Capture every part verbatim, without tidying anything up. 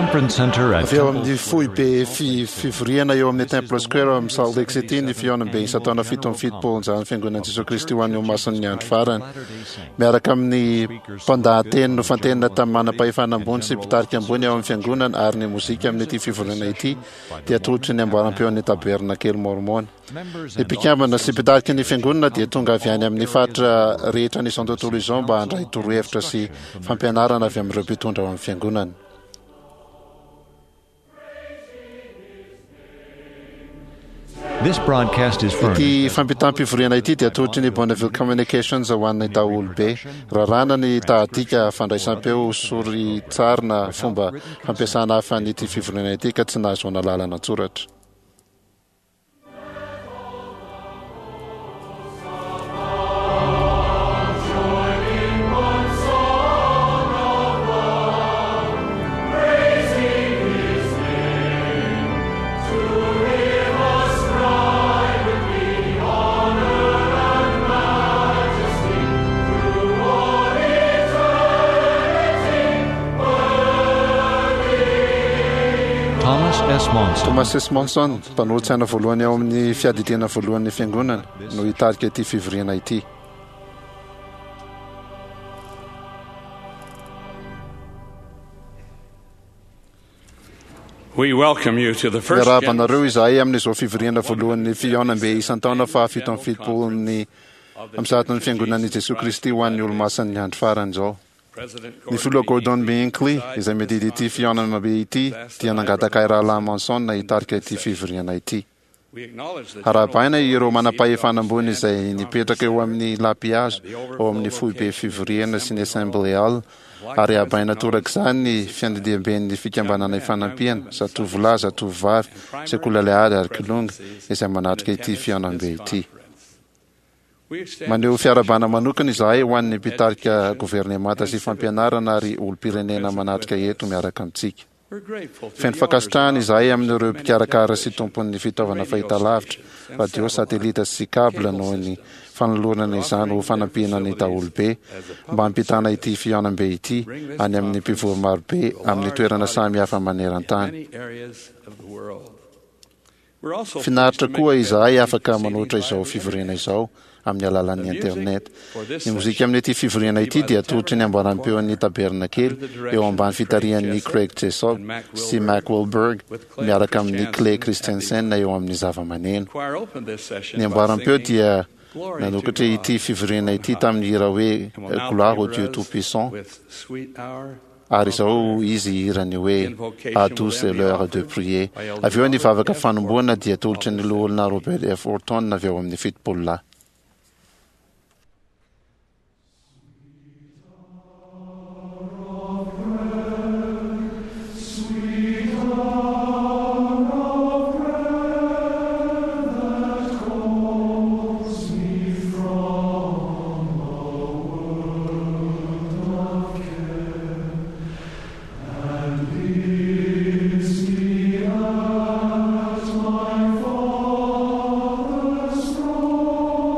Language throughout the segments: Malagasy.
conference center at Avy eo Temple amin'ny foibe fi- fivoriana eo amin'ny Temple Square ao amin'ny Salt Lake City ny fihaonambe isan-taona fito amby fitopolo izany fiangonan'i Jesoa Kristy ho an'ny Olomasin'ny andro farany. Miaraka amin'ny mpandahateny nofantenina tamin'ny manam-pahefana ambony sy mpitarika ambony ao amin'ny fiangonana ary ny mozika amin'ity fivoriana ity dia atolotry ny amboaram-peon'ny tabernakely Mormona. Ny mpikambana sy mpitarika ny fiangonana dia tonga avy any amin'ny faritra rehetra an'izao tontolo izao mba handray torohevitra sy fampianarana avy amin'ireo mpitondra ao amin'ny fiangonana. This broadcast is Ity furnished fampitam-pivoriana ity dia atolotry ny Bonneville Communications ho an'ny daholobe. Raràna ny tahadika fandraisam-peo soritary na fomba fampiasana hafa an'ity fivoriana ity ka tsy nahazoana lalana an-tsoratra. Thomas S. Monson, Thomas S. Monson, mpanolotsaina voalohany ao amin'ny fiadidiana voalohan'ny fiangonana, no hitarika ity fivoriana ity. We welcome you to the first Miarahaba anareo izahay amin'izao fivoriana voalohan'ny fihaonambe isan-taona fahafito amby fitopolon'ny amin'ny sahatin'ny fiangonan'i Jesoa Kristy ho an'ny Olomasin'ny andro farany izao. President Ny filoha Gordon B. Hinckley, izay miadidy ity fihaonambe ity, dia nangataka ahy rahalahy Monson hitarika ity fivoriana ity. We acknowledge the Arahabaina general ireo manam-pahefana ambony authorities izay nipetraka eo amin'ny lapihazo ao amin'ny foibe fivoriana sy ny Assembly Hall ary arahabaina torak'izany ny fiandidiamben'ny fikambanana ifanampiana, zatovolahy, zatovovavy, sekoly alahady ary kilonga izay manatrika ity fihaonambe ity. We extend Maneho fiarahabana manokana izahay ho an'ny mpitarika governemanta sy fampianarana ary olom-pirenena manatrika eto miaraka amintsika. We're grateful to Feno the fankasitrahana owners izahay of amin'ireo many mpikarakara sy television tompon'ny fitaovana and radio fahitalavitra, stations and radio, satellite satelita sy kabla cable noho ny systems fanolorana izany ho fanampiana ny daholobe mba hampitana ity fihaonambe ity any amin'ny mpivory marobe amin'ny toerana samy hafa in maneran-tany. many areas of the world. We're also Finaritra pleased to koa make izahay available afaka these manoatra proceedings izao by fivoriana internet. izao amin'ny alalan'ny The music internet. for this Ny mozika session amin'ity fivoriana ity will be by dia the atolotry ny amboaram-peon'ny tabernakely under the eo ambany direction of Craig fitarihan'ny Jessup Craig Jessup and Mac sy Mac Wilberg Wilberg with Clay miaraka amin'ny Clay Christensen at Christensen the eo amin'ny zava-maneno. Choir opened this session Ny by amboaram-peo singing dia Glory to nanokatra God ity fivoriana on ity high. tamin'ny hira hoe And will now Gloire au favor Dieu us Tout-Puissant with sweet hour ary of izao prayer. izy hirany hoe Invocation À will tous then be l'heure de offered prier. by Elder Avy eo ny Robert vavaka F. fanomboana dia Orton atolotry of ny the loholona Robert F. Orton avy ao amin'ny fitopolo lahy. Father's throne.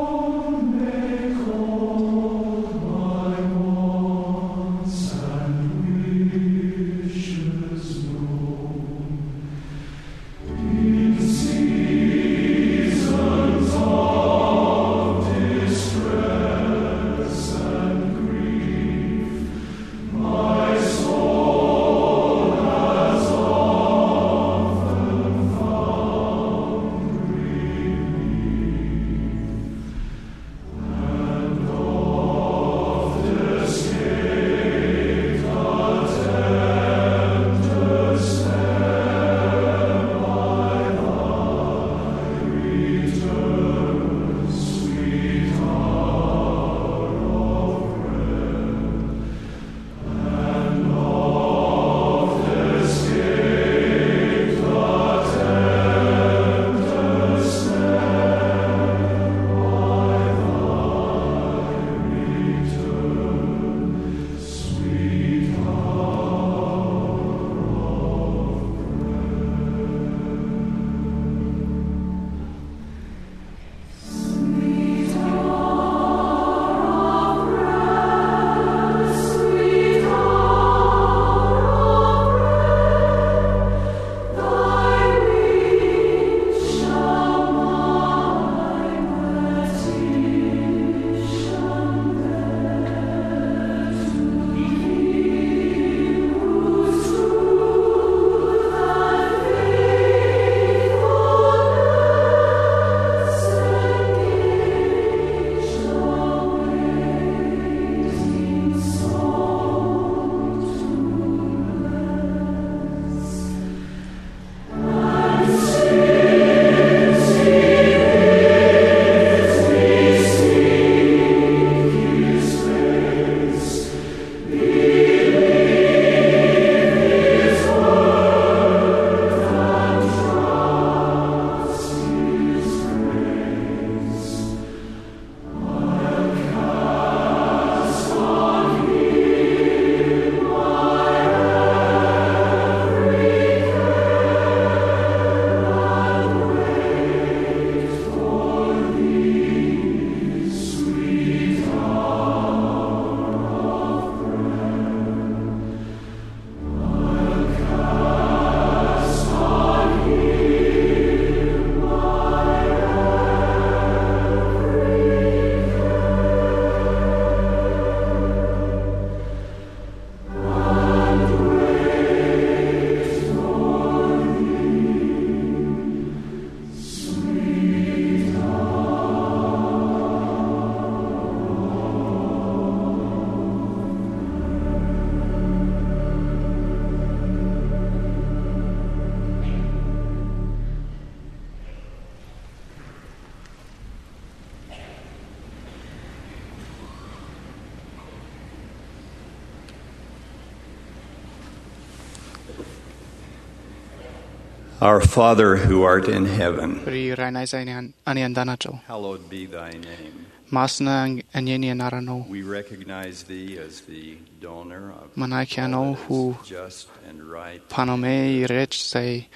Our Father who art in heaven, Ry Rainay izay any any an-danitra ao. hallowed be thy name. Masina anie ny anaranao. We recognize thee as the donor of Manaiky all anao that ho is just and right. mpanome rehetra izay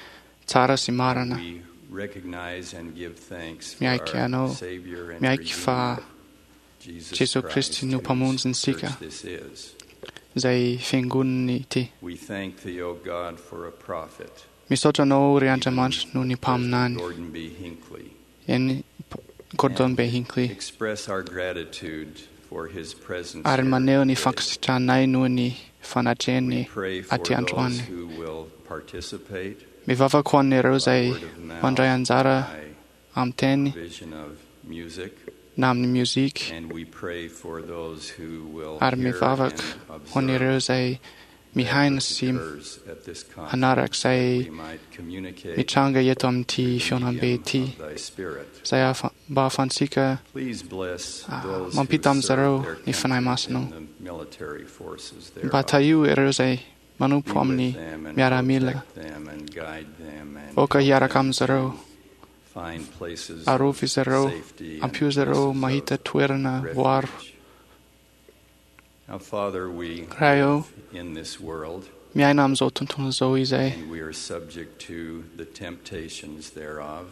tsara sy marina. We recognize and give thanks for Miaiky our anao, Savior and miaiky fa Redeemer, Jesus Jesoa Christ, Kristy no whose mpamonjintsika. church this is. Izay fiangonany ity. We thank thee, O God, for a prophet, Misaotra anao ry Andriamanitra noho ny mpaminany. Gordon B. Hinckley. Eny Gordon B. Hinckley. Express our gratitude for his presence Ary here maneho ny today. fankasitrahanay noho ny We fanatrehany pray for aty those androany. who will participate Mivavaka ho an'ireo by izay word of mouth, mandray anjara by amin'ny teny provision of music, na amin'ny mozika and we pray for those who will ary hear mivavaka and ho an'ireo observe izay that mihaino which sy occurs at this conference, hanaraka izay we might communicate mitranga eto amin'ity through the fihaonambe medium ity of thy Spirit. izay ahafa- mba ahafahantsika Please bless ah, those who mampita serve amin'izareo their ny country Fanahy Masina. in the military forces mba thereof. tahio ireo izay Be manompo with amin'ny them and miaramila. protect them and guide them and Aoka help hiaraka them amin'izareo. to find places Arovy of izy ireo, safety and ampio izy ireo places of mahita toerana voaro. refuge. Now, Father, we Ray ô, live in this world miaina amin'izao tontolo izao izay and we are subject to the temptations thereof.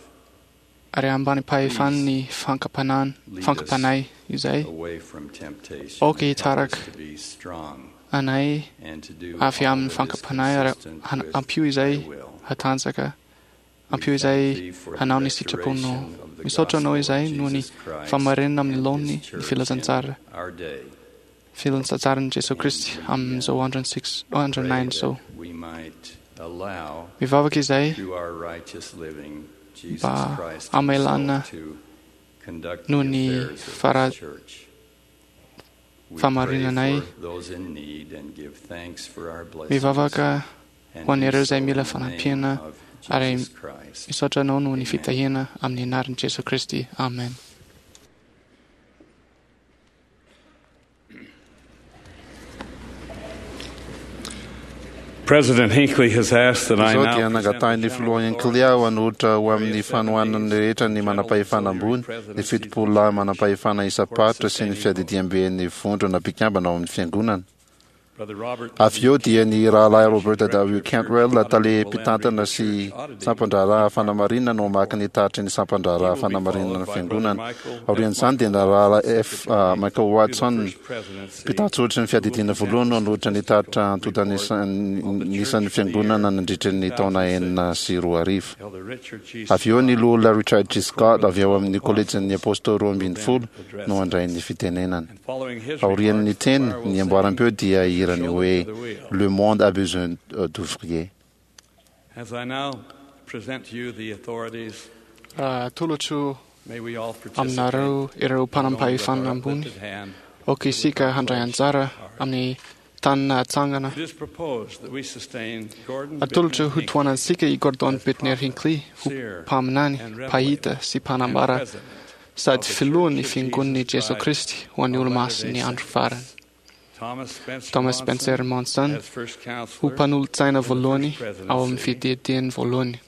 ary ambany pahefan'ny fankapanana Lead us fankapanahy izay away from temptation. Aoka Help us hitaraka to be strong anay and to do avy all amin'ny that is fankapanahy ary consistent han- with ampio izay thy will. hatanjaka We ampio thank izay thee for the hanao ny sitraponao. restoration of the Misaotra anao gospel of izay noho ny Jesus Christ fahamarinana amin'ny and his laoniny ny church in filazantsara our day. filazantsaran'i Jesoa Kristy amin'izao andron'ny six andro Pray nine izao. that we might allow Mivavaka izay through our righteous living Jesus mba Christ hamelana himself to conduct the noho ny affairs of this fara- church. We pray fahamarinanay. for those in need and give thanks for our blessings Mivavaka and ho an'ireo do izay so mila in the name fanampiana of ary Jesus Christ. misaotra anao noho ny Amen. fitahiana amin'ny anaran'i Jesoa Kristy. Amen. President Hinckley has asked that I Izao now dia present nangatahin'ny the filoha general Hinckley aho hanolotra ho authorities, amin'ny fanohanany rehetra ny manam-pahefana ambony, ny fitopolo lahy manam-pahefana isam-paritra sy ny fiadidiam-ben'ny vondrona mpikambana ao amin'ny fiangonana. Brother Robert Avy eo dia ny rahalahy Robert W. Cantwell, tale mpitantana sy sampan-draharaha fanamarinana no hamaky ny tatitry ny sampan-draharaha fanamarinana ny fiangonana. Aorian'izany dia ny rahalahy F. ah, Michael Watson, mpitatsoritry ny fiadidiana voalohany no hanolotra ny tatitra antontan'isan'ny fiangonana nandritra ny taona enina sy roa arivo. Elder Richard G. Avy eo ny loholona Richard G. Scott avy ao amin'ny kolejin'ny apôstôly roa ambin'ny folo no handray ny fitenenana. And following his Aorian'ny remarks, the teny, choir will ny sing amboaram-peo dia hirany Shoulder hoe to the Wheel. Le monde a besoin euh, d'ouvriers. As I now present to you the authorities, Raha atolotro may we all participate aminareo ireo not only with mpanam-pahefana our ambony, uplifted hand. aoka isika handray anjara amin'ny tanana atsangana. It is proposed that we sustain Gordon Atolotra Bittner ho Hinckley tohanantsika i Gordon Bittner Hinckley ho seer mpaminany, and revelator mpahita sy and mpanambara president sady of the filohan'ny Church of fiangonan'i Jesus Jesoa Christ Kristy ho an'ny of olo-masin'ny Latter-day andro Saints. farany. Thomas Spencer Thomas Monson Spencer Monson as first ho counselor mpanolotsaina in the voalohany first ao amin'ny presidency, fiadidiany voalohany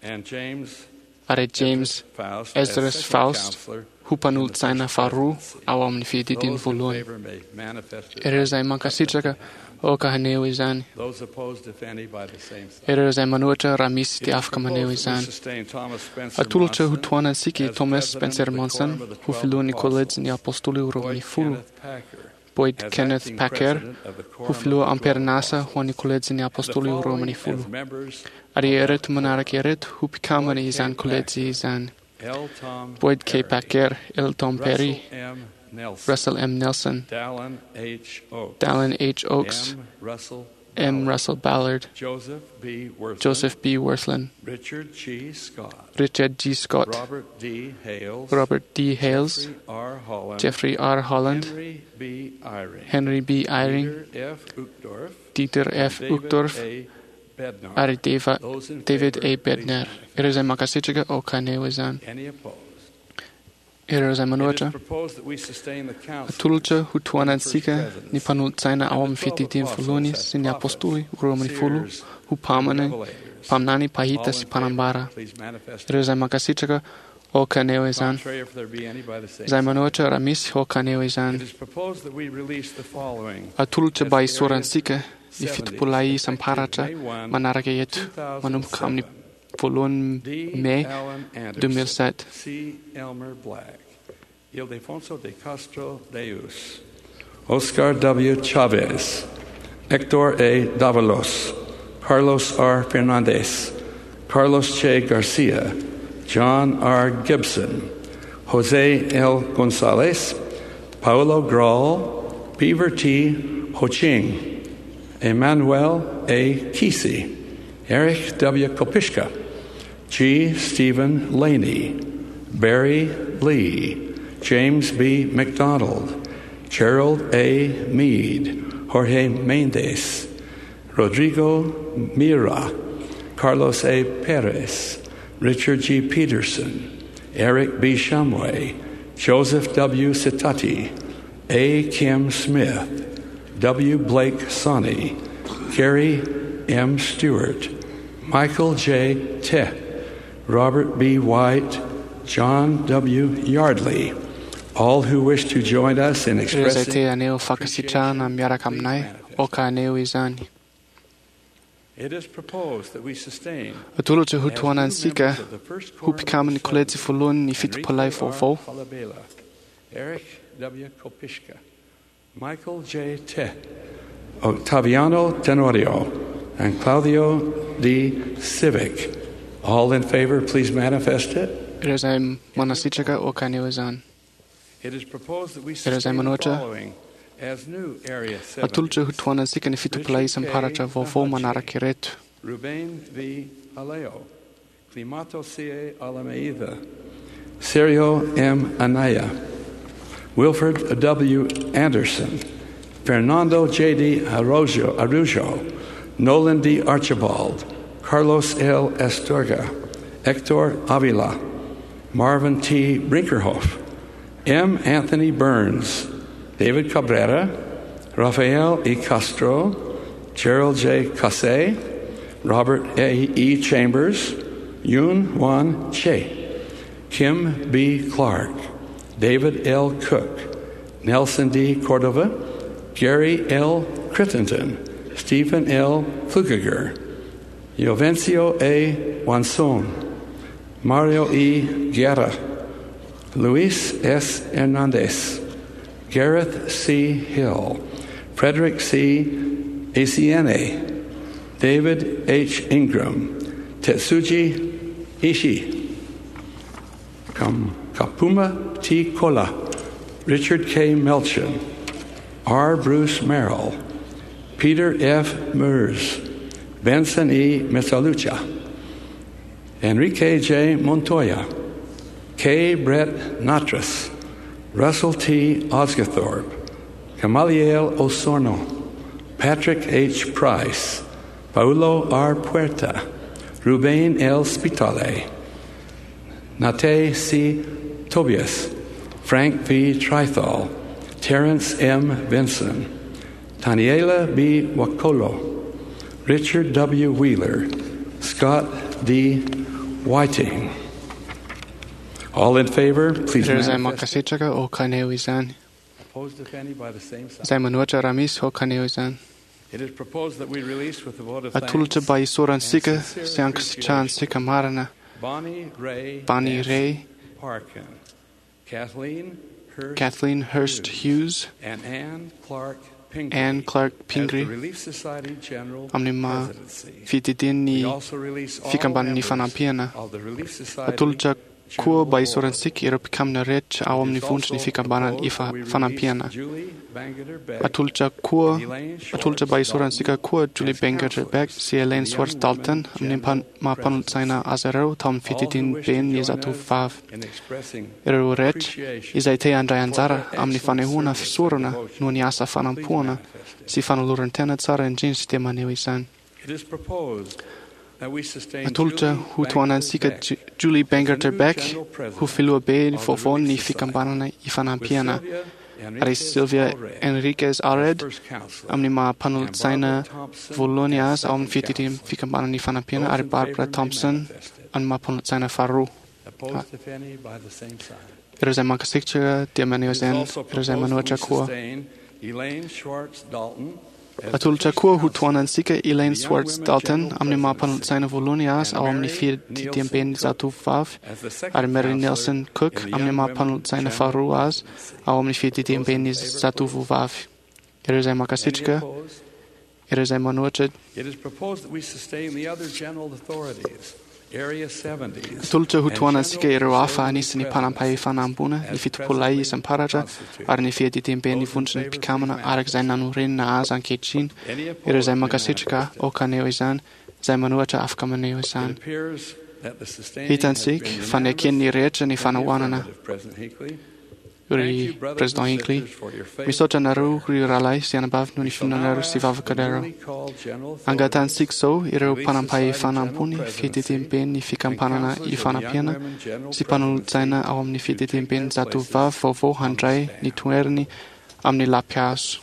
and James ary James Faust as Ezra second Faust counselor ho in the first mpanolotsaina faharoa presidency. ao amin'ny fiadidiany Those in voalohany. favor may manifest it Ireo izay mankasitraka aoka haneho izany. Those opposed, if any, by the same sign. Ireo izay manohitra raha misy It dia is afaka maneho proposed that we izany. sustain Thomas Spencer Atolotra ho Monson tohanantsika i as Thomas president Spencer of the Monson Quorum of the ho Twelve filohan'ny Apostles, kolejin'ny apôstôly roa Boyd ambin'ny folo, Kenneth Packer Boyd as Kenneth acting Packer president of the ho Quorum of filoha the Twelve amperinasa ho Apostles. an'ny kolejin'ny The apôstôly roa following ambin'ny folo. as members Ary of that ireto manaraka quorum: ireto ho mpikambana Boyd K. izany kolejy Packer, izany. L. Tom Boyd K. Perry, Packer, L. Tom Perry, Russell M. Nelson, Russell M. Nelson, Dallin H. Oaks, Dallin H. Oaks, M. Russell M. Ballard, Russell Ballard, Joseph B. Worthman, Joseph B. Worthland, Richard G. Scott, Richard G. Scott, Robert D. Hales, Robert D. Hales, Jeffrey R. Holland, Jeffrey R. Holland, Henry B. Eyring, Henry B. Eyring, Peter F. Uchtdorf, Dieter F. David Uchtdorf A. Bednar. ary Deva- Those in David favor, A. please Bednar. manifest. Ireo izay mankasitraka aoka haneho izany. Any opposed? Ireo izay It is manohitra proposed that we sustain the council atolotra ho tohanantsika ny mpanolotsaina ao and amin'ny the twelve fiadidiany voalohany apostles sy as ny apôstôly prophets, roa ambin'ny folo seers, ho mpamana revelators, Mpaminany, mpahita All sy in favor, mpanambara. please manifest. Ireo izay mankasitraka, aoka haneho izany. Contrary, if there be any, by the same Izay manohitra, raha misy, aoka haneho It izany. is proposed that we release the following Atolotra mba hisorantsika ny fitopolahy isam-paratra manaraka eto, manomboka amin'ny voalohany D. May Allen Anderson, deux mille sept. C. Elmer Black, Ildefonso de Castro Deus, Oscar W. Chavez, Hector A. Davalos, Carlos R. Fernandez, Carlos Che Garcia, John R. Gibson, Jose L. Gonzalez, Paolo Grahl, Beaver T. Ho-Ching, Emmanuel A. Kesey, Erich W. Kopishka, G. Stephen Laney, Barry Lee, James B. McDonald, Gerald A. Mead, Jorge Mendez, Rodrigo Mira, Carlos A. Perez, Richard G. Peterson, Eric B. Shumway, Joseph W. Citati, A. Kim Smith, W. Blake Sonny, Gary M. Stewart, Michael J. Teh, Robert B. White, John W. Yardley. All who wish to join us in Ireo izay expressing te haneho fankasitrahana miaraka aminay, aoka haneho izany. It is proposed that we sustain Atolotra ho as new tohanantsika members of the first ho quorum of mpikamin'ny the kolejy seven, voalohany ny Enrique fitopolahy R. vaovao, Falabella, Eric W. Kopishka, Michael J. Teh, Octaviano Tenorio, and Claudio D. Civic. All in favor, please manifest it. Ireo izay manasitraka, aoka haneho izany. It is proposed that we Ireo izay sustain the manohitra, following as new Area atolotra ho seventies. tohanantsika ny fitopolahy isam-paratra vaovao manaraka ireto: Ruben V. Aleo, Climato C. A. Alameida, Sergio M. Anaya, Wilford W. Anderson, Fernando J. D. Arrojo, Arujo, Nolan D. Archibald, Carlos L. Astorga, Hector Avila, Marvin T. Brinkerhoff, M. Anthony Burns, David Cabrera, Rafael E. Castro, Gerald J. Cassé, Robert A. E. Chambers, Yoon Wan Che, Kim B. Clark, David L. Cook, Nelson D. Cordova, Gary L. Crittenden, Stephen L. Flukiger, Jovencio A. Wanson, Mario E. Guerra, Luis S. Hernandez, Gareth C. Hill, Frederick C. Asiene, David H. Ingram, Tetsuji Ishii, Kam- Kapuma T. Kola, Richard K. Melchin, R. Bruce Merrill, Peter F. Mers, Benson E. Metalucha, Enrique J. Montoya, K. Brett Natras, Russell T. Osgathorpe, Gamaliel Osorno, Patrick H. Price, Paulo R. Puerta, Ruben L. Spitale, Nate C. Tobias, Frank V. Trithal, Terrence M. Vinson, Taniela B. Wakolo, Richard W. Wheeler, Scott D. Whiting. All in favor, please Ireo izay manifest. mankasitraka, aoka haneho izany. Opposed, if any, by the same sign. Izay manohitra, raha misy, aoka haneho izany. It is proposed that we release with the vote of Atolotra thanks mba hisorantsika sy ankasitrahantsika marina Bonnie Ray Bonnie S. Ray, Parkin, Kathleen Hurst Kathleen Hurst Hughes, and Ann Clark Pingree Ann Clark as the Pingree Relief Society General amin'ny maha Presidency. fididian'ny We also release all fikambanan'ny members fanampiana. of the Relief Society Atolotra koa General mba Board. hisorantsika ireo mpikamina rehetra ao It amin'ny is vondron'ny also fikambanana proposed that ifa we release fanampiana. Julie Bangerter Beck Atolotra koa and Elaine Schwartz atolotra mba hisorantsika koa Julie as Bangerter counselors Beck sy Elaine to the Young Swartz Dalton Women amin'ny General maha mpanolotsaina azy ireo tao amin'ny All who fididian'ny wish to ben'ny join us zatovovavy. in expressing Ireo rehetra appreciation izay te handray anjara for their amin'ny excellent fanehoana service and fisorana devotion, noho ny asa please fanampoana manifest it. sy fanoloran-tena tsara indrindra dia maneho izany. It is proposed Atolotra ho tohanantsika Julie Bangerter Beck ho filohabe vaovaon'ny fikambanana Ifanampiana, ary Sylvia Enriquez Allred amin'ny maha mpanolotsaina voalohany azy ao amin'ny fiadidian'ny fikambanana Ifanampiana, ary Barbara Thompson amin'ny maha mpanolotsaina faharoa. Ireo izay mankasitraka dia maneho izany, ireo izay manohitra koa. Atolotra koa ho tohanantsika Elaine Swartz Dalton amin'ny maha mpanolotsaina voalohany azy ao amin'ny fiadidiamben'ny zatovovavy, ary Mary Nelson Cook amin'ny maha mpanolotsaina faharoa azy ao amin'ny fiadidiamben'ny zatovovavy. Ireo izay mankasitraka, ireo izay manohitra. Atolotra ho tohanantsika ireo hafa anisan'ny mpanampahefana ambony, ny fitopololahy isam-paratra, ary ny fiadidiamben'ny vondron'ny mpikambana araka izay nanorenana azy ankehitriny. Ireo izay mankasitraka aoka haneho izany, izay manohitra afaka maneho izany. Hitantsika fa neken'ny rehetra ny fanohanana. Ry Président Hinckley, misaotra anareo ry rahalahy sy anabavy noho ny finoanareo sy vavakareo. Angatahantsika izao ireo mpanampahefana ambony, fiadidiamben'ny fikambanana Ifanampiana sy mpanolotsaina ao amin'ny fiadidiamben'ny zatovovavy vaovao handray ny toerany amin'ny lampihazo.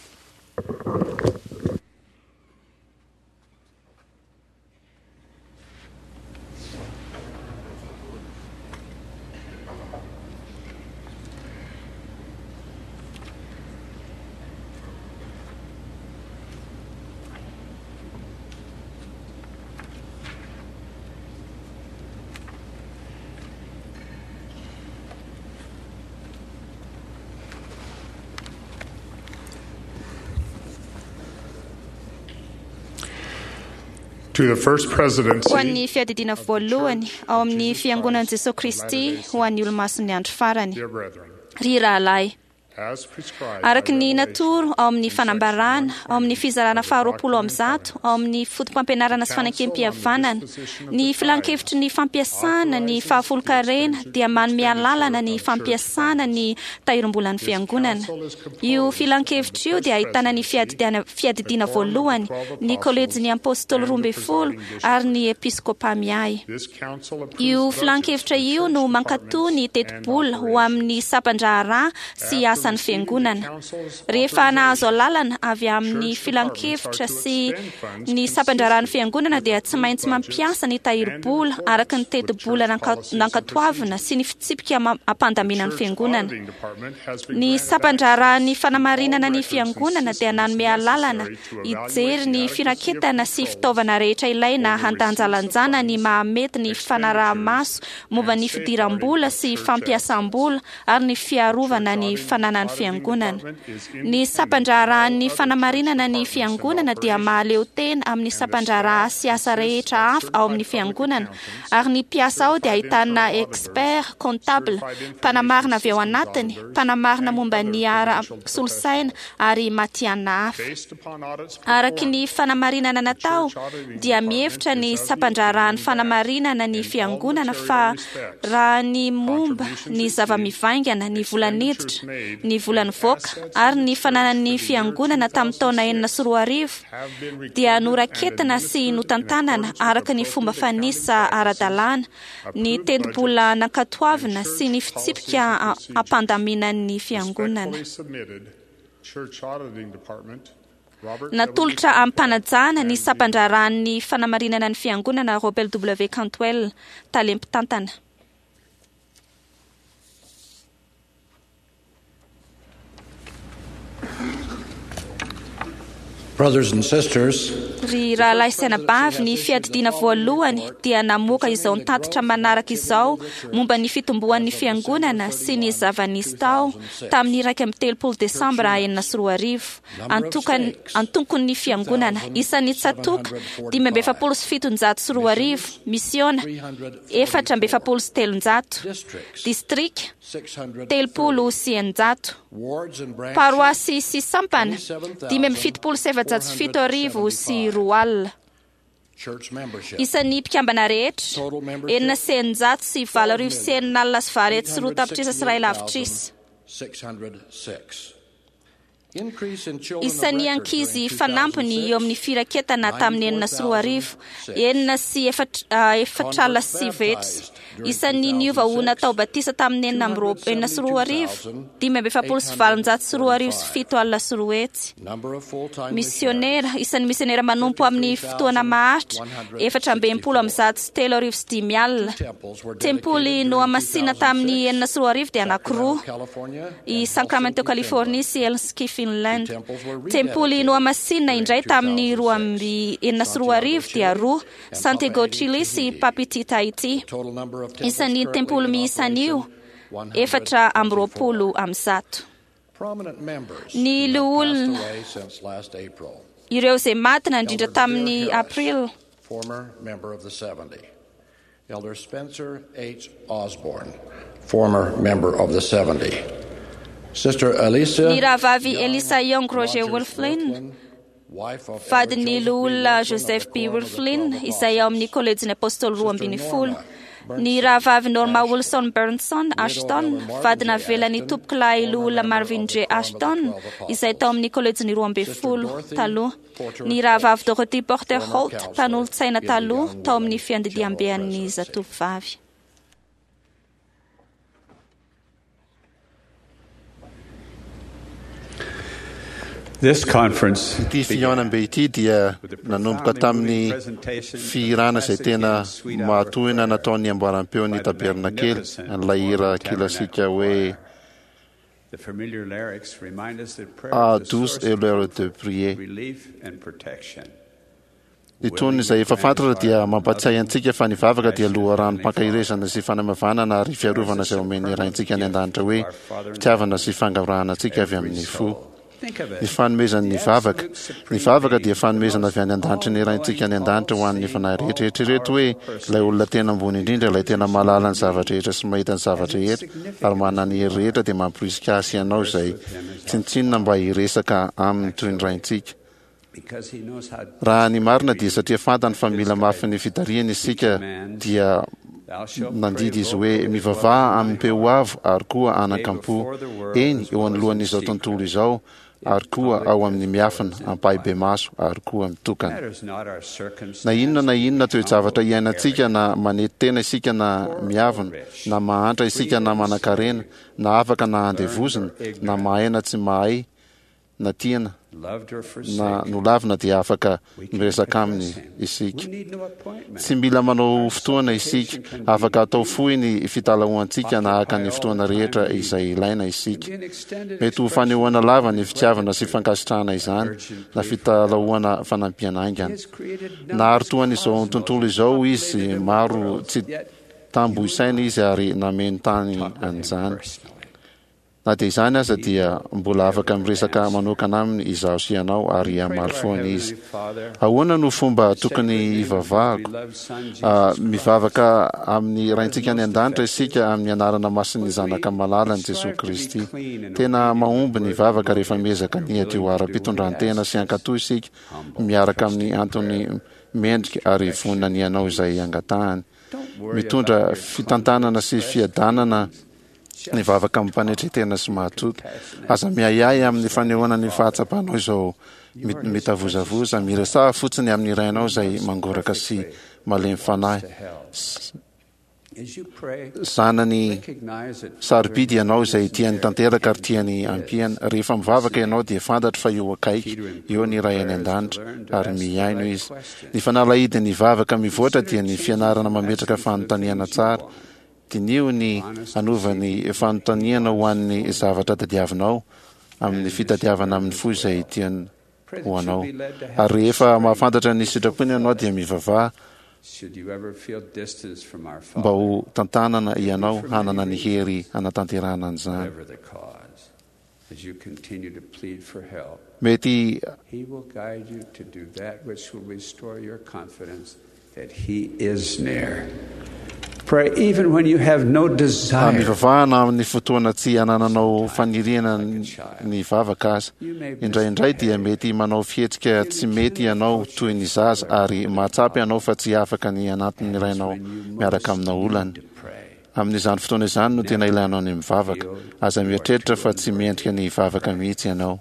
To the First Presidency Ho an'ny fiadidiana voalohany ao amin'ny fiangonan'i Jesosy Kristy ho an'ny olomasin'ny andro farany. Dear brethren, Ry rahalahy, as prescribed by araka ny Revelation natoro ao amin'ny in section fanambarana, ao amin'ny one twenty fizarana of the faharoapolo Doctrine amby and zato, Covenants, ao amin'ny foto-pampianarana sy the Council on the fanekempihavanana, Disposition of ny the filankevitry ny Tithe fampiasana ny authorizes the fahafolonkarena extension dia manome alalana expenditure ny of church fampiasana funds. ny tahirim-bolan'ny This fiangonana. council is composed Io of the filankevitra io First dia ahitana ny Presidency, fiadidiana- fiadidiana the Quorum of the voalohany, Twelve ny Apostles, kolejin'ny apôstôly and roa the ambin'ny folo presiding bishopric. ary ny episkôpa miahy. This council approves Io budgets filankevitra for io church no mankatò ny departments and tetibola ho amin'ny operations. sampan-draharaha sy After asan'ny receiving the fiangonana. council's Rehefa nahazo authorization, alalana avy amin'ny church departments are filankevitra to sy expend funds ny sampan-draharahan'ny consistent fiangonana with dia tsy approved maintsy budgets mampiasa ny and in tahirim-bola araka ny accordance with tetibola church nanka- policies and nankatoavina procedures. sy ny fitsipika ma- The ampandaminan'ny church fiangonana. auditing department has been Ny granted sampan-draharahan'ny access to all fanamarinana ny records and fiangonana dia systems nanome alalana necessary to evaluate hijery the ny adequacy of firaketana sy controls fitaovana rehetra ilaina over receipts of handanjalanjana ny funds, mahamety ny expenditures, fanaraha-maso momba and ny safeguarding fidiram-bola of sy church assets. fampiasam-bola ary ny The church fiarovana ny auditing, fananan'ny auditing fiangonana. department is Ny independent of all sampan-draharahan'ny other church fanamarinana ny departments and fiangonana dia operations, mahaleo tena amin'ny and the sampan-draharaha staff sy asa consists rehetra of hafa ao amin'ny certified public fiangonana, accountants, ary ny mpiasa ao dia certified ahitana internal auditors, expert comptable, certified information mpanamarina avy ao systems anatiny, auditors, mpanamarina and momba other ny credentialed ara-solosaina professionals. ary matihanina hafa. Based upon audits Araka ny performed, fanamarinana the natao church auditing dia department mihevitra ny is of the sampan-draharahan'ny opinion that, fanamarinana ny in all fiangonana material fa respects, raha ny momba contributions ny received, zava-mivaingana, ny vola expenditures niditra, made, ny vola and nivoaka assets of ary the ny church for fananan'ny the year fiangonana tamin'ny taona enina two thousand six sy roa arivo have been dia recorded and noraketina sy administered in notantanana accordance with araka ny fomba appropriate accounting fanisa practices, ara-dalàna, ny approved tetibola budgets, and nankatoavina sy ny church policies fitsipika and a- procedures. ampandaminan'ny fiangonana. Respectfully submitted, Church Auditing Department, Robert W. Natolotra Cantwell amim-panajana ny and the sampan-draharahan'ny fanamarinana ny fiangonana Robert W. Cantwell, tale mpitantana. Brothers and sisters, Ry rahalahy sy anabavy, ny fiadidiana voalohany dia namoaka izao nitatitra manaraka izao momba ny fitomboan'ny fiangonana sy ny zava-nisy tao tamin'ny iraika amby telopolo desambra enina sy roa arivo. Antokan- Antokon'ny fiangonana isan'ny tsatoka dimy amby efapolo sy fitonjato sy roa arivo, misiona efatra amby efapolo sy telonjato, districts distrika six hundred telopolo sy eninjato, wards and branches paroasy sy sampana dimy amby fitopolo sy efajato sy fito arivo sy roa alina. church membership Isan'ny mpikambana rehetra total membership enina sy eninjato sy valo arivo sy enina alina sy valo hetsy sy roa tapitrisa sy iray lavitrisa. six hundred six. Isan'ny ankizy fanampiny eo amin'ny firaketana tamin'ny enina sy roa arivo, enina sy efatra alina sy sivy hetsy. Isan'ny niova ho natao batisa tamin'ny enina amby roa enina sy roa arivo, dimy amby efapolo sy valonjato sy roa arivo sy fito alina sy roa hetsy. Misionera, isan'ny misionera manompo amin'ny fotoana maharitra, efatra amby enimpolo amby zato sy telo arivo sy dimy alina. Tempoly nohamasina tamin'ny enina sy roa arivo dia anankiroa, i Sacramento, Californie sy Helsinki, Finland. Tempoly nohamasina indray tamin'ny roa amby enina sy roa arivo dia roa, Santiago, Chile sy Papeete, Tahiti. Isan'ny tempoly miisa an'io, efatra amby roapolo amby zato. Ny loholona, ireo izay maty nandrindra tamin'ny aprily. Elder Spencer H. Osborne, former member of the seventy. Sister Elisa Ny rahavavy Elisa Young Roger Wolflin, vadin'ny loholona Joseph B. Wolflin, izay ao amin'ny kolejin'ny apôstôly roa ambin'ny folo. Ny rahavavy Norma Wilson Burnson Ashton, vadina avelan'ny tompokolahy loholona Marvin J. Ashton, izay tao amin'ny kolejin'ny roa ambin'ny folo taloha. Ny rahavavy Dorothy Porter Holt, mpanolotsaina taloha tao amin'ny fiandidiambean'ny zatovovavy. This conference Ity fihaonambe ity dia nanomboka tamin'ny fihirana izay tena mahatohina nataon'ny amboaram-peon'ny tabernakely, an'ilay hira kilasika hoe The familiar lyrics remind us that prayer Ah, is the douce source est of l'heure de prier. relief and protection. Ny tonony izay efa fantatra dia mampatsiahy antsika fa ny vavaka dia loharanom-pankaherezana sy fanamavanana ary fiarovana izay omen'ny Raintsika any an-danitra hoe fitiavana sy fangaborahana antsika avy amin'ny fo. Ny fanomezan'ny vavaka. Ny vavaka dia fanomezana avy any an-danitry ny Raintsika any an-danitra ho an'ny fanahy rehetra. Eritrereto hoe ilay olona tena ambony indrindra, ilay tena mahalala ny zavatra rehetra sy mahita ny zavatra rehetra ary manana ny hery rehetra dia mamporisika ahy sy ianao izay tsinontsinona mba hiresaka aminy toy ny Raintsika. Because he knows how Raha ny marina dia satria fantany fa mila mafy ny fitarihana isika dia nandidy izy hoe mivavaha amin'ny peo avo ary koa anakam-po, eny eo anoloan'izao tontolo izao ary koa ao amin'ny miafina ampahibemaso ary koa mitokana. matters not our circumstance. Na inona na inona toe-javatra iainantsika, na manety tena isika na miavona, na mahantra isika na manankarena, na afaka na andevozina, na mahay na tsy mahay, na tiana Loved or na forsaken. nolavina dia afaka miresaka aminy isika. We need no appointment. Tsy mila manao fotoana isika, afaka atao fohy ny fitalahoantsika na haka ny fotoana rehetra izay ilaina isika. Be an extended Mety ho fanehoana lava ny fitiavana sy fankasitrahana izany, na fitalahoana fanampiana haingana. He has created Nahary toa an'izao tontolo izao izy, maro tsy tambo isaina izy ary nameno tany an'izany. personally. Na dia izany aza dia mbola afaka miresaka manokana aminy izaho sy ianao ary hamaly foana izy. Ahoana no fomba tokony hivavahako? Ah, mivavaka amin'ny Raintsika any an-danitra isika amin'ny anarana masin'ny Zanaka malalany Jesosy Kristy. Tena mahomby ny vavaka rehefa miezaka ny hadio ara-pitondran-tena sy hankatò isika miaraka amin'ny antony mendrika ary vonona ny hanao izay angatahany. Mitondra fitantanana sy fiadanana ny vavaka amim-panetren-tena sy mahatoky. Aza miahiahy amin'ny fanehoana ny fahatsapanao izao mi- mitavozavoza. Miresaha fotsiny amin'ny Rainao izay mangoraka sy malemy fanahy. S- As you pray, Zanany recognize that sarobidy ianao izay tiany tanteraka ary tiany ampiana. Rehefa mivavaka ianao dia fantatro fa eo akaiky eo ny Ray any an-danitra ary mihaino izy. Ny fanalahidin'ny vavaka mivoatra dia ny fianarana mametraka fanontaniana tsara. Diniho ny hanova ny fanontaniana ho an'ny zavatra tadiavinao amin'ny fitadiavana amin'ny fo izay tiany ho anao. Ary rehefa mahafantatra ny sitrapony ianao dia mivavaha should you ever feel distance from our mba Father, ho tantanana ianao hanana ny hery hanatanterahana an'izany. whatever the cause, as you continue to plead for help, Mety He will guide you to do that which will restore your confidence that He is near. Pray even when you have no desire. mivavahana amin'ny fotoana tsy anananao faniriana ny vavaka aza. Indraindray dia mety manao fihetsika tsy mety ianao toy ny zaza ary mahatsapa ianao fa tsy afaka ny anatin'ny rainao miaraka amina olana. Amin'izany fotoana izany no tena ilainao ny mivavaka. Aza mieritreritra fa tsy mendrika ny vavaka mihitsy ianao.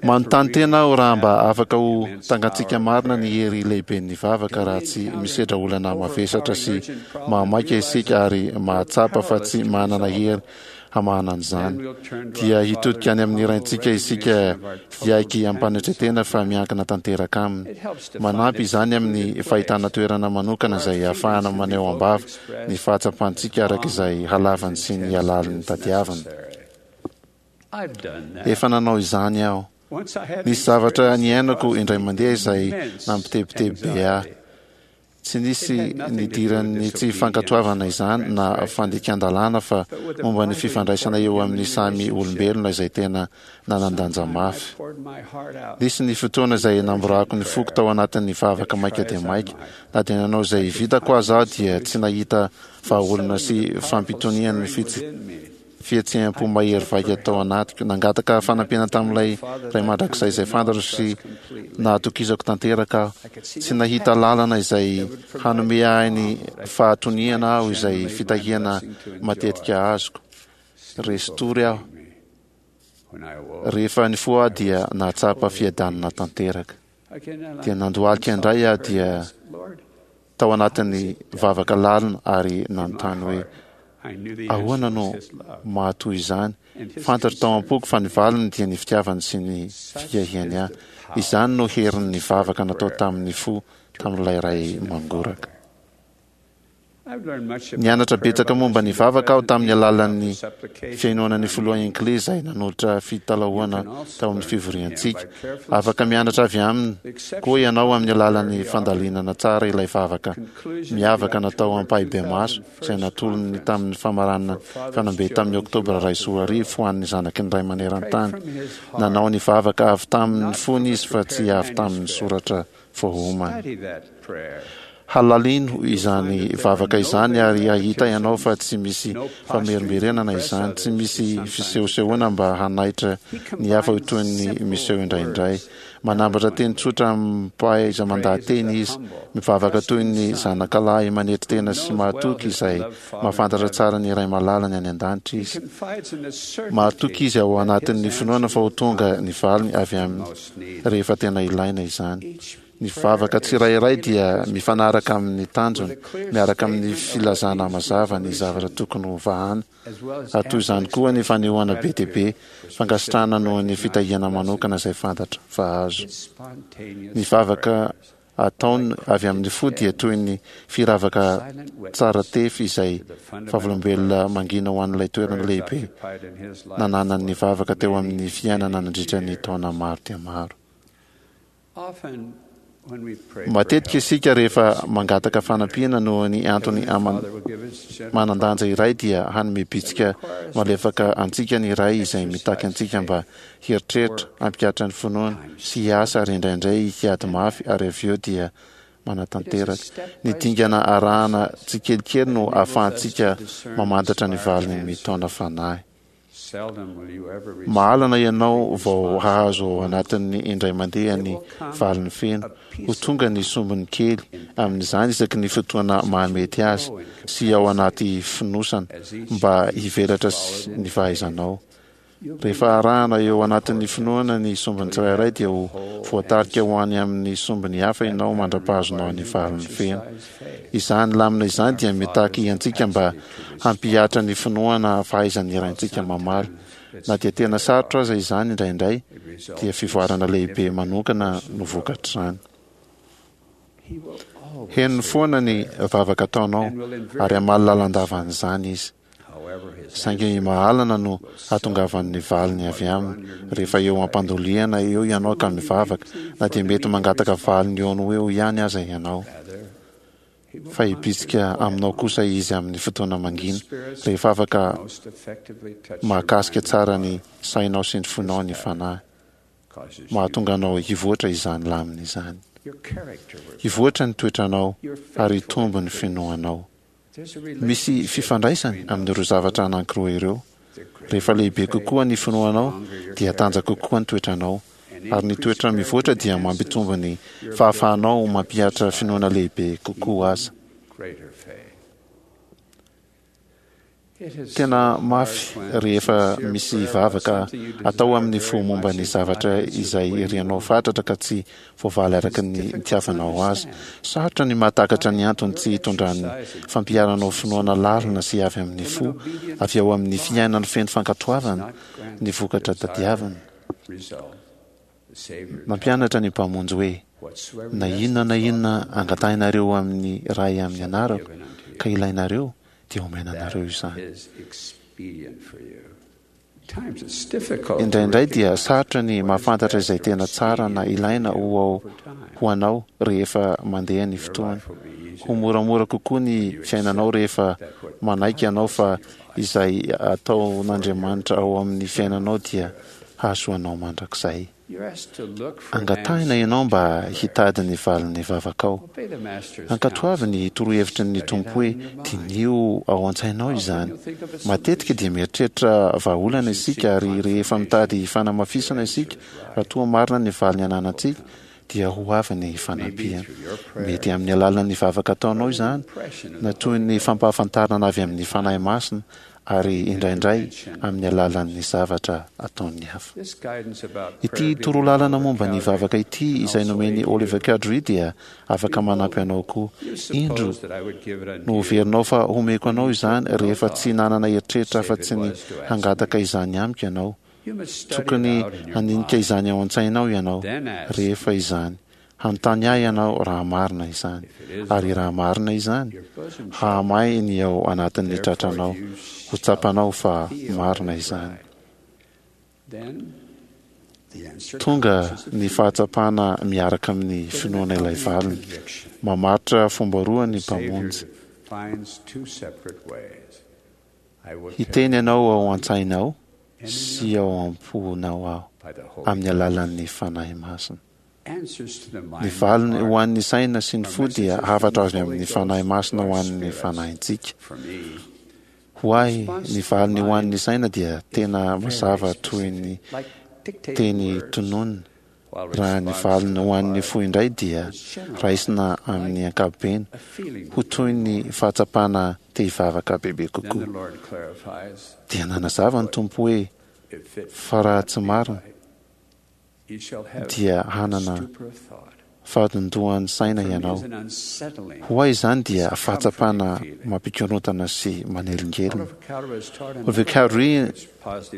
Manontany tena aho raha mba afaka ho tangantsika marina ny hery lehiben'ny vavaka raha tsy misedra olana mavesatra sy mahamaika isika ary mahatsapa fa tsy manana hery hamahana an'izany. Dia hitodika any amin'ny Raintsika isika hiaiky am-panetren-tena fa miankina tanteraka aminy. Manampy izany amin'ny fahitana toerana manokana izay ahafahana maneho am-bava ny fahatsapantsika araka izay halavany sy ny halalin'ny tadiavina. Efa nanao izany aho. Nisy zavatra niainako indray mandeha izay nampitebiteby be ahy. Tsy nisy nidiran'ny tsy fankatoavana izany na fandikan-dalàna fa momba ny fifandraisana eo amin'ny samy olombelona izay tena nanan-danja mafy. Nisy ny fotoana izay namborahako ny foko tao anatin'ny vavaka maika dia maika. Na dia nanao izay vitako aza aho dia tsy nahita vahaolana sy fampitonian'ny fitsy fihetseham-po mahery vaika tao anatiko. Nangataka fanampiana tamin'ilay Ray Mandrakizay izay fantatro sy nahatokisako tanteraka aho. Tsy nahita lalana izay hanome ahy ny fahatoniana aho izay fitahiana matetika azoko. Resy tory aho. Rehefa nifoha aho dia nahatsapa fiadanana tanteraka. Dia nandohalika indray aho dia tao anatin'ny vavaka lalina ary nanontany hoe, Ahoana no mahatoy izany? Fantatro tao am-poko fa ny valiny dia ny fitiavany sy ny fiahiany ahy. Izany no herin'ny vavaka natao tamin'ny fo tamin'ilay Ray mangoraka. Nianatra betsaka momba ny vavaka aho tamin'ny alalan'ny fihainoana ny filoha Hinckley izay nanolotra fitalahoana tao amin'ny fivoriantsika. Afaka mianatra avy aminy koa ianao amin'ny alalan'ny fandalinana tsara ilay vavaka miavaka natao ampahibemaso izay natolony tamin'ny famaranana fanambe tamin'ny Oktobra iray sy roa arivo ho an'ny zanaky ny Ray maneran-tany. Nanao ny vavaka avy tamin'ny fony izy fa tsy avy tamin'ny soratra voaomana. Halalino izany vavaka izany ary hahita ianao fa tsy misy famerimberenana izany, tsy misy fisehosehoana mba hanaitra ny hafa ho toy ny miseho indraindray. Manambatra teny tsotra amim-pahaiza-mandaha-teny izy, mivavaka toy ny zanakalahy manetry tena sy mahatoky izay mahafantatra tsara ny Ray malalany any an-danitra izy. Mahatoky izy ao anatin'ny finoana fa ho tonga ny valiny avy aminy rehefa tena ilaina izany. Ny vavaka tsirairay dia mifanaraka amin'ny tanjony, miaraka amin'ny filazana mazava ny zavatra tokony ho vahana, ary toy izany koa ny fanehoana be dia be fankasitrahana noho ny fitahiana manokana izay fantatra fa azo. Ny vavaka ataony avy amin'ny fo dia toy ny firavaka tsara tefy izay vavolombelona mangina ho an'ilay toerana lehibe nananan'ny vavaka teo amin'ny fiainana nandritra ny taona maro dia maro. Matetika isika rehefa mangataka fanampiana noho ny antony manan-danja iray dia hanome bitsika malefaka antsika ny Ray izay mitaky antsika mba hieritreritra, hampihatra ny finoana, sy hiasa ary indraindray hiady mafy ary avy eo dia manatanteraka. Ny dingana arahana tsikelikely no ahafahantsika mamantatra ny valiny mitaona fanahy. Mahalana ianao vao hahazo ao anatin'ny indray mandeha ny valiny feno. Ho tonga ny sombiny kely amin'izany isaky ny fotoana mahamety azy sy ao anaty fonosana mba hivelatra ny fahaizanao. Rehefa arahana eo anatin'ny finoana ny sombiny tsirairay dia ho voatarika ho any amin'ny sombiny hafa ianao mandra-pahazonao ny valiny feno. Izany lamina izany dia mitaky antsika mba hampihatra ny finoana fahaizan'ny Raintsika mamaly. Na dia tena sarotra aza izany indraindray, dia fivoarana lehibe manokana no vokatr'izany. Henony foana ny vavaka ataonao ary hamaly lalandava an'izany Izy. Saingy mahalana no hatongavan'ny valiny avy aminy rehefa eo am-pandolihana eo ianao ka mivavaka, na dia mety mangataka valiny eo no eo ihany aza ianao. Fa hibitsika aminao kosa Izy amin'ny fotoana mangina, rehefa afaka mahakasika tsara ny sainao sy ny fonao ny Fanahy. Mahatonga anao hivoatra izany lamina izany. Hivoatra ny toetranao ary hitombo ny finoanao. Misy fifandraisany amin'ireo zavatra anankiroa ireo. Rehefa lehibe kokoa ny finoanao, dia tanjaka kokoa ny toetranao. Ary ny toetra mivoatra dia mampitombo ny fahafahanao mampihatra finoana lehibe kokoa aza. Tena mafy rehefa misy vavaka atao amin'ny fo momba ny zavatra izay irianao fatratra ka tsy voavaly araka ny itiavanao azy. Sarotra ny mahatakatra ny antony tsy hitondran'ny fampiharanao finoana lalina sy avy amin'ny fo, avy ao amin'ny fiainana feno fankatoavana, ny vokatra tadiavina. Nampianatra ny Mpamonjy hoe, Na inona na inona angatahinareo amin'ny Ray amin'ny anarako ka ilainareo, dia omena anareo izany. Indraindray dia sarotra ny mahafantatra izay tena tsara na ilaina ho ao ho anao rehefa mandeha ny fotoana. Ho moramora kokoa ny fiainanao rehefa manaiky ianao fa izay ataon'Andriamanitra ao amin'ny fiainanao dia hahasoa anao mandrakizay. Angatahina ianao mba hitady ny valin'ny vavakao. Ankatoavy ny torohevitry ny Tompo hoe diniho ao an-tsainao izany. Matetika dia mieritreritra vahaolana isika, ary rehefa mitady fanamafisana isika raha toa marina ny valiny ananantsika, dia ho avy ny fanampiana. Mety amin'ny alalan'ny vavaka ataonao izany, na toy ny fampahafantarana avy amin'ny Fanahy Masina, ary indraindray amin'ny alalan'ny zavatra ataon'ny hafa. Ity torolalana momba ny vavaka ity izay nomen'i Oliver Cowdery dia afaka manampy anao koa. Indro, noheverinao fa homeko anao izany rehefa tsy nanana eritreritra afa-tsy ny hangataka izany amiko ianao. Tokony handinika izany ao an-tsainao ianao rehefa izany. Hanontany ahy ianao raha marina izany. Ary raha marina izany, hahamay ny ao anatin'ny tratranao, ho tsapanao fa marina izany. Tonga ny fahatsapana miaraka amin'ny finoana ilay valiny. Mamaritra fomba roa ny Mpamonjy. Hiteny anao ao an-tsainao sy ao am-ponao aho amin'ny alalan'ny Fanahy Masina. Ny valiny ho an'ny saina sy ny fo dia hafatra avy amin'ny Fanahy Masina ho an'ny fanahintsika. Ho ahy, ny valiny ho an'ny saina dia tena mazava toy ny teny tononina, raha ny valiny ho an'ny fo indray dia raisina amin'ny ankapobeny ho toy ny fahatsapana te hivavaka bebe kokoa. Dia nanazava ny Tompo hoe, fa raha tsy marina, dia hanana fahadondohan'ny saina ianao. Ho ahy izany dia fahatsapana mampikorontana sy manelingelina. Oliver Cowdery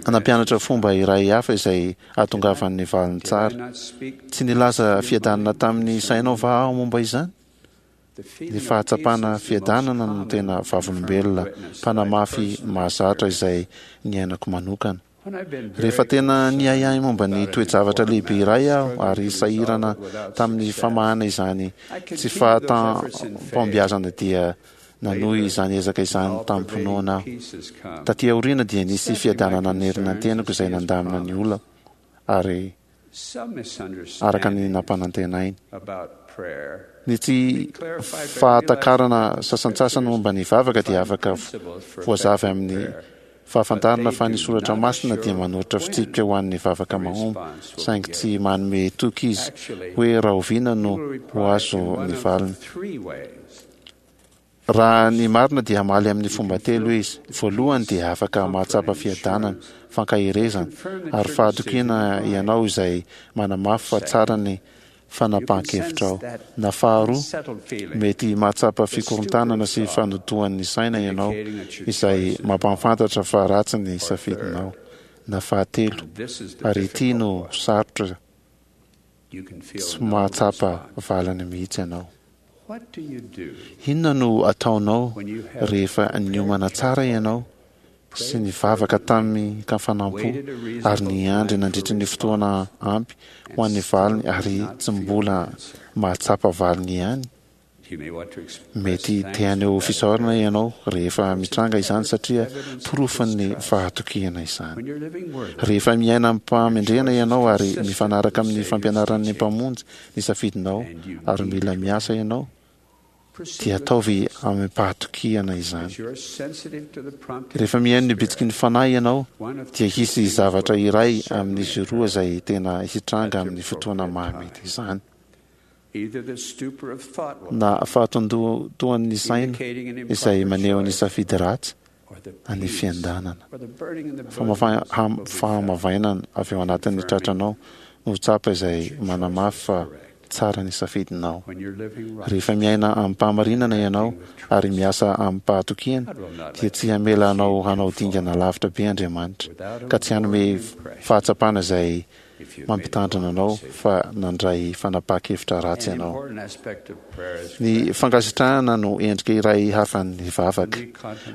nampianatra fomba iray hafa izay ahatongavan'ny valiny tsara. Tsy nilaza fiadanana tamin'ny sainao va aho momba izany? Ny fahatsapana fiadanana no tena vavolombelona mpanamafy mahazatra izay niainako manokana. Rehefa tena niahiahy momba ny toe-javatra lehibe iray aho ary sahirana tamin'ny famahana izany tsy fahatam-pahombiazana dia nanohy izany ezaka izany tamim-pinoana aho. Taty aoriana dia nisy fiadanana nanerina ny tenako izay nandamina ny olako ary araka ny nampanantenainy. Ny tsy fahatakarana sasantsasany momba ny vavaka dia afaka voazava amin'ny fahafantarana fa ny Soratra Masina dia manoritra fitsipika ho an'ny vavaka mahomby, saingy tsy manome toky izy hoe rahoviana no ho azo ny valiny. Raha ny marina dia hamaly amin'ny fomba telo izy. Voalohany dia afaka mahatsapa fiadanana, fankaherezana, ary fahatokiana ianao izay manamafy fa tsara ny fanapahan-kevitrao. Na faharoa, mety mahatsapa fikorontanana sy fandotoan'ny saina ianao izay mampahafantatra fa ratsy ny safidinao. Na fahatelo, ary ity no sarotra, tsy mahatsapa valiny mihitsy ianao. Inona no ataonao rehefa niomana tsara ianao sy nivavaka tamin-kafanam-po ary niandry nandritry ny fotoana ampy ho an'ny valiny ary tsy mbola mahatsapa valiny ihany? Mety te haneho fisaorana ianao rehefa mitranga izany satria porofon'ny fahatokiana izany. Rehefa miaina amim-pahamendrehana ianao ary mifanaraka amin'ny fampianaran'ny Mpamonjy ny safidinao ary mila miasa ianao, dia ataovy amim-pahatokiana izany. Rehefa mihaino ny bitsiky ny Fanahy ianao, dia hisy zavatra iray amin'izy roa izay tena hitranga amin'ny fotoana mahamety izany. Na fahatondoan'ny saina izay maneho ny safidy ratsy, ny fiadanana. Fahamavainana avy ao anatin'ny tratranao no tsapa izay manamafy fa tsara ny safidinao. Rehefa miaina amim-pahamarinana ianao ary miasa amim-pahatokiana, dia tsy hamela anao hanao dingana lavitra be Andriamanitra, ka tsy hanome fahatsapana izay mampitandrina anao fa nandray fanapahan-kevitra ratsy ianao. Ny fankasitrahana no endrika iray hafan'ny vavaka.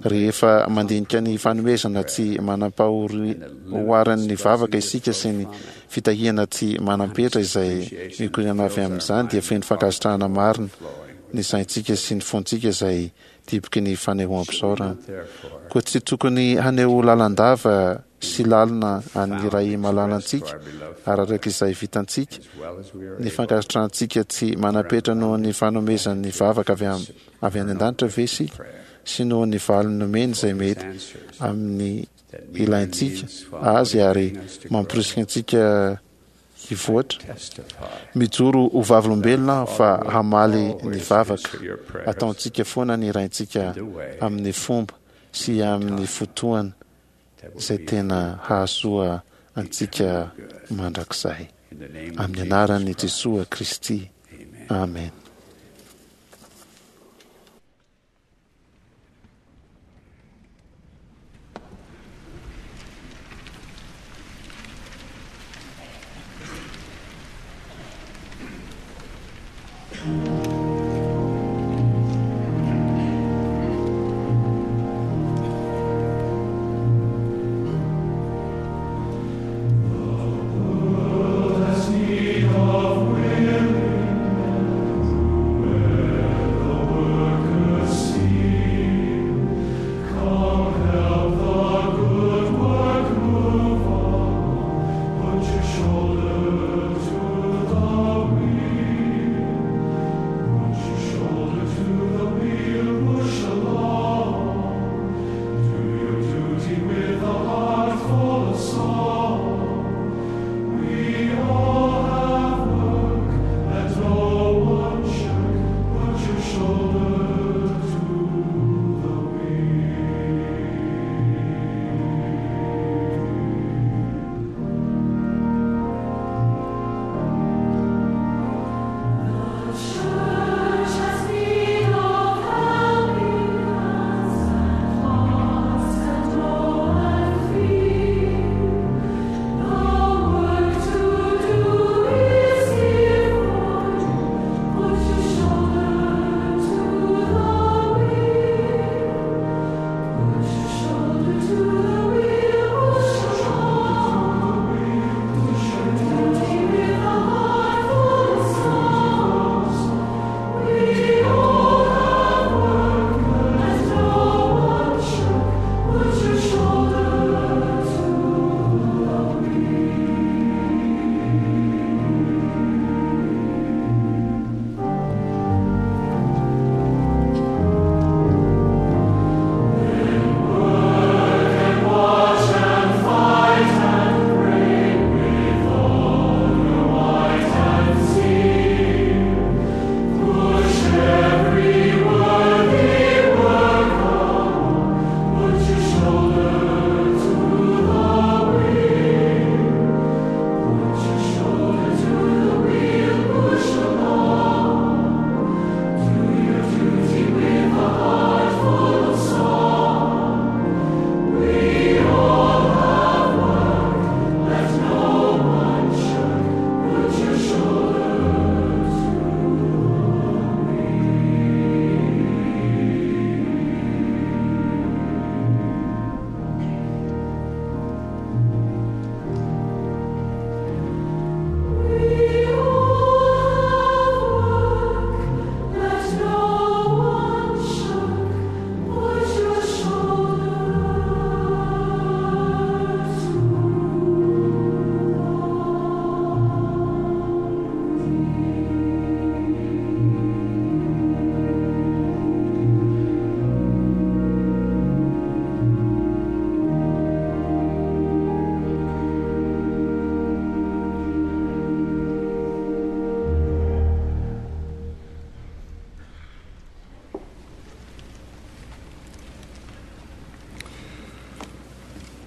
Rehefa mandinika ny fanomezana tsy manam-pahoaran'ny vavaka isika sy ny fitahiana tsy manam-petra izay mikoriana avy amin'izany, dia feno fankasitrahana marina ny saintsika sy ny fontsika izay diboky ny fanehoam-pisaorana. Koa tsy tokony haneho lalandava sy lalina an'ny Ray malalantsika ary araka izay vitantsika ny fankasitrahantsika tsy manam-petra noho ny fanomezan'ny vavaka avy am avy any an-danitra ve isika sy noho ny valiny nomeny izay mety amin'ny ilaintsika azy ary mamporisika antsika hivoatra. Mijoro ho vavolombelona aho fa hamaly ny vavaka ataontsika foana ny Raintsika amin'ny fomba sy amin'ny fotoana izay tena hahasoa antsika mandrakizay. Amin'ny anaran'i Jesoa Kristy. Amen.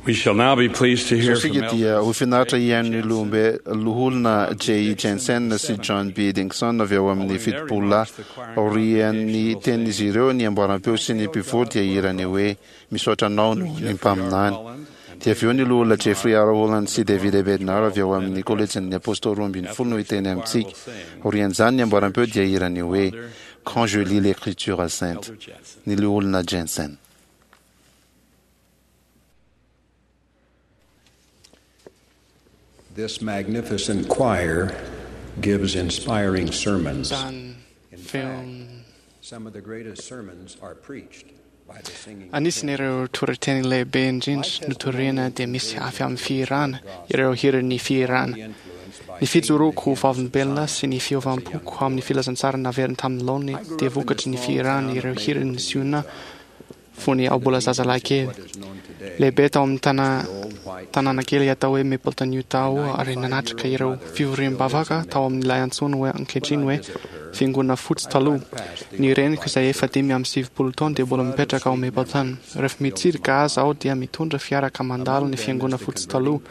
We shall now be pleased to hear Izao from isika dia ho finaritra hihaino ny lohombe loholona J. Jensen sy John B. Dingson avy ao amin'ny fitopolo lahy. Aorian'ny tenin'izy ireo, ny amboaram-peo sy ny mpivory dia hirany hoe misaotra anao noho ny mpaminany. Dia avy eo ny loholona Jeffrey R. Holland sy David A. Bednar avy ao amin'ny kolejin'ny apôstôly roa ambin'ny folo no hiteny amintsika. Aorian'izany ny amboaram-peo dia hirany hoe Quand je lis l'écriture sainte, ny loholona Jensen. This magnificent choir gives inspiring sermons. Zany In fact, feon some of the greatest sermons are preached by the singing. Anisan'ireo toriteny lehibe indrindra notoriana dia misy avy amin'ny fihirana, ireo hiran'ny fihirana. Ny fijoroako ho vavolombelona sy ny fiovam-poko amin'ny filazantsara naverina tamin'ny laoniny dia vokatry ny fihirana ireo hiran'ny Ziona fony aho mbola zazalahy kely. Lehibe tao amin'ny tana- tanàna kely atao hoe Mapleton, Utah aho ary nanatrika ireo fivoriam-bavaka tao amin'ilay antsoina hoe ankehitriny hoe Fiangonana Fotsy taloha. Ny reniko izay efa dimy amby sivifolo taona dia mbola mipetraka ao Mapleton. Rehefa mitsidika azy aho dia mitondra fiara ka mandalo ny Fiangonana Fotsy taloha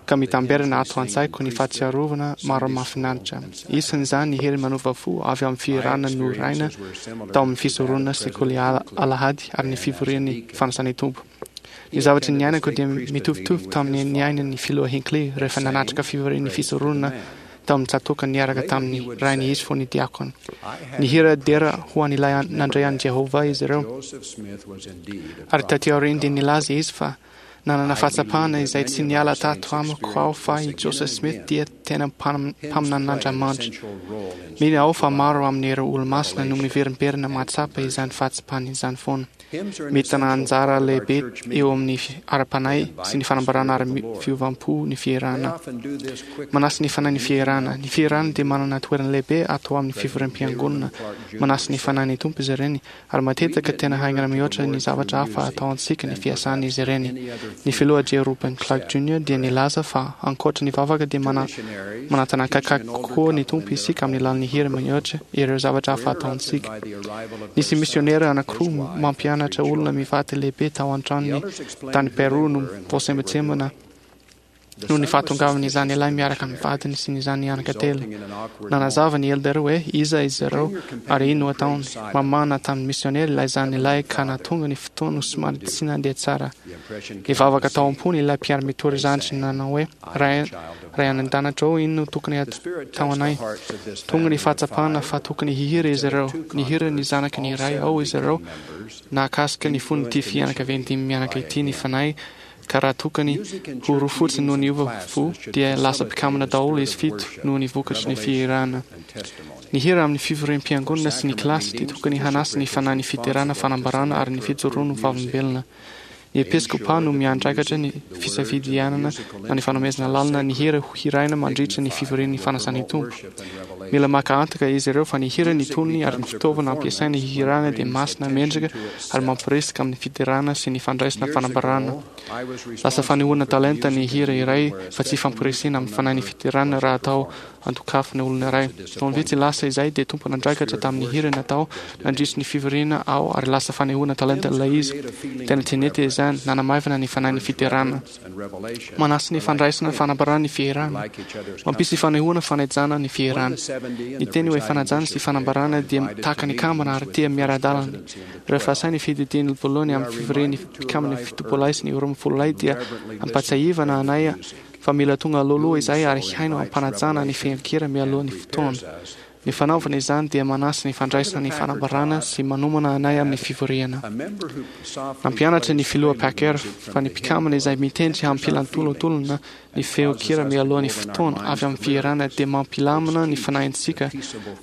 ka mitamberina ato an-tsaiko ny fahatsiarovana maro mahafinaritra. Isan'izany ny hery manova fo avy amin'ny fihirana noraina tao amin'ny fisoronana sekoly ala- alahady ary ny fivorian'ny fanasan'ny Tompo. Ny zavatra niainako dia mitovitovy tamin'ny niainan'ny filoha Hinckley rehefa nanatrika fivorian'ny fisoronana tao amin'ny tsatòka niaraka tamin'ny rainy izy fony diakona. Nihira dera ho an'ilay nandray an'i Jehovah izy ireo. Joseph Smith was indeed a Ary taty aoriana dia nilaza izy fa nanana fahatsapana izay tsy niala tato amiko aho fa i Joseph Smith dia tena mpam- mpaminanin'Andriamanitra. Mino aho fa maro amin'ireo olo-masina no miverimberina mahatsapa izany fahatsapana izany foana. Mitana anjara lehibe eo amin'ny fi- ara-panahy sy ny fanambarana ary mi- fiovam-po ny fihirana. Manasy ny fanahy ny fihirana. Ny fihirana dia manana toerana lehibe ato amin'ny fivoriam-piangonana. Manasy ny fanahy ny Tompo izy ireny ary matetika tena haingana mihoatra ny zavatra hafa atao antsika ny fiasan'izy ireny. Ny filoha J. Reuben Clark Junior dia nilaza fa ankoatra ny vavaka dia mana- manatona akaiky kokoa ny Tompo isika amin'ny alalan'ny hira mihoatra ireo zavatra hafa atao antsika. Nisy misionera anankiroa mampianatra olona mivady lehibe tao an-tranony tany Peru no voasembatsembana noho ny fahatongavan'izany ilay miaraka amin'ny vadiny sy ny zany anaka telo. Nanazava ny elder hoe iza izy ireo ary ino ataony. Mamana tamin'ny misionera ilay zany ilay ka nahatonga ny fotoana ho somary tsy nandeha tsara. Nivavaka tao am-pony ilay mpiara-mitory zandriny nanao hoe ray ray any an-danitra ô, ino no tokony atao anay? Tonga ny fahatsapana fa tokony hihira izy ireo. Nihira ny zanaky ny ray ao izy ireo. Nahakasika ny fon'ity fianakaviana dimy mianaka ity ny fanahy ka raha tokony ho roa fotsiny no niova fo dia lasa mpikambana daholo izy fito noho ny vokatry ny fihirana. Ny hira amin'ny fivoriam-piangonana sy ny kilasy dia tokony hanasy ny fanahy ny fiderana, fanambarana ary ny fijoroana ho vavolombelona. Ny episkopa no miandraikitra ny fisafidianana na ny fanomezana lalana ny hira ho hiraina mandritra ny fivorian'ny fanasan'ny Tompo. Mila maka antoka izy ireo fa ny hira, ny tonony ary ny fitaovana ampiasaina hihirana dia masina, mendrika ary mampirisika amin'ny fiderana sy ny fandraisana fanambarana. Lasa fanehoana talenta ny hira iray fa tsy fampirisihana amin'ny fanahy ny fiderana raha atao andokafana olona iray. Taona vitsy lasa izay dia tompon'andraikitra tamin'ny hira natao nandritry ny fivoriana aho ary lasa fanehoana talenta ilay izy. Tena tsy nety izany, nanamaivana ny fanahy ny fiderana. Manasy ny fandraisana fanambarana ny fihirana. Mampisy fanehoana fanajana ny fihirana. Ny teny hoe fanajana sy fanambarana dia tahaka ny kambana ary tia miara-dalana. Rehefa asain'ny fiadidian'ny voalohany amin'ny fivorian'ny mpikambana fitopolahy sy ny roa ambin'ny folo lahy dia ampahatsiahivana anay fa mila tonga alohaloha izahay ary haino ampanajana ny feon-kira mialoha ny fotoana. Ny fanaovana izany dia manasy ny fandraisana ny fanambarana sy manomana anay amin'ny fivoriana. Nampianatra ny filoha Packer fa ny mpikambana izay mitendry hampilantolotolona ny feon-kira mialoha ny fotoana avy amin'ny fihirana dia mampilamina ny fanahintsika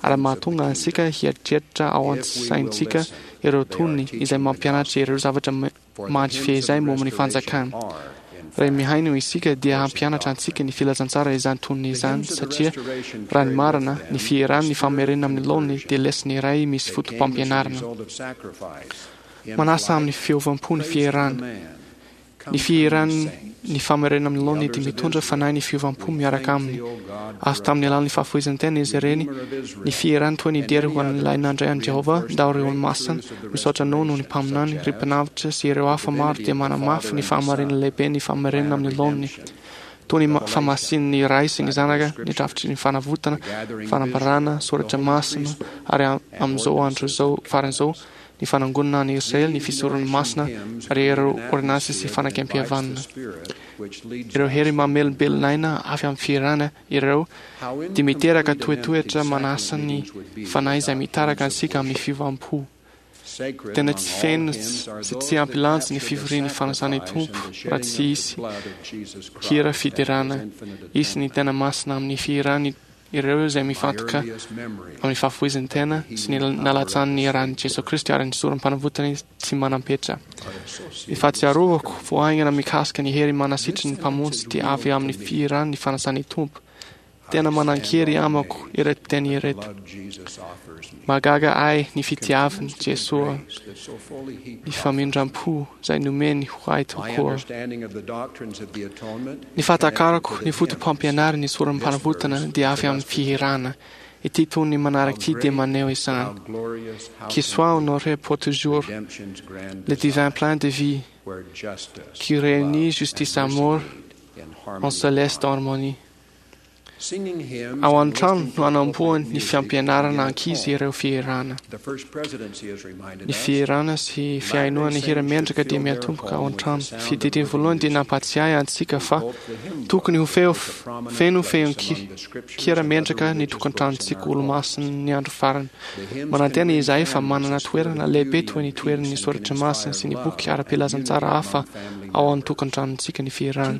ary mahatonga antsika hieritreritra ao an-tsaintsika ireo tonony izay mampianatra ireo zavatra mandry fehizay momba ny fanjakana. Raha mihaino isika dia hampianatra antsika ny filazantsara izany tonony izany satria raha ny marina ny fihirana ny famerenana amin'ny laoniny dia lesona iray misy foto-pampianarana. Manasa amin'ny fiovam-po ny fihirana. Ny fihirany ny famerenana amin'ny laoniny dia mitondra fanahy ny fiovam-po miaraka aminy. Azo tamin'ny alalan'ny fahafoizan-tena izy ireny. Ny fihirany toy ny dera ho an'ilay nandray an'i Jehovah, ndao ry olo-masina, misaotra anao noho ny mpaminany, ry mpanavotra sy ireo hafa maro dia manamafy ny fahamarinana lehibe ny famerenana amin'ny laoniny. Toy ny famasin'ny Ray sy ny Zanaka, ny drafitry ny fanavotana, fanambarana, soratra masina, ary amin'izao andro izao farany izao, ny fanangonana an'i Israely, ny fisoron'ny masina, ary ireo ôrdônansy sy fanekempihavanana. Ireo hery mamelombelona aina avy amin'ny fihirana ireo dia miteraka toetoetra manasa ny fanahy izay mitaraka antsika amin'ny fiovam-po. Tena tsy feno sy tsy ampy lanja ny fivorian'ny fanasan'ny Tompo raha tsy hisy hira fiderana. Hisy ny tena masina amin'ny fihirany ireo izay mifantoka amin'ny fahafoizan'ny tena sy ny nalatsan'ny ran'i Jesoa Kristy ary ny sorom-panavotany tsy manam-petra. Ny fahatsiarovako voahaingana mikasika ny hery manasitry ny Mpamonjy dia avy amin'ny fihirany ny fanasan'ny Tompo. Tena manan-kery amako ireto teny ireto. Mahagaga ahy ny fitiavan'i Jesoa, ny famindram-po izay nomeny ho ahy tokoa. Ny fahatakarako ny foto-pampianaran'ny sorom-panavotana dia avy amin'ny fihirana. Ity tonony manaraka ity dia maneho izany. Qu'il soit honoré pour toujours le divin plein de vie qui réunit justice amour en céleste harmonie. Ao an-trano no anamboany ny fampianarana ankizy ireo fihirana. Ny fihirana sy fihainoana hira mendrika dia miatomboka ao an-trano. Fiadidiana voalohany dia nampatsiahy antsika fa tokony ho feo feno feon-kira mendrika ny tokantranontsika olo-masin'ny andro farany. Manantena izahay fa manana toerana lehibe toy ny toeran'ny soratra masina sy ny boky ara-pilazantsara hafa ao an-tokantranontsika ny fihirana.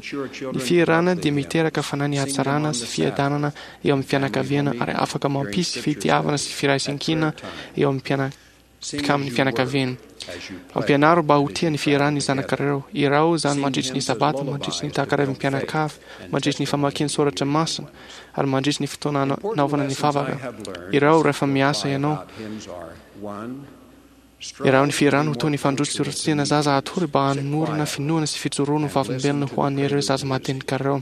Ny fihirana dia miteraka fanahy ny hatsarana sy fiadanana eo amin'ny fianakaviana ary afaka mampisy fitiavana sy firaisankina eo amin'ny mpiana- amin'ny fianakaviana. Ampianaro mba ho tia ny fihirana ny zanakareo. Irao izany mandritry ny sabata, mandritry ny takarivan'ny mpianakavy, mandritry ny famakiana soratra masina, ary mandritry ny fotoana anaovana ny vavaka. Irao rehefa miasa ianao. Irao ny fihirana ho toy ny fandrotsirotsiana zaza hatory mba hanorina finoana sy fijoroana ho vavolombelona ho an'ireo zaza madinikareo.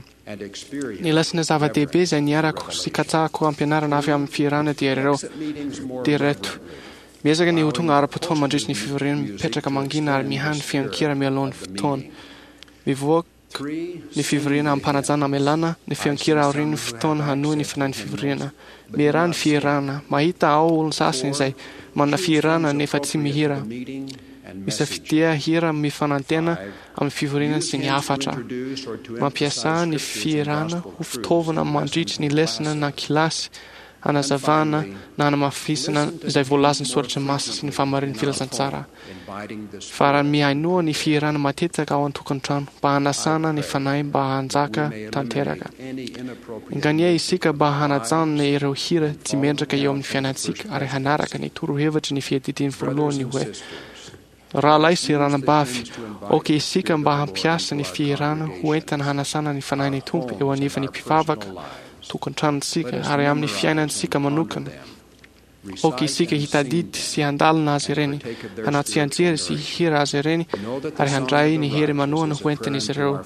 Ny lesona zava-dehibe izay niarako sy katsahako ampianarana avy amin'ny fihirana dia ireo dia ireto. Miezaka ny ho tonga ara-potoana mandritry ny fivoriana, mipetraka mangina ary mihaino feon-kira mialoha ny fotoana. Mivoaka ny fivoriana ampanajana amelana ny feon-kira aorian'ny fotoana hanohy ny fanahy ny fivoriana. Mieraha ny fihirana. Mahita ao olona sasany izay manana fihirana nefa tsy mihira. Misafidia hira mifanantena amin'ny fivoriana sy ny hafatra. Mampiasà ny fihirana ho fitaovana mandritry ny lesona na kilasy hanazavana na hanamafisana izay voalazan'ny soratra masina sy ny fahamarin'ny filazantsara. Fa raha mihainoa ny fihirana matetika ao an-tokantrano mba hanasana ny fanahy mba hanjaka tanteraka. Enganie isika mba hanajanona ireo hira tsy mendrika eo amin'ny fiainantsika ary hanaraka ny torohevitry ny fiadidiany voalohany hoe rahalahy sy ranabavy, aoka isika mba hampiasa ny fihirana ho entina hanasana ny fanahin'ny Tompo eo anivon'ny mpivavaka tokantranontsika ary amin'ny fiainantsika manokana. Aoka isika hitadidy sy handalina azy ireny, hanao tsianjery sy hihira azy ireny ary handray ny hery manohana ho entin'izy ireo.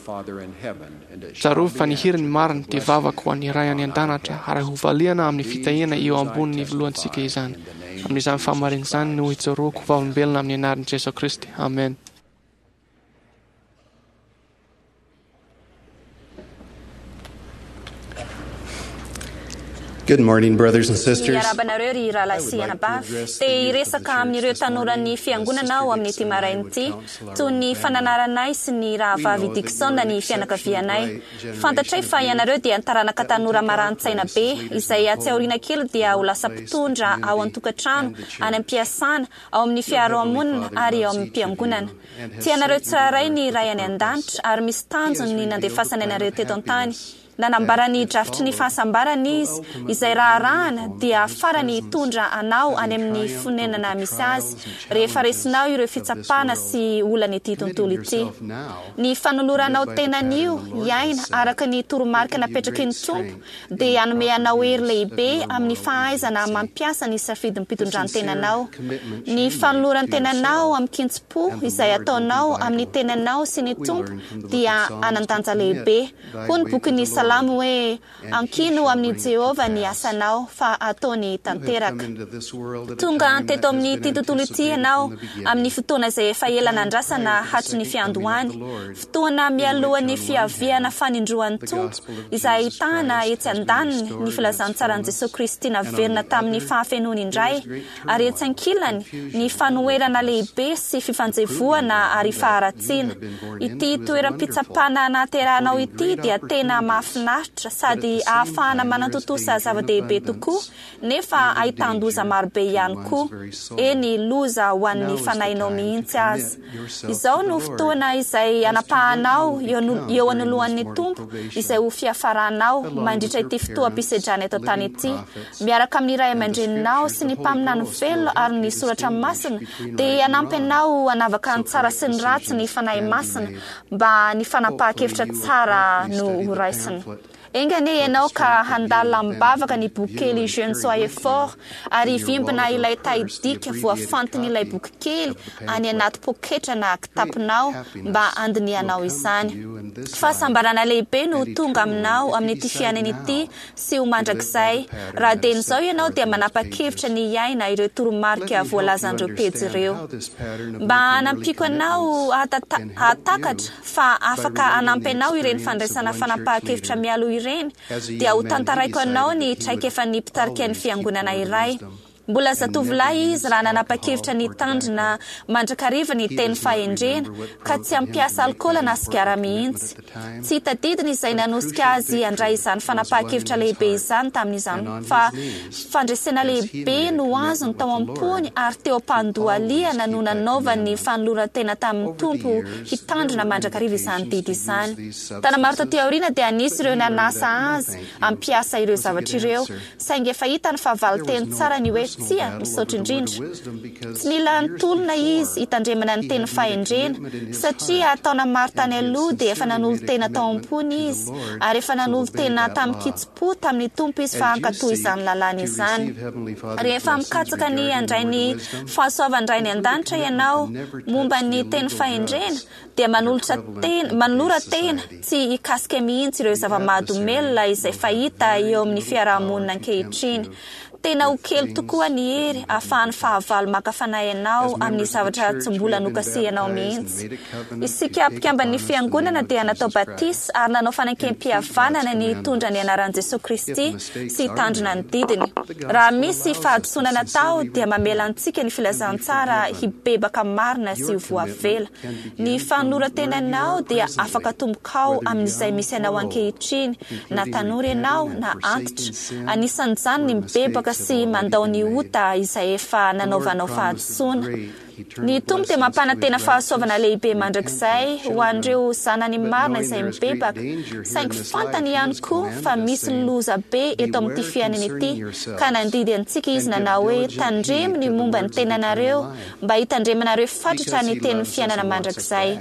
Tsarovy fa ny hiran'ny marina dia vavaka ho an'ny Ray any an-danitra ary hovaliana amin'ny fitahiana eo ambonin'ny voalohantsika izany. Amin'izany fahamarinana izany no ijoroako ho vavolombelona amin'ny anaran'i Jesoa Kristy. Amen. Good morning, brothers and sisters. Miarahaba anareo ry rahalahy sy anabavy. Te hiresaka amin'ireo tanoran'ny fiangonana aho amin'ity maraina ity, toy ny fananaranay sy ny rahavavy Dixon ny fianakavianay. Fantatray fa ianareo dia taranaka tanora maran-tsaina be, izay atsy aoriana kely dia ho lasa mpitondra ao an-tokantrano, any am-piasana, ao amin'ny fiarahamonina ary ao amin'ny fiangonana. Tianareo tsirairay ny Ray any an-danitra ary misy tanjony ny nandefasany anareo teto an-tany. Nanambara ny drafitry ny fahasambarana izy, izay raharahana dia farany hitondra anao any amin'ny fonenana misy azy rehefa resinao ireo fitsapana sy olan'ity tontolo ity. Ny fanoloranao tenan'io hiaina araka ny toromarika napetraky ny Tompo dia hanome anao hery lehibe amin'ny fahaizana mampiasa ny safidim-pitondran-tenanao. Ny fanoloran-tenanao amin-kitsim-po izay ataonao amin'ny tenanao sy ny Tompo dia hanan-danja lehibe. Hoy ny bokin'ny Salamo hoe ankino amin'i Jehovah ny asanao fa ataony tanteraka. Tonga teto amin'ity tontolo ity ianao amin'ny fotoana izay efa ela nandrasana hatry ny fiandohany. Fotoana mialohan'ny fiaviana fanindroan'ny Tompo izay ahitana etsy andaniny ny filazantsaran'i Jesosy Kristy naverina tamin'ny fahafenoany indray, ary etsy ankilany ny fanoherana lehibe sy fifanjevoana ary faharatsiana. Ity toeram-pitsapana nahaterahanao ity dia tena mahafinaritra sady ahafahana manatontosa zava-dehibe tokoa, nefa ahitan-doza marobe ihany koa, eny loza ho an'ny fanahinao mihitsy aza. Izao no fotoana izay anapahanao eo anoloan'ny Tompo izay ho fiafaranao mandritra ity fotoam-pisedrana eto an-tany ity. Miaraka amin'ny ray aman-dreninao sy ny mpaminany velona ary ny soratra masina dia hanampy anao hanavaka ny tsara sy ny ratsy ny fanahy masina mba ny fanapahan-kevitra tsara no ho raisina. Enga anie ianao ka handalina am-bavaka ny boky kely Jeunes soyez forts ary hivimbina ilay tahidika voafantin'ilay boky kely any anaty poketra na kitaponao mba handinihanao izany. Fahasambarana lehibe no tonga aminao amin'ity fiainana ity sy ho mandrakizay. Raha dieny izao ianao dia manapa-kevitra ny hiaina ireo toromarika voalazan'ireo pejy ireo. Mba hanampiako anao hahatakatra fa afaka hanampy anao ireny fandraisana fanapahan-kevitra mialoha ireny, dia ho tantaraiko anao ny traikefan'ny mpitarika ny fiangonana iray. Mbola zatovolahy izy raha nanapa-kevitra ny hitandrina mandrakariva ny teny fahendrena ka tsy hampiasa alkaola na sigara mihitsy. Tsy tadidiny izay nanosika azy handray izany fanapahan-kevitra lehibe izany tamin'izany, fa fandresena lehibe no azony tao am-pony ary teo am-pandohalihana no nanaovany fanoloran-tena tamin'ny Tompo hitandrina mandrakariva izany didy izany. Taona maro taty aoriana dia nisy ireo nanasa azy hampiasa ireo zavatra ireo, saingy efa hitany fa valin-teny tsara ny hoe tsia, misaotra indrindra. Tsy nila nitolona izy hitandremana ny teny fahendrena, satria taona maro tany aloha dia efa nanolo-tena tao am-pony izy, ary efa nanolo-tena tamin-kitsim-po tamin'ny Tompo izy fa hankatò izany lalàna izany. Rehefa mikatsaka ny handray ny fahasoavan-dRainy an-danitra ianao momba ny teny fahendrena, dia manolotra tena, manolora tena tsy hikasika mihitsy ireo zava-mahadomelina izay fahita eo amin'ny fiarahamonina ankehitriny. Tena ho kely tokoa ny hery ahafahan'ny fahavalo maka fanahy anao amin'ny zavatra tsy mbola nokasihanao mihitsy. Isika mpikamban'ny fiangonana dia natao batisa ary nanao fanekempihavanana ny hitondra ny anaran'i Jesosy Kristy sy hitandrina ny didiny. Raha misy fahadisoana natao dia mamela antsika ny filazantsara hibebaka marina sy ho voavela. Ny fanoloran-tenanao dia afaka tombokao amin'izay misy anao ankehitriny, na tanora ianao na antitra. Anisan'izany ny mibebaka sy mandao ny ota izay efa nanaovanao fahadisoana. Ny Tompo dia mampanantena fahasoavana lehibe mandrakizay ho an'ireo zanany marina izay mibebaka, saingy fantany ihany koa fa misy loza be eto amin'ity fiainana ity, ka nandidy antsika izy nanao hoe tandremo ny momba ny tenanareo mba hitandremanareo fatratra ny tenin'ny fiainana mandrakizay.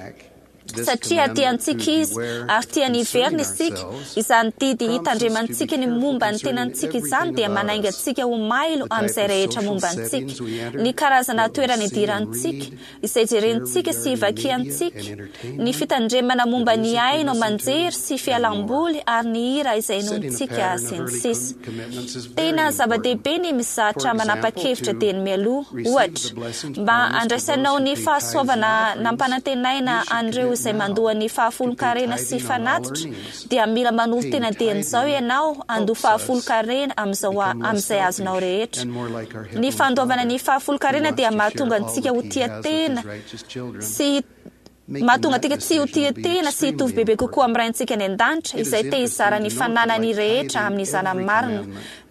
Satria tiantsika izy ary tiany hiverina isika, izany didy hitandremantsika ny momba ny tenantsika izany dia manainga antsika ho mailo amin'izay rehetra momba antsika, ny karazana toerana idirantsika, izay jerentsika sy vakiantsika, ny fitandremana momba ny haino aman-jery sy fialamboly ary ny hira izay henointsika sy ny sisa. Tena zava-dehibe ny mizatra manapa-kevitra dieny mialoha, ohatra, mba handraisanao ny fahasoavana nampanantenaina an'ireo izay mandoa ny fahafolon-karena sy fanatitra, dia mila manolo-tena dieny izao ianao handoa fahafolon-karena amin'izao amin'izay azonao rehetra. Ny fandoavana ny fahafolon-karena dia mahatonga antsika ho tia tena sy mahatonga antsika tsy ho tia tena sy hitovy bebe kokoa amin'ny Raintsika any an-danitra izay te hizara ny fananany rehetra amin'ny zanany marina.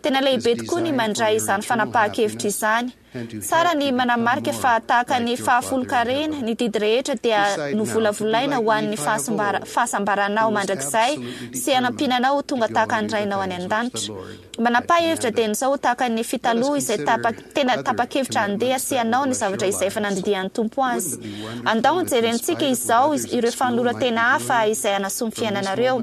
Tena lehibe tokoa ny mandray izany fanapahan-kevitra izany. Tsara ny manamarika fa tahaka ny fahafolonkarena, ny didy rehetra dia novolavolaina ho an'ny fahasambaranao mandrakizay sy hanampiana anao ho tonga tahaka ny Rainao any an-danitra. Manapaha hevitra dia izao ho tahaka ny fitaloha izay tena tapa-kevitra handeha sy hanao ny zavatra izay efa nandidian'ny Tompo azy. Andao jerentsika izao ireo fanoloran-tena hafa izay hanasoa ny fiainanareo.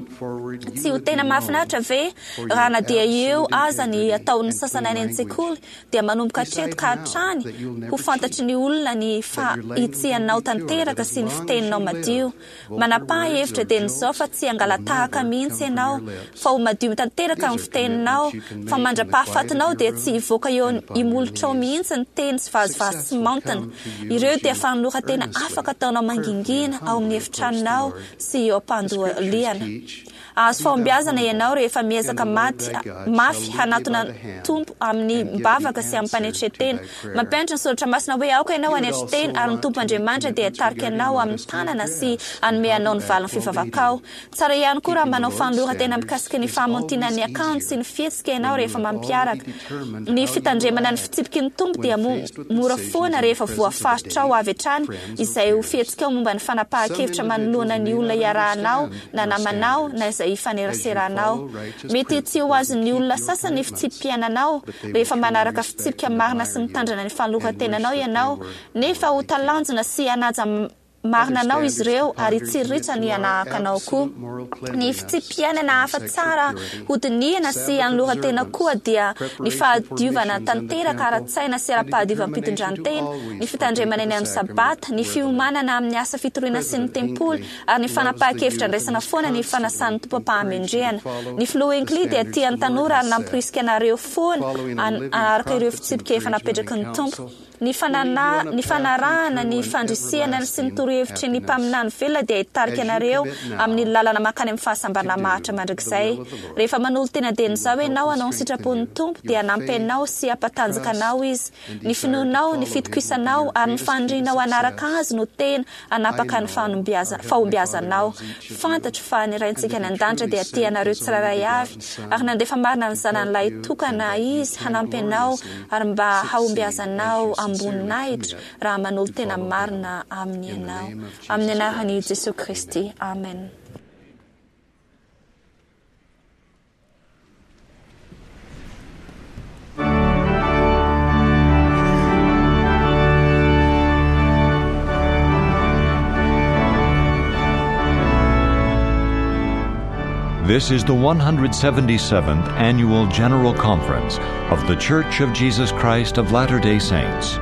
Tsy ho tena mahafinaritra ve raha na dia eo aza ny ataon'ny sasany any an-tsekoly dia manomboka hatreto ka hatrany ho fantatry ny olona ny fahitsianao tanteraka sy ny fiteninao madio. Manapaha hevitra dia izao fa tsy hangalatahaka mihitsy ianao, fa ho madio tanteraka amin'ny fiteninao, fa mandra-pahafatinao dia tsy hivoaka eo imolotrao mihitsy ny teny sy vazivazy sy maontina. Ireo dia fanoloran-tena afaka ataonao mangingina ao amin'ny efitranonao sy eo am-pandohalihana. Azo fahombiazana ianao rehefa miezaka maty mafy hanatona Tompo amin'ny mbavaka sy amin'ny mpanetren-tena. Mampianatra ny soratra masina hoe aoka ianao hanetry tena ary ny Tompo Andriamanitra dia hitarika anao amin'ny tanana sy hanome anao ny valin'ny fivavakao. Tsara ihany koa raha manao fanoloran-tena mikasika ny fahamontinan'ny akanjo sy ny fihetsika ianao rehefa mampiaraka. Ny fitandremana ny fitsipiky ny Tompo dia mora foana rehefa voafaritrao avy hatrany izay ho fihetsikao momba ny fanapahan-kevitra manoloana ny olona iarahanao na namanao na izay ifaneraseranao. Mety tsy ho azon'ny olona sasany ny fitsipi-piainanao rehefa manaraka fitsipika marina sy mitandrina ny fanoloran-tenanao ianao, nefa ho talanjona sy hanaja marina anao izy ireo ary hitsiriritra ny hanahaka anao koa. Ny fitsipi-piainana hafa tsara hodinihana sy hanoloran-tena koa dia ny fahadiovana tanteraka ara-tsaina sy ara-pahadiovam-pitondran-tena, ny fitandremana ny andro sabata, ny fiomanana amin'ny asa fitoriana sy ny tempoly, ary ny fanapahan-kevitra andraisana foana ny fanasan'ny Tompo am-pahamendrehana. Ny filoha Hinckley dia tia ny tanora ary namporisika anareo foana hanaraka ireo fitsipika efa napetraky ny Tompo. Ny fanana, ny fanarahana ny fandrisihana sy ny torohevitry ny mpaminany velona dia hitarika anareo amin'ny lalana mankany amin'ny fahasambarana maharitra mandrakizay. Rehefa manolo-tena dieny izao ianao hanao ny sitrapon'ny Tompo dia hanampy anao sy hampatanjaka anao Izy. Ny finoanao, ny fitokisanao ary ny fanirianao hanaraka Azy no tena hanapaka ny fahombiazanao. Fantatro fa ny Raintsika any an-danitra dia tia anareo tsirairay avy ary nandefa marina ny zanany lahitokana Izy hanampy anao ary mba hahombiazanao amboninahitra raha manolo-tena marina aminy ianao. Amin'ny anaran'i Jesosy Kristy. Amen. This is the one hundred seventy-seventh Annual General Conference of The Church of Jesus Christ of Latter-day Saints.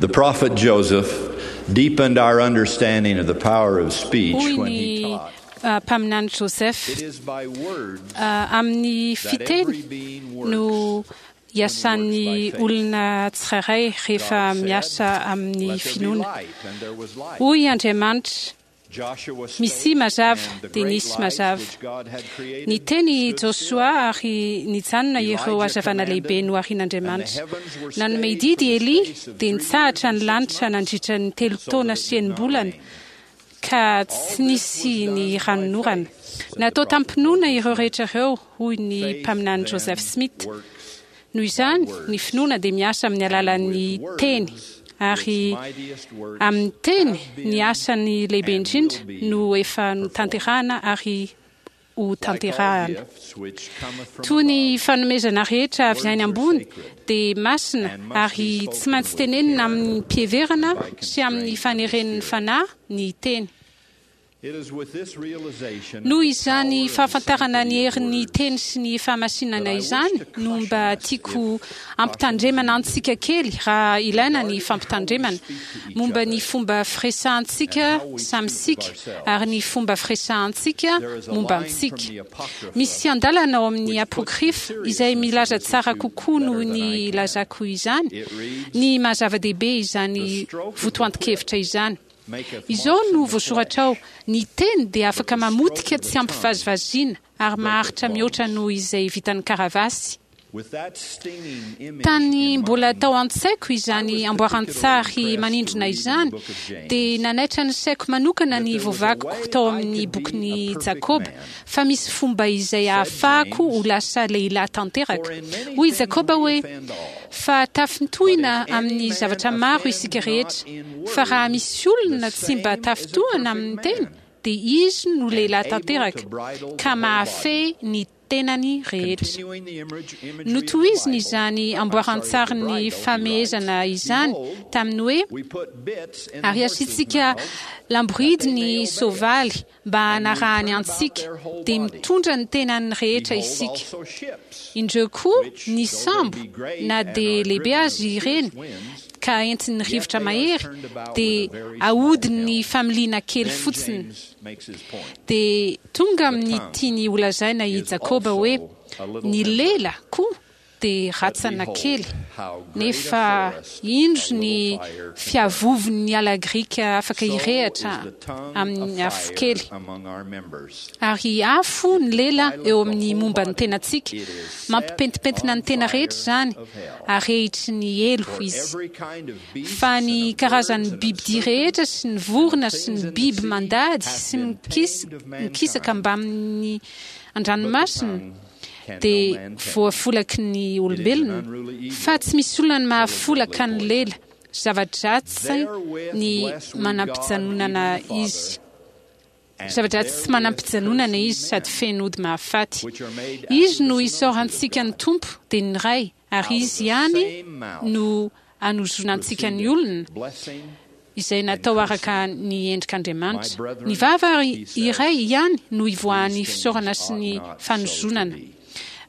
The prophet Joseph deepened our understanding of the power of speech Hoy when he ny taught, uh, mpaminany Joseph, It is by words uh, amin'ny that fiteny every being works no iasan'ny olona tsirairay rehefa God said, miasa amin'ny "Let there be finoana. light," and there was light. Hoy Andriamanitra, Joshua misy spake, mazava and the dia great nisy light mazava. which God had created Ny teny stood still. Josoa ary nijanona ireo Elijah hazavana lehibe commanded, noharin'Andriamanitra. and the heavens were Nanome stayed didy for the Elia space of dia three nitsahatra years ny and six lanitra months, nandritra ny telo so taona that it sy did not enim-bolana rain. ka tsy All this nisy was ny done by ranonorana. faith, said the Natao prophet tampinoana Joseph ireo Smith. rehetra ireo, hoy ny Faith mpaminany then Joseph Smith. works Noho by izany, ny words, finoana dia miasa amin'ny and alalan'ny with teny words ary its mightiest works amin'ny teny have ny been asany lehibe and will indrindra be no efa performed. notanterahana ary ho Like all tanterahana. gifts which cometh from Toy ny above, fanomezana rehetra avy any words are ambony sacred dia masina and must be ary tsy spoken maintsy with tenenina care amin'ny fiheverana and by sy amin'ny constraint of the faneren'ny Spirit. fanahy ny teny. It is with this realization of Noho the izany power and fahafantarana ny sanctity of herin'ny words teny sy ny that fahamasinana I wish izany to no caution mba us tiako if caution is ampitandremana needed antsika kely raha ilaina ny regarding how we fampitandremana speak to each momba ny other fomba firesahantsika and how we samy speak of sika ourselves. ary ny fomba firesahantsika There is a momba line from antsika. the Apocrypha Misy andalana ao amin'ny which puts the apokrifa izay seriousness of milaza this tsara issue kokoa noho better than ny I can. lazako izany It reads, ny maha-zava-dehibe izany The stroke of the whip votoanton-kevitra izany. maketh Izao marks no in the voasoratra ao, flesh, ny teny dia but afaka the stroke mamotika of the tsy tongue ampivazivaziana ary breaketh maharitra mihoatra bones. noho izay vitan'ny karavasy. With that stinging image Tany in mbola mind, tao an-tsaiko I izany was particularly amboaran-tsary impressed to manindrona read in the izany book of dia James nanaitra ny saiko manokana that ny there was a voavakiko way tao I amin'ny could be a bokin'i perfect Jakoba man. fa misy fomba izay Said ahafahako ho James, lasa lehilahy tanteraka. For in many Hoy things Jakoba we hoe offend all. fa But tafintohina if any amin'ny man zavatra maro offend isika not rehetra in fa raha word, misy the olona tsy mba same is a tafintohina perfect amin'ny teny man dia izy no and lehilahy able to tanteraka bridle ka the whole body. mahafehy ny tenany rehetra. Continuing the image, imagery of the Notohiziny Bible, izany I'm sorry, of the amboaran-tsarin'ny bridle, he writes, famehezana izany Behold, tamin'ny hoe we put bits in the ary horses' asiantsika mouths that lamboridy they may ny obey us, soavaly mba and we hanarahany turn about antsika their whole dia body. mitondra ny tenany rehetra Behold isika. also ships, Indreo koa which, ny though they sambo be great na and dia are lehibe driven of azy fierce ireny winds, ka entin'ny yet rivotra they are mahery turned about with dia a very small ahodin'ny helm. familiana kely Then fotsiny. James makes his point. Dia tonga The amin'ny tongue tiany holazaina i is Jakoba hoe also a little ny member. lela koa dia But ratsana behold, kely how great a nefa forest a indro little ny fire can burn. fiavovon'ny ala grika afaka So is hirehatra the tongue a amin'ny afo fire kely. among our members. Ary afo ny It lela defileth eo the amin'ny whole momba ny body. tenantsika It is set mampipentipentina on ny tena fire rehetra izany of hell. arehitry ny helo For izy. every kind of beasts Fa and ny of birds karazan'ny and of bibidia rehetra serpents sy ny and of vorona sy things ny in the biby sea mandady hath sy been mikis- tamed of mikisaka mankind, mbamin'ny but the an-dranomasina tongue can no dia man tame. voafolaky ny It is an olombelona unruly fa evil, tsy misy olona ny full of mahafolaka deadly ny poison. lela zava-dratsy Therewith ny bless we God, even manam-pijanonana the Father, izy and zava-dratsy tsy therewith manam-pijanonana curse we izy sady men, feno ody mahafaty. which are made Izy after no the similitude of isaorantsika ny God. Tompo dia ny Ray ary Out of izy the ihany same mouth no anozonantsika ny proceedeth olona blessing izay and natao araka cursing. ny My endrik'Andriamanitra. Ny brethren, vava he says, iray ihany no ivoahan'ny these things fisaorana sy ought ny not so to fanozonana. be.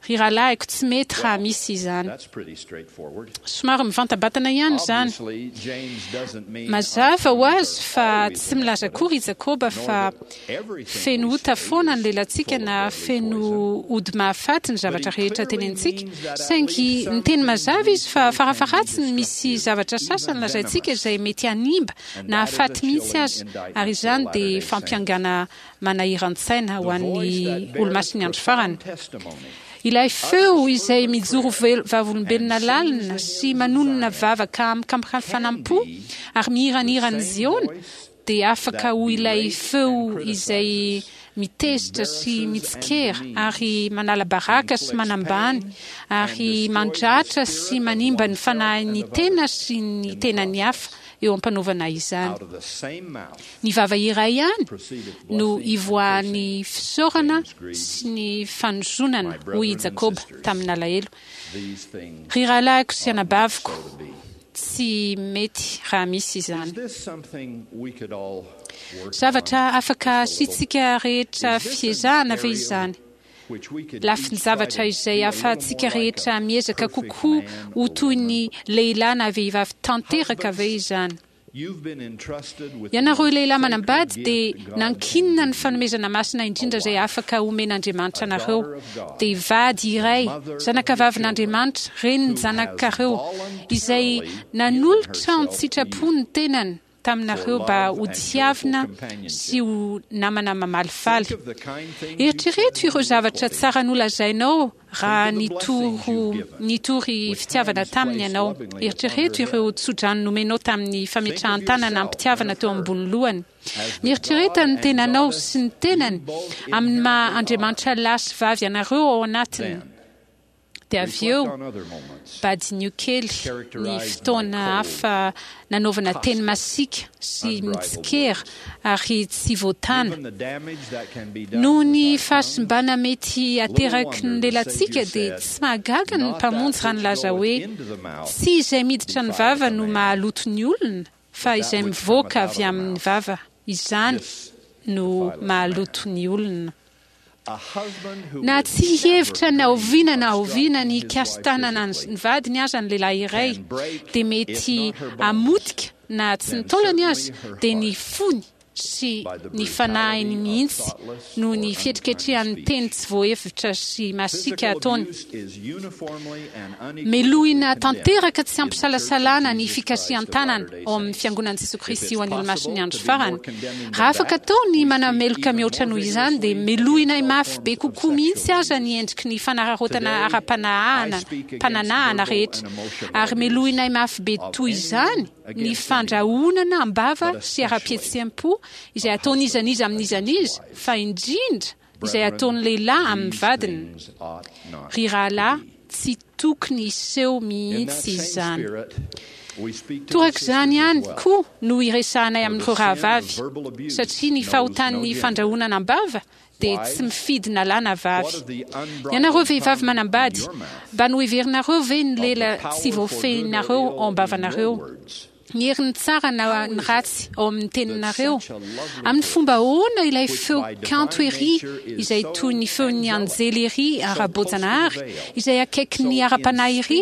Ry rahalahiko tsy mety raha Well, misy izany. that's pretty straightforward. Somary mivantabatana ihany izany. Obviously, James doesn't mean our Mazava ho tongues azy are fa always tsy milaza akory i iniquitous, Jakoba nor fa that everything feno we ota say foana ny is lelantsika full of na deadly feno poison. ody mahafaty ny But he zavatra rehetra clearly tenentsika. means that at Saingy least some ny teny things mazava we izy fa say can be farafaharatsiny misy destructive, zavatra sasany even lazaintsika venomous. izay mety hanimba And na that is a hahafaty mihitsy chilling aza indictment ary for the izany dia Latter day Saints. fampiangana manahiran-tsaina ho The voice an'ny that bears olomasin'ny andro farany. profound testimony Ilay feo utters izay fervent mijoro prayer vel- vavolombelona and sings lalina the sy hymns of manonona Zion vavaka can amin-kampanampo be ary the mihiranhiran'ny same Ziona voice dia afaka that ho ilay berates feo and izay criticizes, mitezitra sy embarrasses and mitsikera demeans, ary manala baraka sy inflicts manambany pain and ary destroys the mandratra sy spirit of manimba ny oneself and fanahin'ny of tena others sy ny in the tenan'ny hafa process. eo am-panaovana izany. Out of the same mouth Ny vava iray ihany proceedeth no blessing and ivoahan'ny cursing. fisaorana James grieves, sy ny fanozonana, My hoy i brethren and Jakoba sisters, tamin'alahelo. these things Ry rahalahiko sy ought not anabaviko, so to be. tsy mety raha misy Is izany. this something we could all work on Zavatra afaka just a little? asiantsika rehetra Is this an fiezahana ve area izany? Lafin-javatra izay ahafahantsika rehetra miezaka kokoa ho toy ny lehilahy na vehivavy tanteraka ve izany? Ianareo lehilahy manambady dia nankinina ny fanomezana masina indrindra izay afaka omen'Andriamanitra anareo, dia vady iray, zanakavavin'Andriamanitra, renin'ny zanakareo, izay nanolotra an-tsitrapo ny tenany taminareo mba ho tiavina sy ho namana mamalifaly. Eritrereto ireo zavatra tsara nolazainao raha nitoro nitory fitiavana taminy ianao. Eritrereto ireo tsodrano nomenao tamin'ny fametrahan-tanana am-pitiavana teo ambony lohany. Mieritrereta ny tenanao sy ny tenany amin'ny maha Andriamanitra lahy sy vavy anareo ao anatiny. Dia avy eo, badinio kely ny fotoana hafa nanaovana teny masiaka sy mitsikera ary tsy voatana. Noho ny fahasimbana mety ateraky ny lelantsika dia tsy mahagaga ny Mpamonjy raha nilaza hoe tsy izay miditra ny vava no mahaloto ny olona fa izay mivoaka avy amin'ny vava izany no mahaloto ny olona. Na tsy hihevitra na oviana na oviana ny hikasi-tanana ny vadiny aza ny lehilahy iray, dia mety hamotika na tsy ny taolany aza, dia ny fony sy ny fanahiny mihitsy noho ny fihetriketrehan'ny teny tsy voahevitra sy masiaka ataony. Melohina tanteraka tsy ampisalasalana ny fikasihan-tanana ao amin'ny Fiangonan'i Jesoa Kristy ho an'ny Olomasin'ny Andro Farany. Raha afaka atao ny manameloka mihoatra noho izany, dia melohina mafy be kokoa mihitsy aza ny endriky ny fanararaotana ara-panahana pananahana rehetra, ary melohina mafy be toy izany ny fandrahonana am-bava sy ara-pihetseham-po izay ataon'iza n'iza amin'iza n'iza, fa indrindra izay ataon'ny lehilahy amin'ny vadiny. Ry rahalahy, tsy tokony hiseho mihitsy izany. Torak'izany ihany koa no iresahanay amin'ireo rahavavy, satria ny fahotan'ny fandrahonana am-bava dia tsy mifidy na lahy na vavy. Ianareo vehivavy manambady, mba noheverinareo ve ny lela tsy voafehinareo ao am-bavanareo? Ny herin'ny tsara na ny ratsy ao amin'ny teninareo? Amin'ny fomba ahoana ilay feo kanto ery izay toy ny feon'ny anjely ery ara-boajanahary, izay akaikin'ny ara-panahy ery,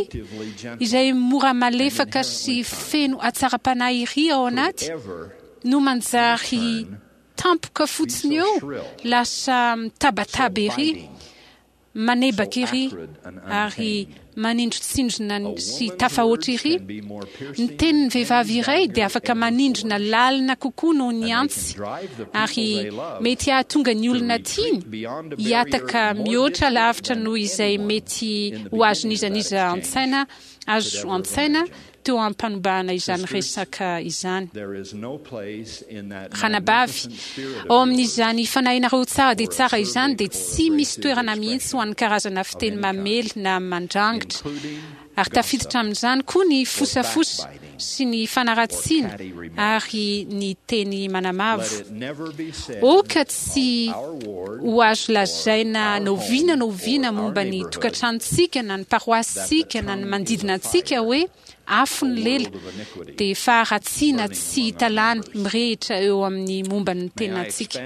izay mora malefaka sy feno hatsaram-panahy ery ao anaty, no manjary tampoka fotsiny eo, lasa mitabataba ery, manebaka ery ary manindrotsindrona sy tafahoatra ery? Ny tenin'ny vehivavy iray dia afaka manindrona lalina kokoa noho ny antsy, ary mety hahatonga ny olona tiany hihataka mihoatra lavitra noho izay mety ho azon'iza n'iza an-tsaina azo an-tsaina teo am-panombahana izany resaka izany. Ranabavy, ao amin'izany fanahinareo tsara dia tsara izany dia tsy misy toerana mihitsy ho an'ny karazana fiteny mamely na mandrangitra, ary tafiditra amin'izany koa ny fosafosa sy ny fanaratsiana ary ny teny manamavo. Aoka tsy ho azo lazaina n'oviana n'oviana momba ny tokantranontsika na ny paroasintsika na ny manodidina antsika hoe afo ny lela, dia faharatsiana tsy hita lany mirehitra eo amin'ny momba ny tenantsika.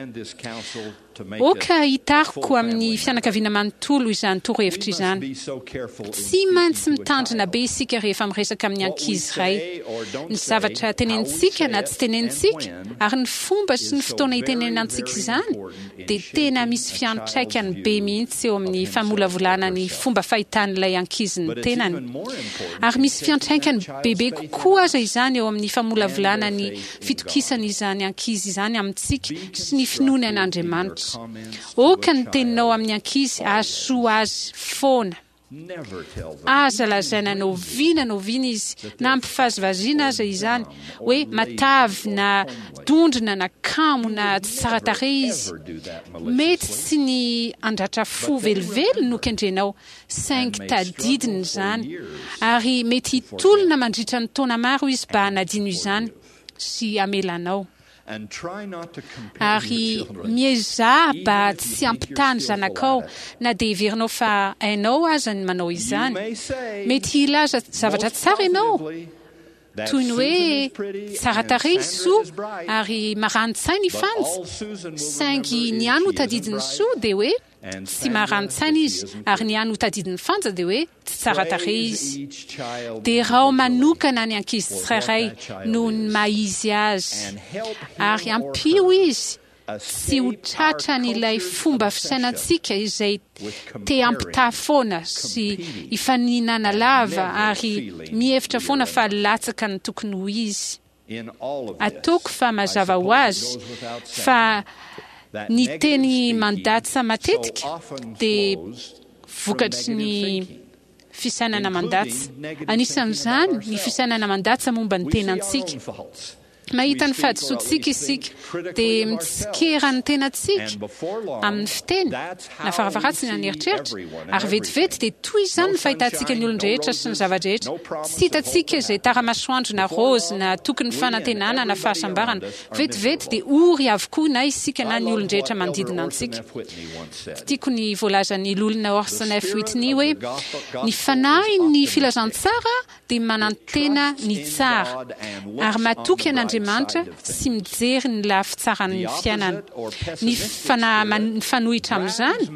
Aoka hitariko amin'ny fianakaviana manontolo izany torohevitra izany. Tsy maintsy mitandrina be isika rehefa miresaka amin'ny ankizy iray. Ny zavatra tenenintsika na tsy tenenintsika, ary ny fomba sy ny fotoana itenenantsika izany, dia tena misy fiantraikany be mihitsy eo amin'ny famolavolana ny fomba fahitan'ilay ankizy ny tenany. Ary misy fiantraikany bebe kokoa aza izany eo amin'ny famolavolana ny fitokisana izany ankizy izany amintsika sy ny finoany an'Andriamanitra. Aoka ny teninao amin'ny ankizy hahasoa azy foana. Aza lazaina n'oviana n'oviana izy, na ampivazivaziana aza izany, hoe matavy na dondrona na kamo na tsy tsara tarehy izy. Mety tsy ny handratra fo velively no kendrenao, saingy tadidiny izany, ary mety hitolona mandritra ny taona maro izy mba hanadino izany sy hamela anao. Ary miezaha mba tsy hampitaha ny zanakao, na dia heverinao fa hainao aza ny manao izany. Mety hilaza zavatra tsara ianao, toy ny hoe tsara tarehy i Soa ary marani-tsaina i Fanja, saingy ny hany ho tadidin'i Soa dia hoe Tsy maran-tsaina izy, ary ny hany ho tadidin'ny Fanja dia hoe tsy tsara tarehy izy. Derao manokana ny ankizy tsirairay noho ny maha izy azy, ary ampio izy tsy ho tratran'ilay fomba fisainantsika izay te hampitaha foana sy hifaninana lava ary mihevitra foana fa latsaka ny tokony ho izy. Ataoko fa mazava ho azy fa ny teny mandatsa matetika dia vokatry ny fisainana mandatsa. Anisan'izany ny fisainana mandatsa momba ny tenantsika. Mahita ny fahadisoantsika isika, dia mitsikera ny tenantsika amin'ny fiteny, na faravaratsiny na ny eritreritra, ary vetivety dia toy izany ny fahitantsika ny olon-drehetra sy ny zava-drehetra. Tsy hitantsika izay tara-masoandro na raozy na tokin'ny fanantenana na fahasambarana. Vetivety dia ory avokoa na isika na ny olon-drehetra manodidina antsika. Tiako ny voalazan'ny Loholona Orson F. Whitney hoe, Ny fanahin'ny filazantsara dia manantena ny tsara, ary matoky an'Andriamanitra sy mijery ny lafy tsaran'ny fiainana. Ny fanahy mifanohitra amin'izany,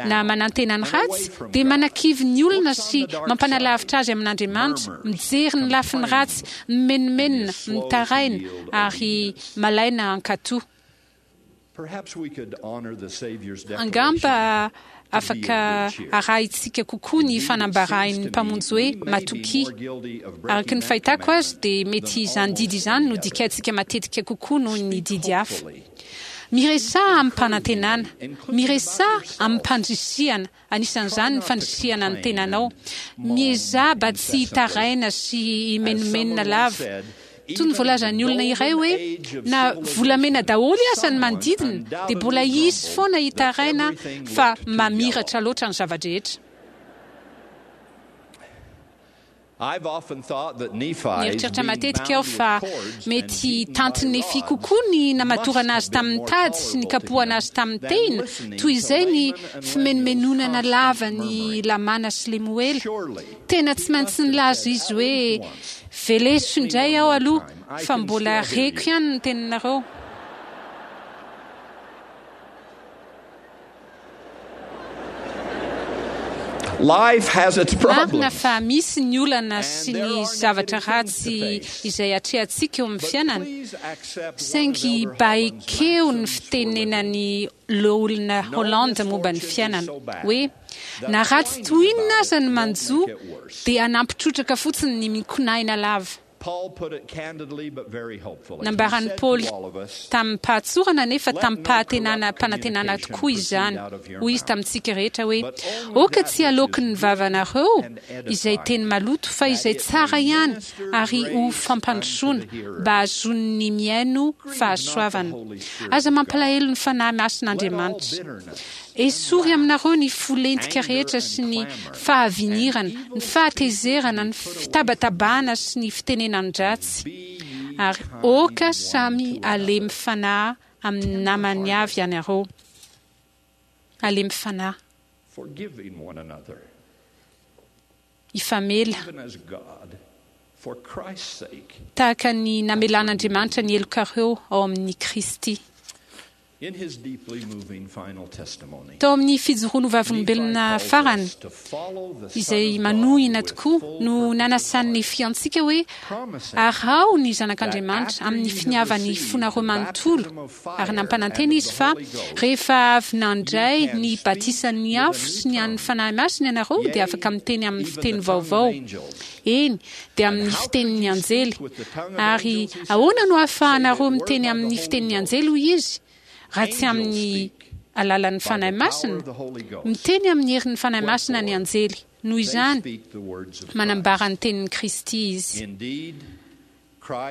na manantena ny ratsy, dia manakivy ny olona sy mampanalavitra azy amin'Andriamanitra, mijery ny lafiny ratsy, mimenomenona, mitaraina, ary malaina hankatò. Angamba afaka arahintsika kokoa ny fanambarahin'ny Mpamonjy hoe, Matokia. Araka ny fahitako azy, dia mety izany didy izany no dikaintsika matetika kokoa noho ny didy hafa. Miresaha amim-panantenana. Miresaha amim-pandrisihana, anisan'izany ny fandrisihana ny tenanao. Miezaha mba tsy hitaraina sy himenomenona lava. Toy ny voalazan'ny olona iray hoe, na volamena daholo aza ny manodidina, dia mbola hisy foana hitaraina fa mamiratra loatra ny zava-drehetra. Nieritreritra matetika aho fa mety tantin'i Nefia kokoa ny namatorana azy tamin'ny tady sy nikapohana azy tamin'ny tehina, toy izay ny fimenomenonana lava an'i Lamàna sy Lemoela. Tena tsy maintsy nilaza izy hoe, Veleso indray aho aloha fa mbola reko ihany ny teninareo. Marina fa misy ny olana sy ny zavatra ratsy izay atrehantsika eo amin'ny fiainana, saingy mba ekeo ny fitenenan'i Loholona Holland momba ny fiainana, hoe, Na ratsy toy inona aza ny manjo, dia hanampy trotraka fotsiny ny mikonaina lava. Nambaran'i Paoly tamim-pahatsorana nefa tamim-pahatenana-panantenana tokoa izany. Hoy izy tamintsika rehetra hoe, Aoka tsy haloaky ny vavanareo izay teny maloto, fa izay tsara ihany, ary ho fampandrosoana, mba hahazoan'ny mihaino fahasoavana. Aza mampalahelo ny Fanahy Masin'Andriamanitra. Esory aminareo ny fo lentika rehetra sy ny fahavinirana, ny fahatezerana, ny fitabatabana sy ny fitenenan-dratsy, ary aoka samy halemy fanahy amin'ny namany avy ianareo. Halemy fanahy. Hifamela. Tahaka ny namelan'Andriamanitra ny helokareo ao amin'i Kristy. Tao amin'ny fijoroany ho vavolombelona farany, izay manohina tokoa, no nanasan'i Nefia antsika hoe, Araho ny Zanak'Andriamanitra amin'ny finiavan'ny fonareo manontolo, ary nampanantena izy fa rehefa avy nandray ny batisan'ny afo sy ny an'ny Fanahy Masina ianareo dia afaka miteny amin'ny fiteny vaovao, eny, dia amin'ny fitenin'ny anjely. Ary ahoana no ahafahanareo miteny amin'ny fitenin'ny anjely, hoy izy, raha tsy amin'ny alalan'ny Fanahy Masina? Miteny amin'ny herin'ny Fanahy Masina ny anjely. Noho izany, manambara ny tenin'i Kristy izy.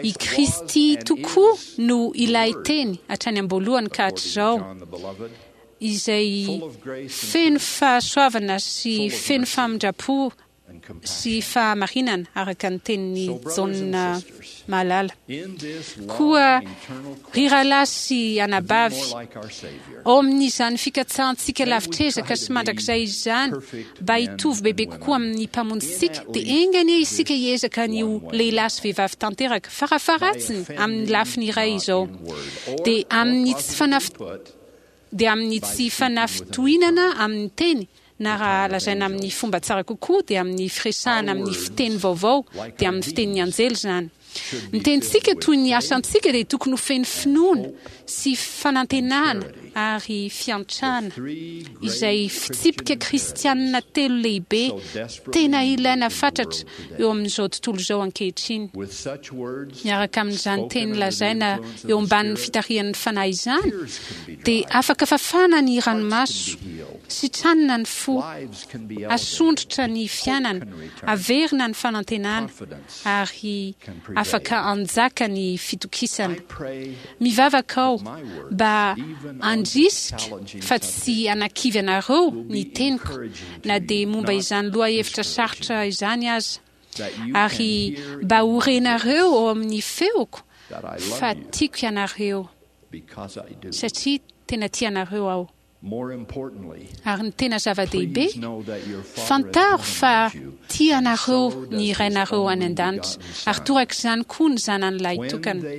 I Kristy tokoa no ilay Teny hatrany am-boalohany ka hatrizao, izay feno fahasoavana sy feno famindram-po sy fahamarinana, araka ny tenin'i Jaona mahalala. Koa, ry rahalahy sy anabavy, ao amin'izany fikatsahantsika lavitr'ezaka sy mandrakizay izany mba hitovy bebe kokoa amin'ny Mpamonjintsika, dia enga anie isika hiezaka ny ho lehilahy sy vehivavy tanteraka, farafaharatsiny amin'ny lafiny iray izao, dia amin'ny tsy Dia amin'ny tsy fanafitohinana amin'ny teny, na raha lazaina amin'ny fomba tsara kokoa dia amin'ny firesahana amin'ny fiteny vaovao, dia amin'ny fitenin'ny anjely izany. Ny tenintsika toy ny asantsika dia tokony ho feno finoana sy fanantenana ary fiantrana, izay fitsipika kristianina telo lehibe tena ilaina fatratra eo amin'izao tontolo izao ankehitriny. Miaraka amin'izany teny lazaina eo ambanin'ny fitarihan'ny Fanahy izany, dia afaka fafana ny ranomaso, sitranina ny fo, asondrotra ny fiainana, averina ny fanantenana, ary afaka hanjaka ny fitokisana. Mivavaka aho mba handrisika fa tsy hanakivy anareo ny teniko, na dia momba izany lohahevitra sarotra izany aza, ary mba ho renareo ao amin'ny feoko fa tiako ianareo, satria tena tia anareo aho. Ary ny tena zava-dehibe, fantaro fa tia anareo ny Rainareo any an-danitra, ary torak'izany koa ny Zanany Lahitokana.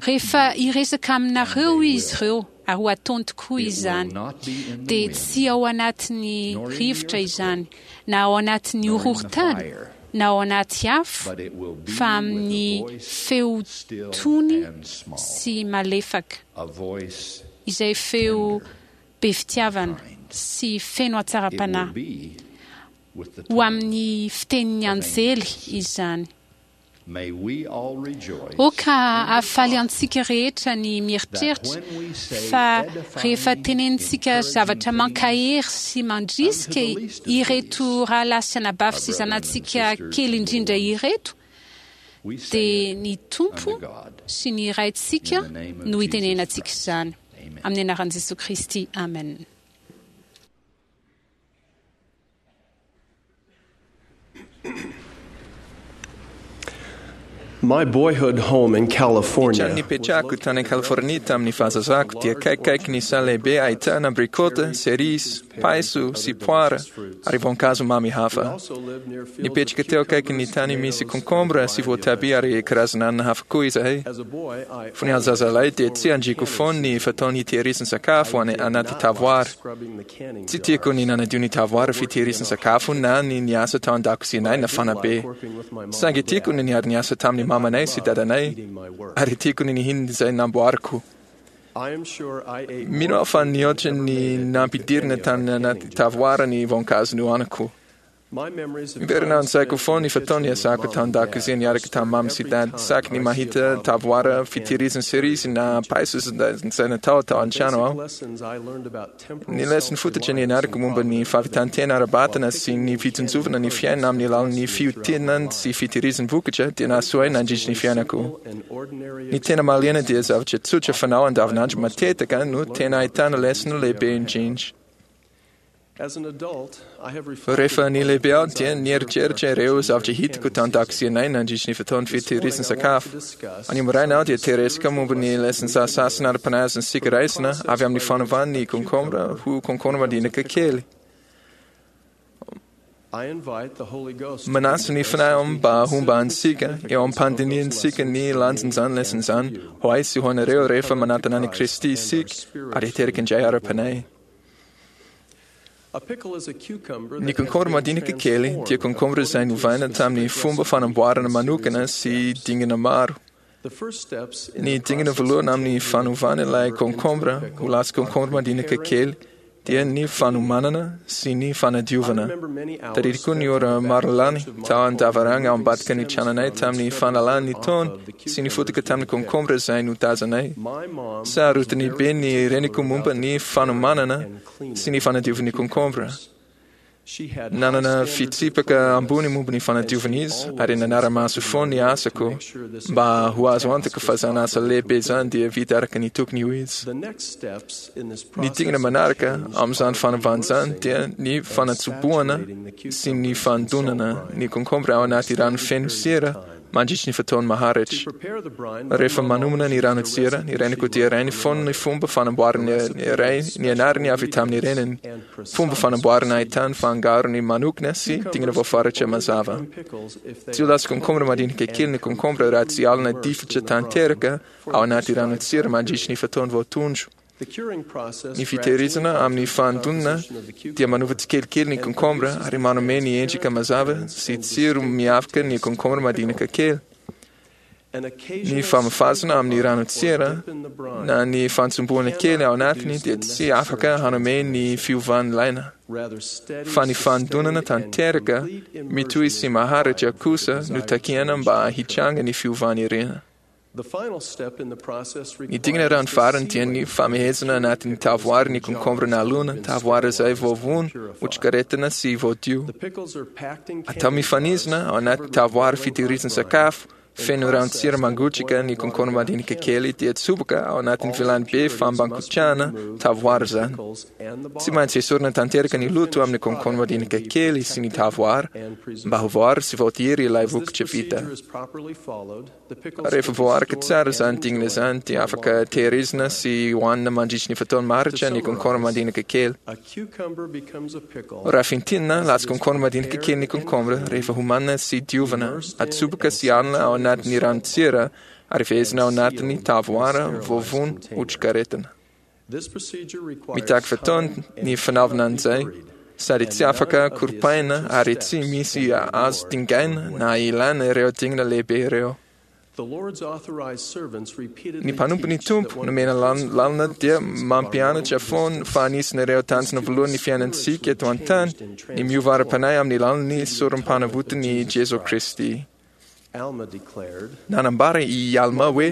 Rehefa hiresaka aminareo izy ireo, ary ho ataony tokoa izany, dia tsy ao anatin'ny rivotra izany, na ao anatin'ny horohorontany, na ao anaty afo, fa amin'ny feo tony sy malefaka, izay feo be fitiavana sy feno hatsaram-panahy. Ho amin'ny fitenin'ny anjely izany. Aoka hahafaly antsika rehetra ny mieritreritra fa rehefa tenenintsika zavatra mankahery sy mandrisika ireto rahalahy sy anabavy sy zanatsika kely indrindra ireto, dia ny Tompo sy ny Raintsika no itenenantsika izany. Amin'ny anaran'i Jesoa Kristy, amen. My boyhood home in Ny California trano nipetrahako tany California tamin'ny fahazazako dia akaikikaiky ny saha lehibe ahitana abrikota, cerise, paiso sy poara ary voankazo mamy hafa. Nipetraka teo akaikin'ny tany misy konkombra sy voatabia ary karazana anana hafa koa izahay. Fony aho zazalahy dia tsy andriko foana ny fataon'ny hitehirizana sakafo any anaty tavoara. Tsy tiako ny nanadio ny tavoara fitehirizana sakafo na ny niasa tao an-dakozianay nafana be. Saingy tiako ny niara-niasa tamin'ny mamanay sy dadanay, ary tiako ny nihinana izay namboariko. Mino aho fa nihoatra ny nampidirina tany anaty tavoara ny voankazo nohaniko. Miverina an-tsaiko foana ny fotoana niasako tao an-dakozia niaraka tamin'ny mama sy dada, saky ny mahita tavoara fitehirizana cerise na paiso izay natao tao an-trano aho. Ny lesona fototra nianarako momba ny fahavitan-tena ara-batana sy ny fitsinjovana ny fiainana amin'ny alalan'ny fiotinana sy fitehirizana vokatra dia nahasoa ahy nandritra ny fiainako. Ny tena mahaliana dia zavatra tsotra fanao andavanandro matetika no tena ahitana lesona lehibe indrindra. Rehefa nilehibe aho dia nieritreritra ireo zavatra hitako tao an-dakozianay nandritra ny fotoan'ny fitehirizana sakafo. Anio maraina aho dia te-hiresaka momba ny lesona sasasana ara-panahy azontsika raisina avy amin'ny fanovana ny konkombra ho konkombra madinika kely. Manasa ny Fanahy mba homba antsika eo am-pandinihantsika ny lanjan'izany lesona izany ho ahy sy ho anareo rehefa manatona an'i Kristy isika ary hiteraka indray ara-panahy. Ny konkombra madinika kely dia konkombra izay novaina tamin'ny fomba fanamboarana manokana sy dingana maro. Ny dingana voalohany amin'ny fanovana ilay konkombra ho lasa konkombra madinika kely dia ny fanomanana sy ny fanadiovana. Tadidiko ny ora maro lany tao an-davarangana ao ambadika ny tranonay tamin'ny fanalana ny taony sy ny fotaka tamin'ny konkombra izay notazanay. Sarotiny be ny reniko momba ny fanomanana sy ny fanadiovan'ny konkombra. Nanana fitsipaka ambony momba ny fanadiovana izy ary nanara-maso foana ny asako mba ho azo antoka fa izany asa lehibe izany dia vita araka ny tokony ho izy. Ny dingana manaraka amin'izany fanovana izany dia ny fanatsobohana sy ny fanodonana ny konkombra ao anaty rano feno sira mandritry ny fotoana maharitra. Rehefa manomana ny ranon-tsira, ny reniko dia rainy foana ny fomba fanamboarana ny ray nianarany avy tamin'ny reniny, fomba fanamboarana ahitany fangarony manokana sy dingana voafaritra mazava. Tsy ho lasa konkombra madinika kely ny konkombra raha tsy alona difotra tanteraka ao anaty ranon-tsira mandritry ny fotoana voatondro. Ny fitehirizana amin'ny fandonana dia manova tsikelikely ny konkombra ary manome ny endrika mazava sy tsiro miavaka ny konkombra madinika kely. Ny famafazana amin'ny ranon-tsira na ny fantsomboana kely ao anatiny dia tsy afaka hanome ny fiovana ilaina, fa ny fandonana tanteraka mitohy sy maharitra kosa no takiana mba hitranga ny fiovana irina. Ny dingana rano farany dia ny famehezana anatin'ny tavoara ny konkombra nalona, tavoara izay voavono, otrikaretina sy voadio. Atao mifanizina ao anaty tavoara fitehirizana sakafo feno ranon-tsira mangotraka ny konkombra madinika kely dia atsoboka ao anatin'ny vilany be fampangotrahana tavoara izany. Tsy maintsy esorina tanteraka ny loto amin'ny konkombra madinika kely sy ny tavoara mba ho voaro sy voatehiry ilay vokatra vita. Rehefa voaraka tsara izany dingana izany dia afaka tehirizina sy hohanina mandritry ny fotoana maharitra ny konkombra madinika kely. Raha fintinina, lasa konkombra madinika kely ny konkombra rehefa homanina sy diovina, atsoboka sy alona ao anatin'ny ranon-tsira ary fehezina ao anatin'ny tavoara voavono otrikaretina. Mitaky fotoana ny fanaovana an'izay, sady tsy afaka koropaina ary tsy misy azo dingaina na ilana ireo dingana lehibe ireo. Ny mpanompon'ny Tompo nomena lalana dia mampianatra foana fa anisan'ireo tanjona voalohany ny fiainantsika eto an-tany ny miova ara-panahy amin'ny alalan'ny sorom-panavotan'i Jesoa Kristy. Nanambara i Alma hoe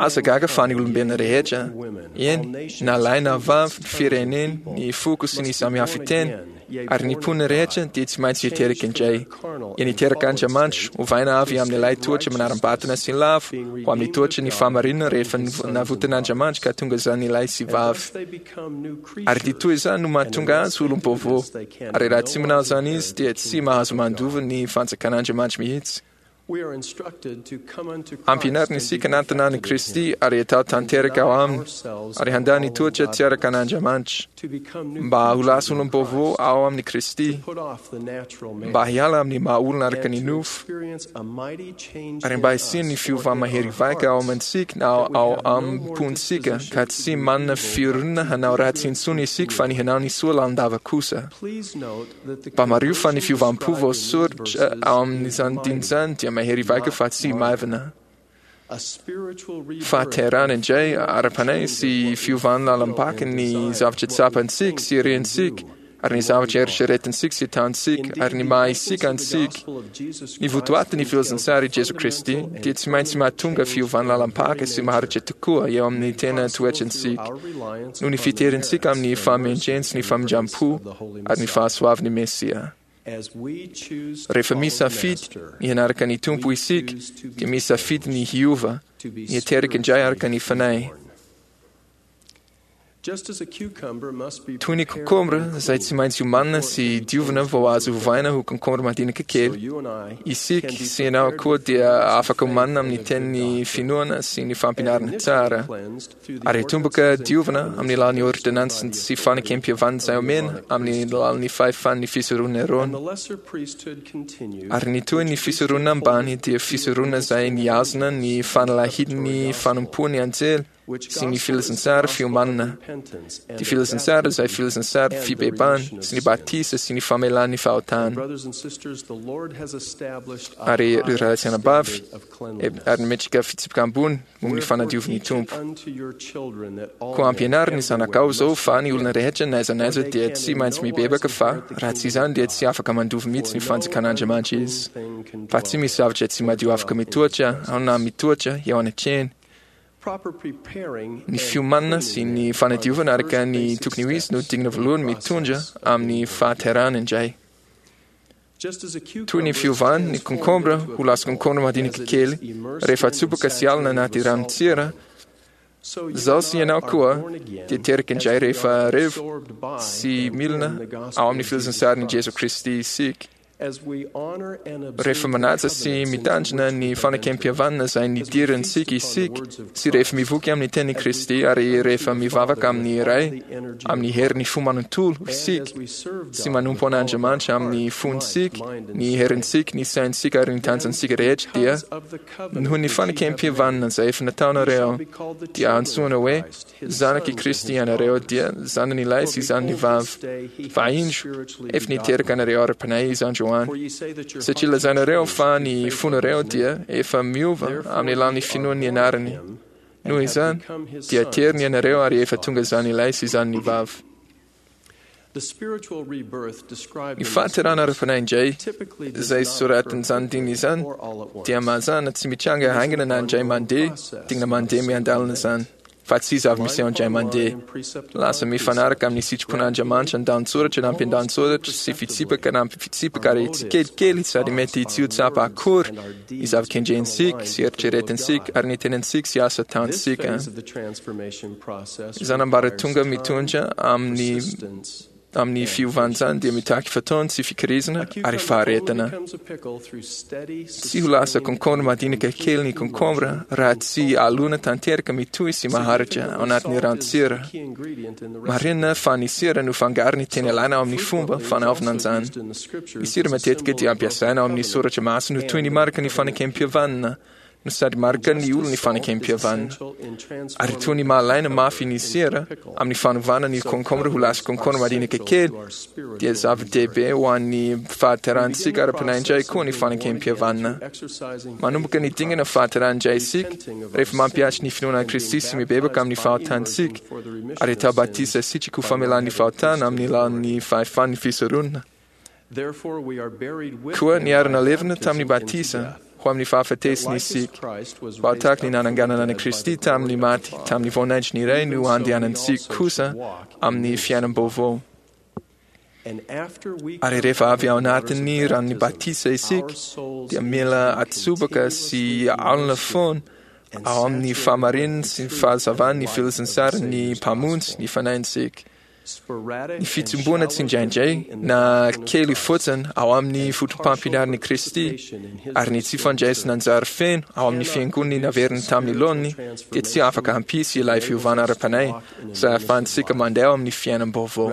aza gaga fa ny olombelona rehetra, eny, na lahy na vavy, ny firenena, ny foko sy ny samihafa fiteny, ary ny mponina rehetra dia tsy maintsy hiteraka indray. Eny, hiteraka Andriamanitra, ovaina avy amin'ilay toetra manaram-batana sy lavo ho amin'ny toetra ny fahamarinana rehefa navotan'Andriamanitra ka tonga izany lahy sy vavy. Ary dia toy izany no mahatonga azy ho olom-baovao. Ary raha tsy manao izany izy dia tsy mahazo mandova ny fanjakan'Andriamanitra mihitsy. Ampianarina isika hanatona an'i Kristy ary hatao tanteraka ao aminy, ary handà ny toetra tsy araka an'Andriamanitra, mba ho lasa olom-baovao ao amin'i Kristy, mba hiala amin'ny maha-olona araka ny nofo, ary mba hisian'ny fiovana mahery vaika ao amintsika na ao am-pontsika, ka tsy manana fironana hanao ratsy intsony isika fa ny hanao ny soa lalandava kosa. Mba mariho fa ny fiovam-po voasoratra ao amin'izany diny izany dia mahery vaika fa tsy maivana. Fahaterahana indray ara-panahy sy fiovan'ny lalam-paka ny zavatra tsapantsika sy rentsika ary ny zavatra eritreretintsika sy ataontsika ary ny maha isika antsika. Ny votoatin'ny filazantsara i Jesoa Kristy dia tsy maintsy mahatonga fiovan'ny lalam-paka sy maharitra tokoa eo amin'ny tena toetrantsika noho ny fiterintsika amin'ny fahamendrehana sy ny famindram-po ary ny fahasoavan'ny Mesia. Rehefa misafidy ny hanaraka ny Tompo isika dia misafidy ny hiova, ny hiteraka indray araka ny fanahy. Toy ny konkombra izay tsy maintsy omanina sy diovina vao azo ovaina ho konkombra madinika kely, isika sy ianao koa dia afaka omanina amin'ny tenin'ny finoana sy ny fampianarana tsara, ary atomboka diovina amin'ny alalan'ny ôrdônansy sy fanekem-pihavanana izay omena amin'ny alalan'ny fahefan'ny fisoronana Aarôna. Ary ny toy ny fisoronana ambany dia fisoronana izay nihazona ny fanalahidin'ny fanompoan'ny anjely sy ny filazantsara fiomanana, ny filazantsara izay filazantsara fibebahana sy ny batisa sy ny famelan'ny fahotana. Ary ireo rahalahy sy anabavy, ary nametraka fitsipika ambony momba ny fanadiovin'ny Tompo. Koa ampianaro ny zanakao izao fa ny olona rehetra n'aiza n'aiza dia tsy maintsy mibebaka fa raha tsy izany dia tsy afaka mandova mihitsy ny fanjakan'Andriamanitra izy. Fa tsy misy zavatra tsy madio afaka mitoetra ao na mitoetra eo anatrehany. Ny fiomanana sy ny fanadiovana araka ny tokony ho izy no dingana voalohany mitondra amin'ny fahaterahana indray. Toy ny fiovany ny konkombra ho lasa konkombra madinika kely rehefa atsoboka sy alona anaty ranon-tsira, izaho sy ianao koa dia teraka indray rehefa revo sy milina ao amin'ny filazantsarin'i Jesoa Kristy isika. Rehefa manaja sy mitandrina ny fanekempihavanana izay nidirantsika isika, sy rehefa mivoky amin'ny tenin'i Kristy, ary rehefa mivavaka amin'ny Ray amin'ny herin'ny fo manontolo isika, sy manompo an'Andriamanitra amin'ny fontsika, ny herintsika, ny saintsika ary ny tanjantsika rehetra, dia noho ny fanekempihavanana izay efa nataonareo, dia antsoina hoe zanak'i Kristy ianareo, dia zanany lahy sy zanany vavy. Fa indro, efa niteraka anareo ara-panahy Izy androany, satria lazainareo fa ny fonareo dia efa miova amin'ny alalan'ny finoan'ny anarany. Noho izany, dia teriny ianareo ary efa tonga zanany lahy sy zanany vavy. Ny fahaterahana ara-panahy indray, izay soratin'izany dingana izany, dia mazàna tsy mitranga haingana na indray mandeha, dingana mandeha miandalana izany, fa tsy zava-miseho indray mandeha. Lasa mifanaraka amin'ny sitrapon'Andriamanitra an-dantsoratra na ampian-dantsoratra sy fitsipaka na fitsipaka ary tsikelikely sady mety tsy ho tsapa akory ny zava-kendrentsika sy eritreretintsika ary ny tenantsika sy asa ataontsika. Izany ambaratonga mitondra amin'ny amin'ny fiovan'izany dia mitaky fotoana sy fikirizana ary faharetana. Tsy ho lasa konkombre madinika kely ny konkombre raha tsy alona tanteraka mitohy sy maharitra ao anatin'ny ranon-tsira. Marina fa ny sira no fangarony tena ilaina ao amin'ny fomba fanaovana an'izany. Ny sira matetika dia ampiasaina ao amin'ny soratra masina ho toy ny mariky ny fanekempihavanana, no sady marika ny olon'ny fanekempihavanana. Ary toy ny mahalaina mafy ny sira amin'ny fanovana ny konkombre ho lasa konkombre madinika kely, dia zava-dehibe ho an'ny fahaterahantsika ara-panahy indray koa ny fanekempihavanana. Manomboka ny dingana fahaterahana indray isika rehefa mampihatra ny finoana an'i Kristy sy mibebaka amin'ny fahotantsika, ary atao batisa sitraka ho famelana ny fahotana amin'ny alalan'ny fahefan'ny fisoronana. Koa niara-nalevina tamin'ny batisa ho amin'ny fahafatesana isika, mba ho tahaka ny nananganana an'i Kristy tamin'ny maty tamin'ny voninahitry ny Ray no handehanantsika kosa amin'ny fiainam-baovao. Ary rehefa avy ao anatin'ny ranon'ny batisa isika, dia mila atsobaka sy alona foana ao amin'ny fahamarinana sy ny fahazavan'ny filazantsaran'ny Mpamonjy ny fanahintsika. Ny fitsimboana tsindraindray na kely fotsiny ao amin'ny fotopampianaran'i Kristy ary ny tsy fandraisana anjara feno ao amin'ny fiangonany naveriny tamin'ny laoniny dia tsy afaka hampisy ilay fiovana ara-panahy izay ahafahantsika mandeha ao amin'ny fiainam-baovao.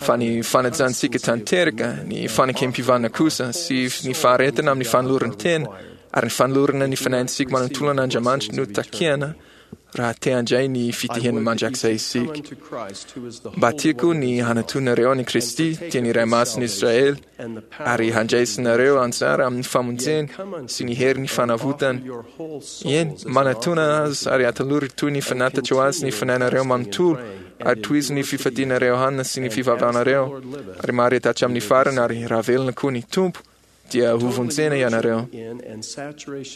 Fa ny fanajantsika tanteraka, ny fanekempihavana kosa sy ny faharetana amin'ny fanoloran-tena ary ny fanolorana ny fanahintsika manontolo an'Andriamanitra no takiana raha te handray ny fitihena mandrakizay isika. Mba tiako ny hanatonareo an'i Kristy, dia ny Ray Masin'i Israely, ary handraisinareo anjara amin'ny famonjeny sy ny herin'ny fanavotany. Eny, manatona Azy ary atolory toy ny fanatitra ho Azy ny fanahinareo manontolo, ary tohizo ny fifadianareo hanina sy ny fivavahanareo, ary mahareta hatramin'ny farany, ary raha velona koa ny Tompo, dia hovonjena ianareo.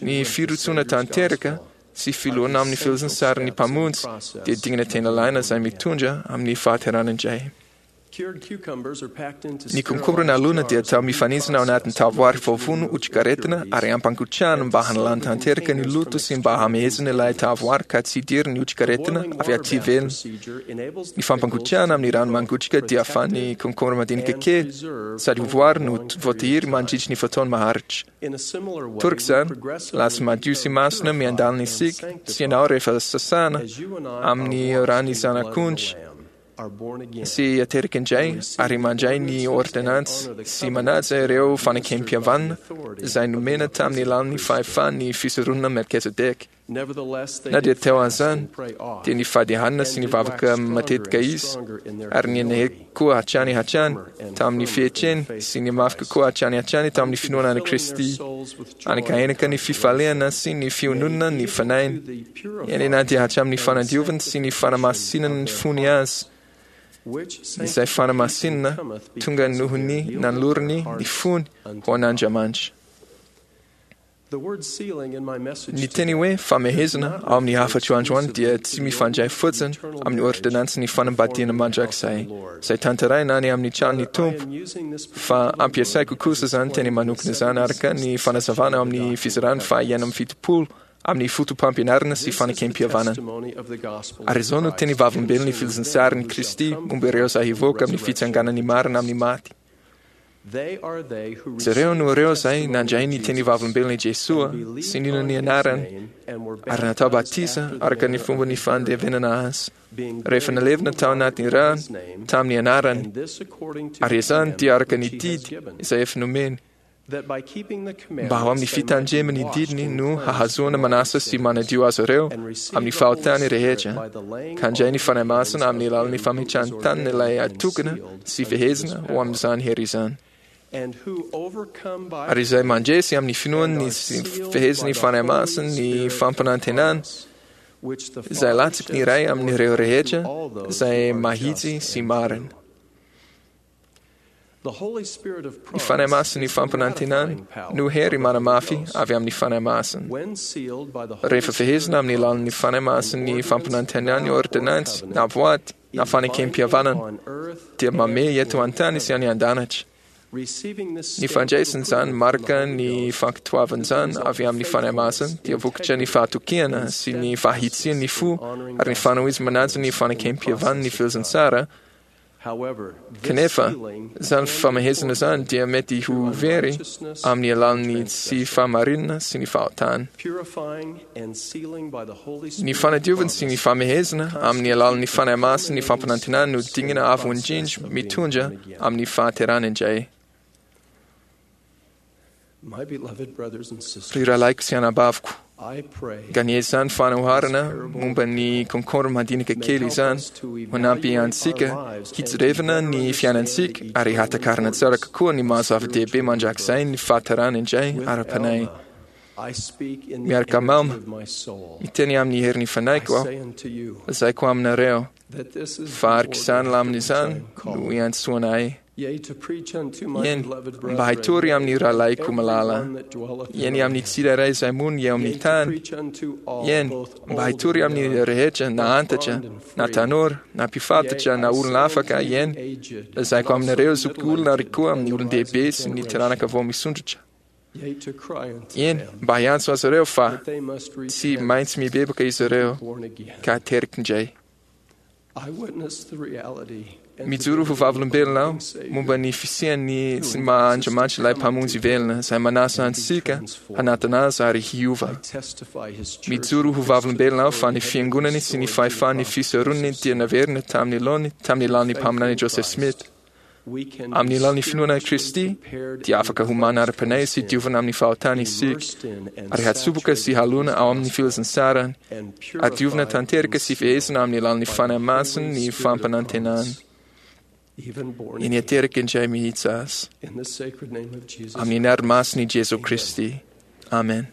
Ny firotsoana tanteraka sy filoana amin'ny filazantsaran'ny Mpamonjy dia dingana tena ilaina izay mitondra amin'ny fahaterahana indray. Ny konkombre nalona dia atao mifanitsina ao anatin'ny tavoary voavono otrikaretina ary ampangotrahana mba hanalana tanteraka ny loto sy mba hamehezana ilay tavoary ka tsy hidiran'ny otrikaretina avy aty ivelany. Ny fampangotrahana amin'ny rano mangotraka dia ahafahan'ny konkombre madinika kely sady ho voary no voatahiry mandritry ny fotoana maharitra. Toraka izany, lasa madio sy masina miandalina isika sy ianao rehefa sasana amin'ny ran'ny Zanak'ondry sy ateraka indray ary mandray ny ôrdônansy sy manaja ireo fanekempihavanana izay nomena tamin'ny alalan'ny fahefan'ny fisoronana Melkizedeka. Na dia teo an'izany, dia nifady hanina sy nivavaka matetika izy, ary nihenahena koa hatrany hatrany tamin'ny fietreny sy nihamafy kokoa hatrany hatrany tamin'ny finoana an'i Kristy. Hanekahenaka ny fifaliana sy ny fiononana ny fanahiny, eny na dia hatramin'ny fanadiovany sy ny fanamasinana ny fony aza, izay fanamasinana tonga noho ny nanolorany ny fony ho an'Andriamanitra. Ny teny hoe famehezana ao amin'ny hafatro androany dia tsy mifandray fotsiny amin'ny ôrdônansin'ny fanambadiana mandrakizay izay tanterahina any amin'ny tranon'ny Tompo, fa ampiasaiko kosa izany teny manokana izany araka ny fanazavana ao amin'ny fizarana faha enina amby fitopolo amin'ny fotopampianarana sy fanekempihavanana. Ary izao no teny vavolombelon'ny filazantsarin'i Kristy momba ireo izay hivoaka amin'ny fitsanganan'ny marina amin'ny maty. Jereo no ireo izay nandray ny teny vavolombelon'i Jesoa sy nino ny anarany ary natao batisa araka ny fomba ny fandevenana azy, rehefa nalevina tao anatin'ny rano tamin'ny anarany, ary izany dia araka ny didy izay efa nomeny, mba ho amin'ny fitandremany didiny no hahazoana manasa sy manadio azy ireo amin'ny fahotany rehetra, ka handray ny Fanahy Masina amin'ny alalan'ny fametrahan-tanana ilay atokana sy fehezina ho amin'izany hery izany. Ary izay mandresy amin'ny finoany ny fehezin'ny Fanahy Masina ny fampanantenana izay latsaky ny iray amin'ireo rehetra izay mahitsy sy marina. Ny Fanahy Masin'ny fampanantenana no hery manamafy avy amin'ny Fanahy Masina. Rehefa fehezina amin'ny alalan'ny Fanahy Masin'ny fampanantenana ny ôrdônansy na voady na fanekem-pihavanana dia mamehy eto an-tany sy any an-danitra. Ny fandraisana izany marika ny fankatoavana izany avy amin'ny Fanahy Masina dia vokatra ny fahatokiana sy ny fahitsian'ny fo ary ny fanohizana manaja ny fanekem-pihavanan'ny filazantsara. Kanefa, izany famehezana izany dia mety ho very amin'ny alalan'ny tsy fahamarinana sy ny fahotana. Ny fanadiovana sy ny famehezana amin'ny alalan'ny Fanahy Masina ny fampanantenana no dingana avo indrindra mitondra amin'ny fahaterahana indray. Ry rahalahiko sy anabaviko, ganie izany fanoharana momba ny konkomba madinika kely izany hanampy antsika hijerevana ny fiainantsika ary hahatakarana tsara kokoa ny maha zava-dehibe mandrakizay ny fahatarana indray ara-panahy. Miaraka amin'i Alma, miteny amin'ny herin'ny fanahiko aho, lazaiko aminareo fa araka izany lamina izany no iantsoana ahy. Eny, mba hitory amin'ny rahalahiko malala, eny amin'ny tsirairay izay monina eo amin'ny tany, eny, mba hitory amin'ny rehetra na antitra, na tanora, na mpifatotra, na olona afaka, eny, lazaiko aminareo zokiolona ary koa amin'ny olon-dehibe sy ny taranaka vao misondrotra. Eny, mba hiantso azy ireo fa tsy maintsy mibebaka izy ireo ka hateraka indray. Mijoro ho vavolombelona aho momba ny fisian'ny sy ny maha Andriamanitra ilay Mpamonjy velona izay manasa antsika hanatona azy ary hiova. Mijoro ho vavolombelona aho fa ny fiangonany sy ny fahefan'ny fisoronany dia naverina tamin'ny laony tamin'ny alalan'ny mpaminany Joseph Smith. Amin'ny alalan'ny finoana an'i Kristy dia afaka homana ara-panahy sy diovina amin'ny fahotana isika, ary hatsoboka sy halona ao amin'ny filazantsarany, ary diovina tanteraka sy fehezina amin'ny alalan'ny Fanahy Masina ny fampanantenana. Eny ateraka indray mihitsy azy. Amin'ny anarana masin'i Jesoa Kristy. Amen.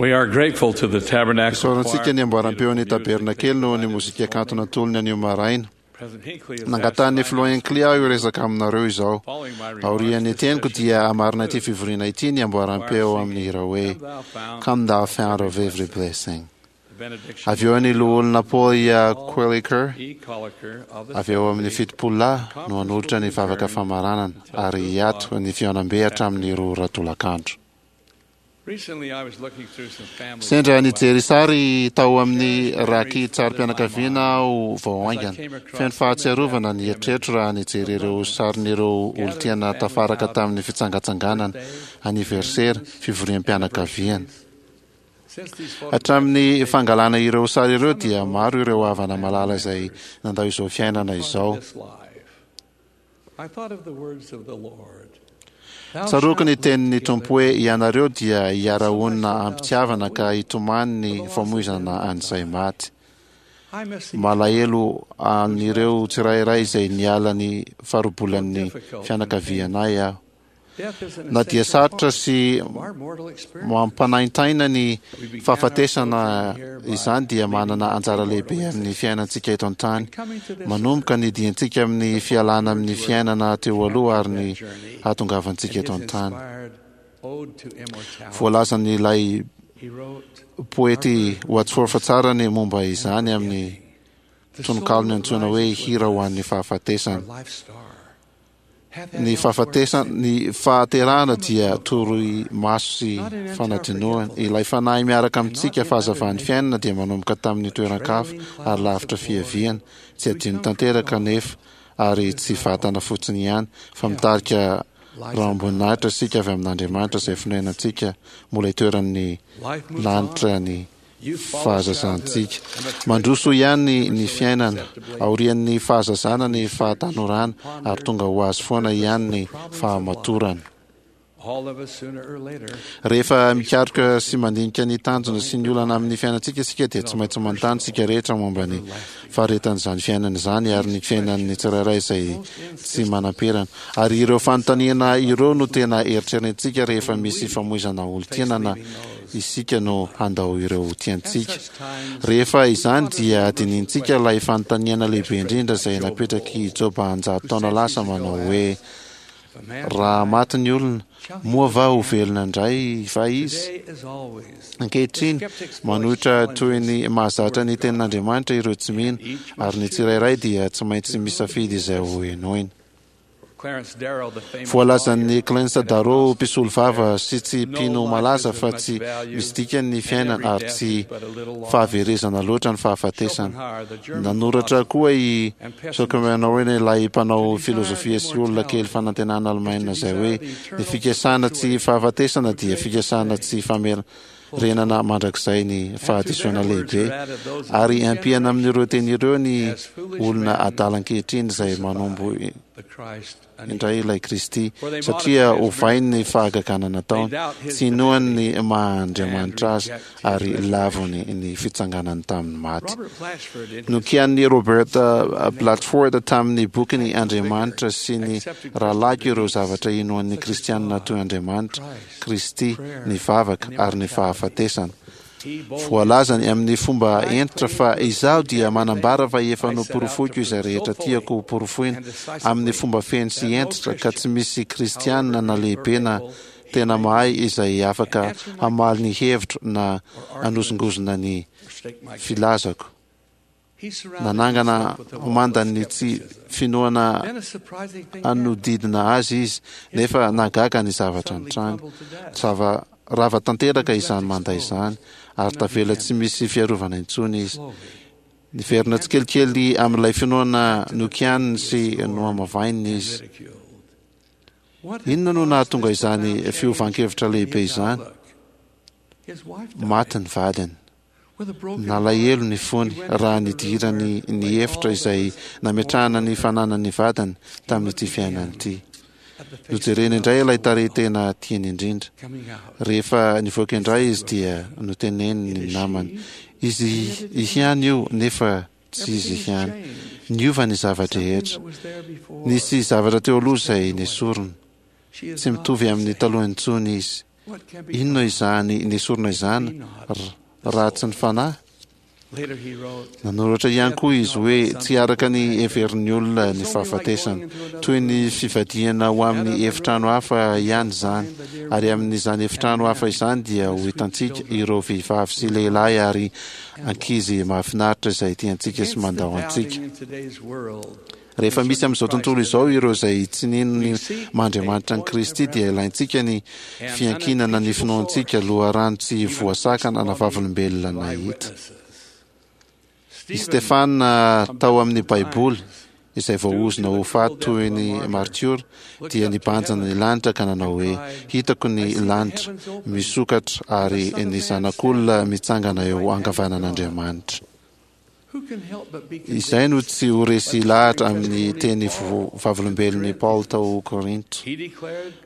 We are grateful to the Tabernacle Isaorantsika Choir. ny amboaram-peon'ny tabernakely noho ny mozika kanto natolony anio maraina. President Hinckley has Nangatahan'ny asked filoha Hinckley aho hiresaka aminareo izao. Following my remarks, Aorian'ny this teniko session dia hamarina ity fivoriana ity ny amboaram-peo amin'ny hira hoe Come Thou Fount of Every Blessing. The benediction Avy eo ny loholona Paul Quilliker, E. Colliker of the avy eo amin'ny fitopolo lahy no hanolotra ny vavaka famaranana ary hiato ny fihaonambe hatramin'ny roa ora tolakandro. Recently I was looking through some family Sendra nijery sary tao amin'ny raki-tsarim-pianakaviana aho vao haingana. Feno fahatsiarovana ny eritreritro raha nijery ireo sarin'ireo olon-tiana tafaraka tamin'ny fitsangatsanganana, aniversera, fivoriam-pianakaviana. Since these photographs Hatramin'ny fangalana ireo sary ireo dia maro ireo havana malala izay nandao izao fiainana izao. this life, I thought of the words of the Lord. Thou Tsaroako ny shalt tenin'ny Tompo hoe ianareo dia hiara-honina am-pitiavana ka hitomany ny famoizana an'izay maty. I miss Malahelo an'ireo tsirairay izay niala ny farobolan'ny fianakavianay aho. Death is an Na dia essential sarotra part sy of our mortal experience. mampanaintaina ny fahafatesana izany dia manana anjara lehibe amin'ny fiainantsika eto an-tany. Manomboka ny diantsika amin'ny fialana amin'ny fiainana teo aloha ary ny hahatongavantsika And eto his an-tany. inspired ode to immortality. Voalazan'ilay He wrote, poety Wadsworth tsara ny momba izany amin'ny tononkalony antsoina hoe hira ho an'ny fahafatesana. Life star. Hath had Ny elsewhere fahafatesana, ny fahaterahana dia toroy maso sy fanadinoana. Ilay fanahy miaraka amintsika fahazavan'ny fiainana dia manomboka tamin'ny toeran-kafa ary lavitra fiaviana. Tsy adino tanteraka nefa ary tsy vatana fotsiny ihany fa mitarika rahom-boninahitra isika avy amin'Andriamanitra izay fonenantsika mbola itoeran'ny lanitra ny fahazazantsika. Mandroso ihany ny fiainana aorian'ny fahazazana ny fahatanorana ary tonga ho azy foana ihany ny fahamatorana. All of us sooner or later Rehefa mikaroka sy mandinika ny tanjona sy ny olana amin'ny fiainantsika isika dia tsy maintsy manontany isika rehetra momba ny faharetan'izany fiainana izany ary ny fiainan'ny tsirairay izay tsy manam-perana. Ary ireo fanontaniana ireo no tena eritreretintsika rehefa misy famoizana olon-tiana na isika no handao ireo tiantsika. Rehefa izany dia dinihintsika ilay fanontaniana lehibe indrindra izay napetraky Joba anjato taona lasa manao hoe raha maty ny olona, moa va ho velona indray va izy? today as always. Ankehitriny, manohitra toy ny mahazatra ny tenin'Andriamanitra ireo tsy mino, ary ny tsirairay dia tsy maintsy misafidy izay ho henoina. Clarence Darrow, the famous Voalazan'ny Clarence Darrow mpisolo vava sy tsy mpino malaza fa tsy misy dikany ny fiainana ary tsy fahaverezana loatra ny fahafatesana. Nanoratra koa i Schopenhauer ilay mpanao filozofia sy olona kely fanantenana alemaina izay hoe ny fikasana tsy fahafatesana dia fikasana tsy famerenana mandrakizay ny fahadisoana lehibe ary ampiana amin'ireo teny ireo ny olona adala ankehitriny izay manombo the Christ indray ilay Kristy satria ovainy ny fahagagana nataony, tsy inoany ny maha-Andriamanitra azy ary lavony ny fitsanganany tamin'ny maty. Robert Blatchford in his Nokian'ny Robert eh, Blatchford tamin'ny bokiny Andriamanitra sy ny rahalahiko ireo zavatra inoan'ny kristianina toy Andriamanitra, Kristy, ny vavaka ary ny fahafatesana. Voalazany amin'ny fomba hentitra fa izaho dia manambara fa efa noporofoiko izay rehetra tiako hoporofoina amin'ny fomba feno sy hentitra ka tsy misy kristianina na lehibe na tena mahay izay afaka hamaly ny hevitro na hanozongozona ny filazako. He surrounded Nanangana himself with a wall of mandan'ny tsy finoana Then a surprising thing hanodidina azy izy nefa nahagaga ny zavatra nitranga. Zava rava tanteraka izany manda izany ary tavela tsy misy fiarovana intsony izy. Niverina tsikelikely amin'ilay finoana nokianiny sy nohamavaininy izy. Inona no nahatonga izany fiovan-kevitra lehibe izany? His wife died. Maty ny vadiny. With a broken Nalahelo ny fony raha nidirany ny efitra izay nametrahana ny fananany vadiny tamin'ity fiainana ity. Nojereny indray ilay tarehy tena tiany indrindra. Rehefa nivoaka indray izy dia noteneniny ny namany. Izy ihany io nefa tsy izy ihany. Niova ny zava-drehetra. Nisy zavatra teo aloha izay nesorina. Tsy mitovy amin'ny taloha intsony izy. Inona izany nesorina izany raha tsy ny fanahy? Nanoratra ihany koa izy hoe tsy araka ny heverin'ny olona ny fahafatesana. Toy ny fivadihana ho amin'ny efitrano hafa ihany izany, ary amin'izany efitrano hafa izany dia ho hitantsika ireo vehivavy sy lehilahy ary ankizy mahafinaritra izay tiantsika sy mandao antsika. Rehefa misy amin'izao tontolo izao ireo izay tsy nino ny maha-Andriamanitra an'i Kristy dia ilaintsika ny fiankinana ny finoantsika, loharano tsy voasakana na vavolombelona nahita. I Stefana tao amin'ny Baiboly, izay voaozona ho faty toy ny martiora, dia nibanjina ny lanitra ka nanao hoe, Hitako ny lanitra misokatra ary ny Zanak'olona mitsangana eo ankavanan'Andriamanitra. Izay no tsy ho resy lahatra amin'ny teny vavolombelon'i Paoly tao Korinto.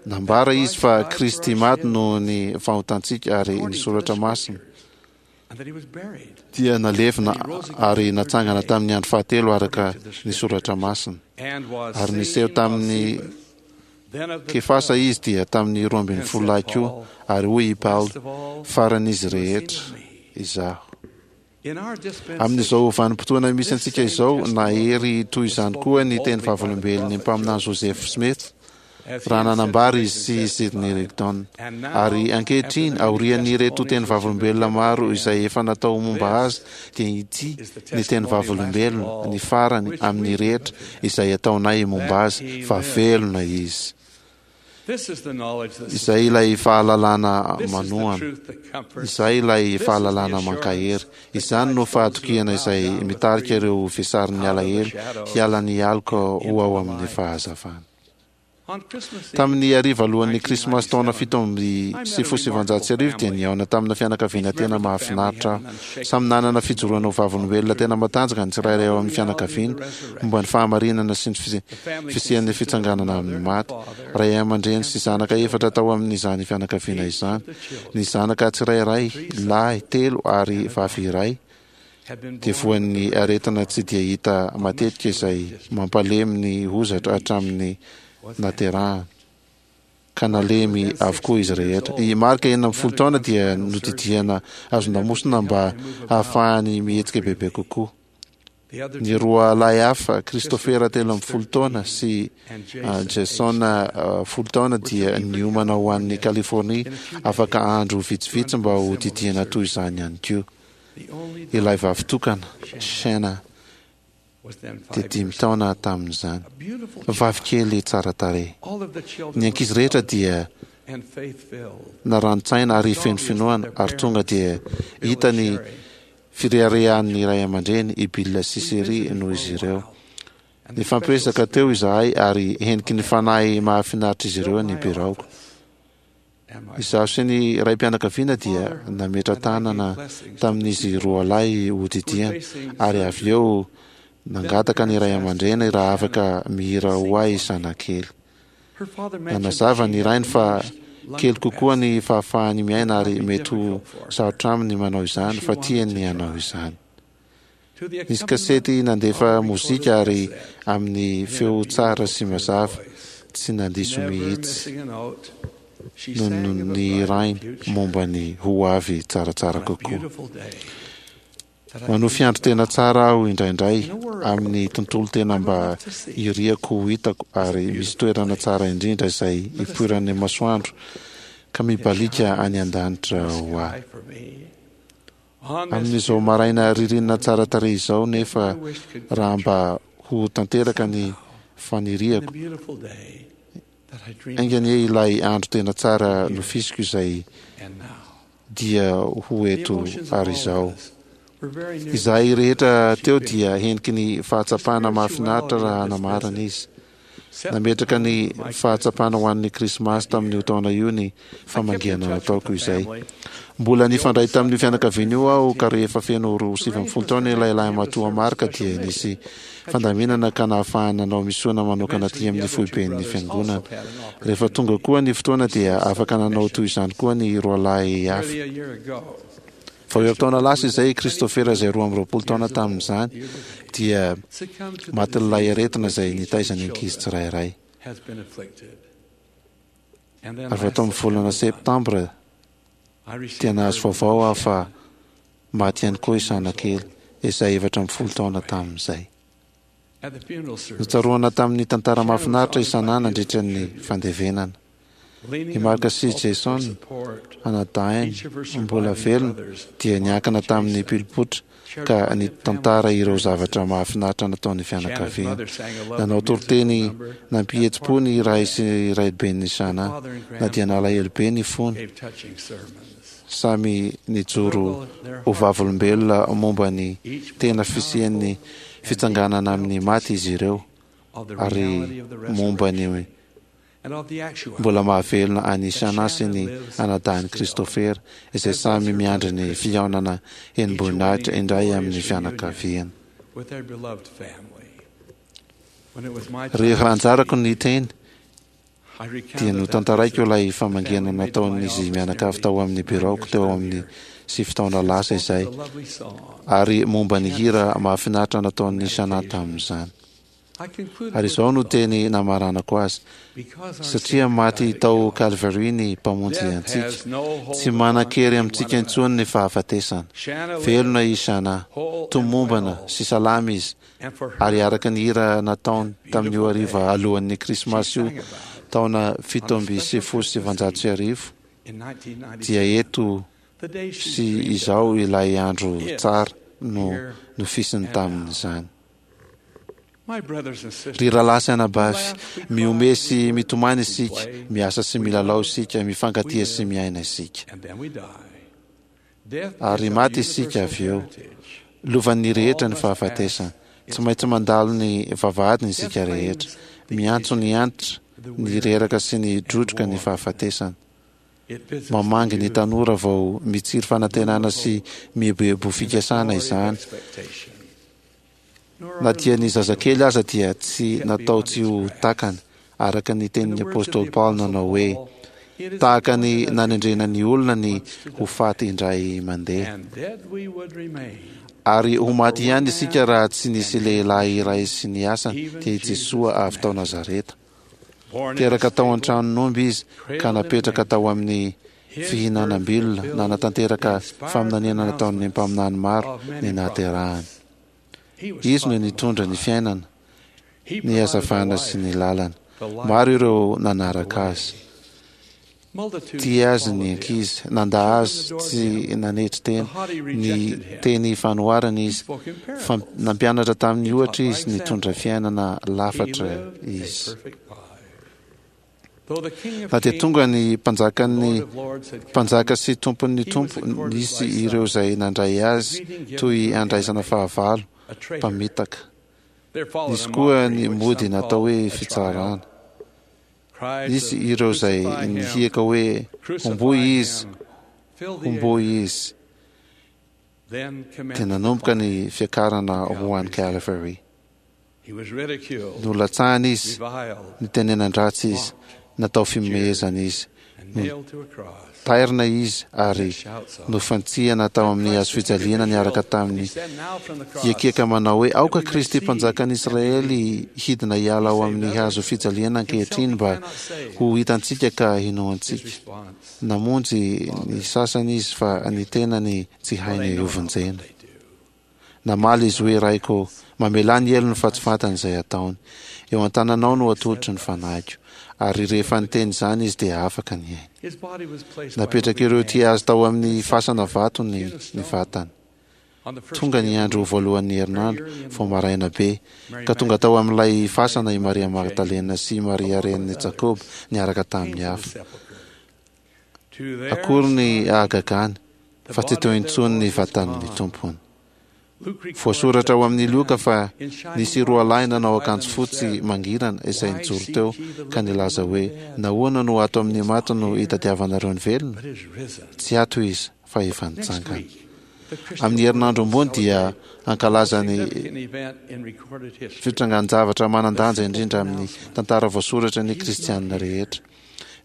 Nambara izy fa Kristy maty noho ny fahotantsika ary ny Soratra Masina dia nalevina ary natsangana tamin'ny andro fahatelo araka ny Soratra Masina. Ary niseho tamin'ny Kefasa izy dia tamin'ny roa ambin'ny folo lahy koa, ary hoy i Paoly, Faran'izy rehetra izaho. Amin'izao vanim-potoana misy antsika izao, nahery toy izany koa ny teny vavolombelon'ny mpaminany Joseph Smith raha nanambara izy sy Sidney Rigdon. Ary ankehitriny, aorian'ireto teny vavolombelona maro izay efa natao momba azy, dia ity ny teny vavolombelona, ny farany amin'ny rehetra izay ataonay momba azy, fa velona izy. Izay ilay fahalalana manohana. Izay ilay fahalalana mankahery. Izany no fahatokiana izay mitarika ireo vesarin'ny alahelo hiala ny aloka ho ao amin'ny fahazavana. Tamin'ny hariva alohan'ny Krismasy taona fito amby sivifolo sy sivinjato sy arivo dia nihaona tamina fianakaviana tena mahafinaritra aho. Samy nanana fijoroana ho vavolombelona tena matanjaka ny tsirairay ao amin'ny fianakaviana momba ny fahamarinana sy ny fisian'ny fitsanganana amin'ny maty. Ray aman-dreny sy zanaka efatra tao amin'izany fianakaviana izany. Ny zanaka tsirairay, lahy telo ary vavy iray, dia voan'ny aretina tsy dia hita matetika izay mampalemy ny hozatra hatramin'ny naterahany, ka nalemy avokoa izy rehetra. I Mark, enina ambin'ny folo taona, dia nodidiana hazon-damosina mba hahafahany mihetsika bebe kokoa. Ny roa lahy hafa, Christopher telo ambin'ny folo taona sy Jason folo taona dia niomana ho any Californie afaka andro vitsivitsy mba ho didiana toy izany ihany koa. Ilay vavy tokana, Shana, dia dimy taona tamin'izany. Vavy kely tsara tarehy. Ny ankizy rehetra dia narani-tsaina ary feno finoana ary tonga dia hita ny fireharehan'ny ray aman-dreny i Bill sy Sherry noho izy ireo. Nifampiresaka teo izahay ary heniky ny fanahy mahafinaritra izy ireo ny biraoko. Izaho sy ny raim-pianakaviana dia nametra-tanana tamin'izy roalahy hodidiana ary avy eo nangataka ny ray aman-dreny raha afaka mihira ho ahy zanakely. Nanazava ny rainy fa kely kokoa ny fahafahany miaina ary mety ho sarotra aminy ny manao izany fa tiany ny hanao izany. Nisy kasety nandefa mozika ary amin'ny feo tsara sy mazava, tsy nandiso mihitsy no nihirainy momba ny ho avy tsaratsara kokoa. Manofy andro tena tsara aho indraindray, amin'ny tontolo tena mba iriako ho hitako ary misy toerana tsara indrindra izay ipoiran'ny masoandro ka mibaliaka any an-danitra ho ahy. Amin'izao maraina ririnina tsara tarehy izao nefa raha mba ho tanteraka ny faniriako, enga anie ilay andro tena tsara nofisiko izay dia ho eto ary izao. Izahay rehetra teo dia heniky ny fahatsapana mahafinaritra raha namarana izy. Nametraka ny fahatsapana ho an'ny Krismasy tamin'io taona io ny famangiana nataoko izay. Mbola nifandray tamin'io fianakaviana io aho ka rehefa feno roa sivy ambin'ny folo taona ilay lahimatoa Mark dia nisy fandaminana ka nahafahany nanao misiona manokana aty amin'ny foiben'ny Fiangonana. Rehefa tonga koa ny fotoana dia afaka nanao toy izany koa ny roalahy hafa. Vao herintaona lasa izay i Christopher izay roa amby roapolo taona tamin'izany dia matin'ilay aretina izay nitaiza ny ankizy tsirairay. Ary tao amin'ny volana septambra dia nahazo vaovao aho fa maty ihany koa i Shana kely, izay efatra ambin'ny folo taona tamin'izay. Notsaroana tamin'ny tantara mahafinaritra i Shana nandritra ny fandevenana. I Mark sy Jason, anadahiny mbola velona, dia niankina tamin'ny pilpoitra ka nitantara ireo zavatra mahafinaritra nataon'ny fianakaviana. Nanao toriteny nampihetsi-po ny ray sy raiben'i Shana, na dia nalahelo be ny fony. Samy nijoro ho vavolombelona momba ny tena fisian'ny fitsanganana amin'ny maty izy ireo, ary momba ny mbola mahavelona an'i Shana sy ny anadahin'i Christopher, izay samy miandry ny fihaonana henim-boninahitra indray amin'ny fianakaviana. Rehefa anjarako ny teny, dia notantaraiko ilay famangiana nataon'izy mianakavy tao amin'ny biraoko teo amin'ny sivy taona lasa izay, ary momba ny hira mahafinaritra nataon'i Shana tamin'izany. Ary izao no teny namaranako azy: satria maty tao Calvary ny Mpamonjy antsika, tsy manan-kery amintsika intsony ny fahafatesana. Velona i Shana, tomombana sy salama izy, ary araka ny hira nataony tamin'io hariva alohan'ny Krismasy io taona fito amby sivifolo sy sivanjato sy arivo, dia eto sy izao ilay andro tsara no nofisiny tamin'izany. Ry rahalahy sy anabavy, mihomehy sy mitomany isika, miasa sy milalao isika, mifankatia sy miaina isika. Ary maty isika avy eo. Lovan'ny rehetra ny fahafatesana. Tsy maintsy mandalo ny vavahadiny isika rehetra. Miantso ny antitra, ny reraka sy ny drodroka ny fahafatesana. Mamangy ny tanora vao mitsiry fanantenana sy mieboebo fikasana izany. Na dia ny zazakely aza dia tsy natao tsy ho takany, araka ny tenin'ny apostoly Paoly nanao hoe, tahaka ny nanendrena ny olona ny ho faty indray mandeha. Ary ho maty ihany isika raha tsy nisy lehilahy iray sy ny asany, dia i Jesoa avy tao Nazareta. Teraka tao an-tranon'omby izy ka napetraka tao amin'ny fihinanam-bilona, nanatanteraka faminaniana nataon'ny mpaminany maro ny nahaterahany. Izy no nitondra ny fiainana, ny hazavana sy ny lalana. Maro ireo nanaraka azy. Tia azy ny ankizy, nanda azy tsy nanetry tena, ny teny fanoharana izy, fa nampianatra tamin'ny ohatra izy, nitondra fiainana lafatra izy. Na dia tonga ny mpanjakan'ny mpanjaka sy tompon'ny tompo, nisy ireo izay nandray azy toy andraisana fahavalo, mpamitaka. Nisy koa ny mody natao hoe fitsarana. Nisy ireo izay nihiaka hoe homboy izy, homboy izy. Dia nanomboka ny fiakarana ho any Calvary. Nolatsahana izy, nitenenan-dratsy izy, natao fihomehezana izy, notairina izy ary nofantsihana tao amin'ny hazo fijaliana niaraka tamin'ny hiakiaka manao hoe, aoka Kristy mpanjakan'i Israely hidina hiala ao amin'ny hazo fijaliana ankehitriny mba ho hitantsika ka hinoantsika. Namonjy ny sasany izy fa ny tenany tsy hainy hovonjena. Namaly izy hoe, Raiko, mamelà ny helony fa tsy fantany izay ataony. Eo an-tananao no atolotro ny fanahiko. Ary rehefa niteny izany izy dia afaka ny ainy. Napetraka ireo tia azy tao amin'ny fasana vato ny ny vatany. Tonga ny andro voalohan'ny herinandro, vao maraina be, ka tonga tao amin'ilay fasana i Maria Magdalena sy i Maria renin'i Jakoba niaraka tamin'ny hafa. Akory ny hahagagany fa tsy teo intsony ny vatan'ny Tompony. Voasoratra ao amin'ny Lioka fa nisy roa lahy nanao akanjo fotsy mangirana izay nijoro teo ka nilaza hoe, nahoana no ato amin'ny maty no itadiavanareo ny velona? Tsy ato izy fa efa nitsangana. Amin'ny herinandro ambony dia hankalaza ny fitrangan-javatra manan-danja indrindra amin'ny tantara voasoratra ny kristianina rehetra.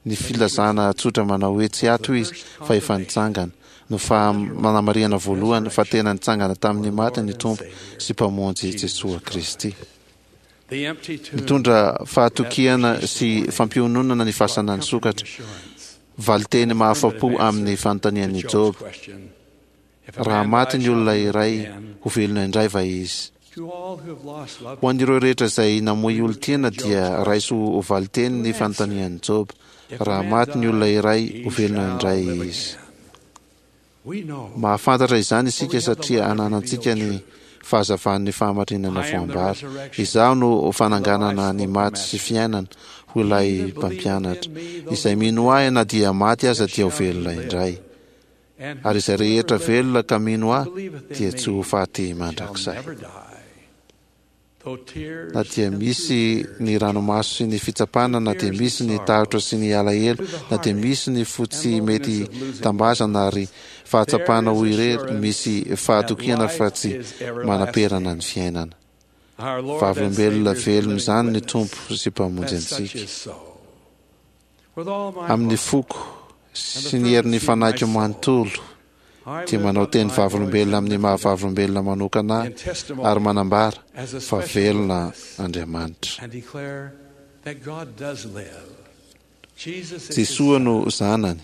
Ny filazana tsotra manao hoe tsy ato izy fa efa nitsangana no fanamarihana voalohany fa tena nitsangana tamin'ny maty ny Tompo sy Mpamonjy Jesoa Kristy. Nitondra fahatokiana sy fampiononana ny fasana nisokatra. Valiteny mahafa-po amin'ny fanontanian'i Joba: raha maty ny olona iray, ho velona indray va izy? Ho an'ireo rehetra izay namoy olon-tiana dia raiso ho valiteny ny fanontanian'i Joba: raha maty ny olona iray, ho velona indray izy. Mahafantatra izany isika satria ananantsika ny fahazavan'ny fahamarinana voambara. Izaho no fananganana ny maty sy fiainana, hoy ilay mpampianatra. Izay mino ahy na dia maty aza dia ho velona indray. Ary izay rehetra velona ka mino ahy dia tsy ho faty mandrakizay. Na dia misy ny ranomaso sy ny fitsapana, na dia misy ny tahotra sy ny alahelo, na dia misy ny fo tsy mety tambazana ary fahatsapana ho irery, misy fahatokiana fa tsy manam-perana ny fiainana. Vavolombelona velona izany ny Tompo sy Mpamonjy antsika. Amin'ny foko sy ny herin'ny fanahiko manontolo dia manao teny vavolombelona amin'ny maha-vavolombelona manokana ahy ary manambara fa velona Andriamanitra. Jesoa no Zanany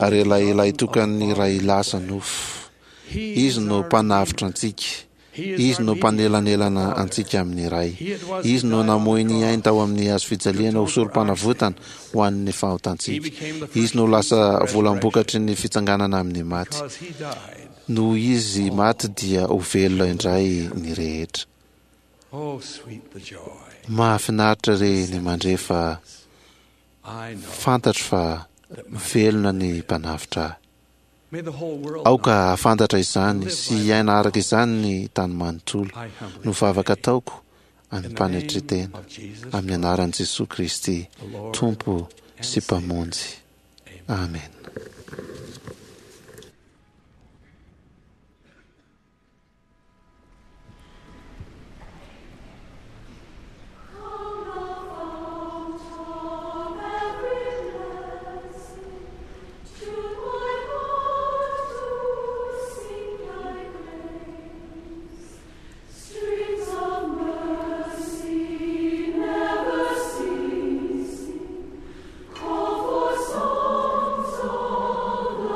ary ilay lahitokan'ny Ray lasa nofo. Izy no Mpanavotra antsika. Izy no mpanelanelana antsika amin'ny Ray. Izy no namoy ny ainy tao amin'ny hazo fijaliana ho sorom-panavotana ho an'ny fahotantsika. Izy no lasa volam-bokatry ny fitsanganana amin'ny maty. Noho Izy maty dia ho velona indray ny rehetra. Mahafinaritra re ny mandre fa fantatro fa velona ny Mpanavotra ahy. Aoka hahafantatra izany sy hiaina araka izany ny tany manontolo, no vavaka ataoko amim-panetren-tena, amin'ny anaran'i Jesoa Kristy, Tompo sy Mpamonjy. Amena. Call for songs of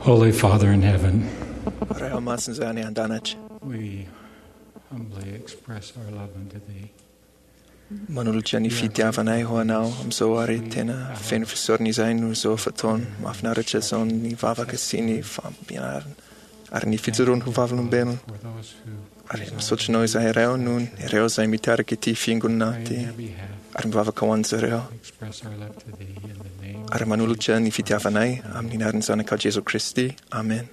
Holy Father in heaven, Ray masina izay any an-danitra, we humbly express our love unto thee. Manolotra ny fitiavanay ho anao amin'izao ary tena feno fisaorana izahay noho izao fotoana mahafinaritra izao ny vavaka sy ny fampianarana ary ny fijoroana ho vavolombelona. Ary misaotra anao izahay Ray noho ireo izay mitarika ity fiangonana ity ary mivavaka ho an'izy ireo. Express our love to thee in the name Ary manolotra ny fitiavanay amin'ny anaran'ny Zanakao Jesoa Kristy. Amen.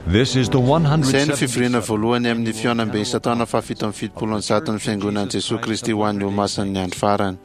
This is the Izay no fivoriana voalohany amin'ny fihaonambe isan-taona fahafito amby fitopolo amby zaton'ny Fiangonan'i Jesoa Kristy ho an'ny Olomasin'ny Andro Farany.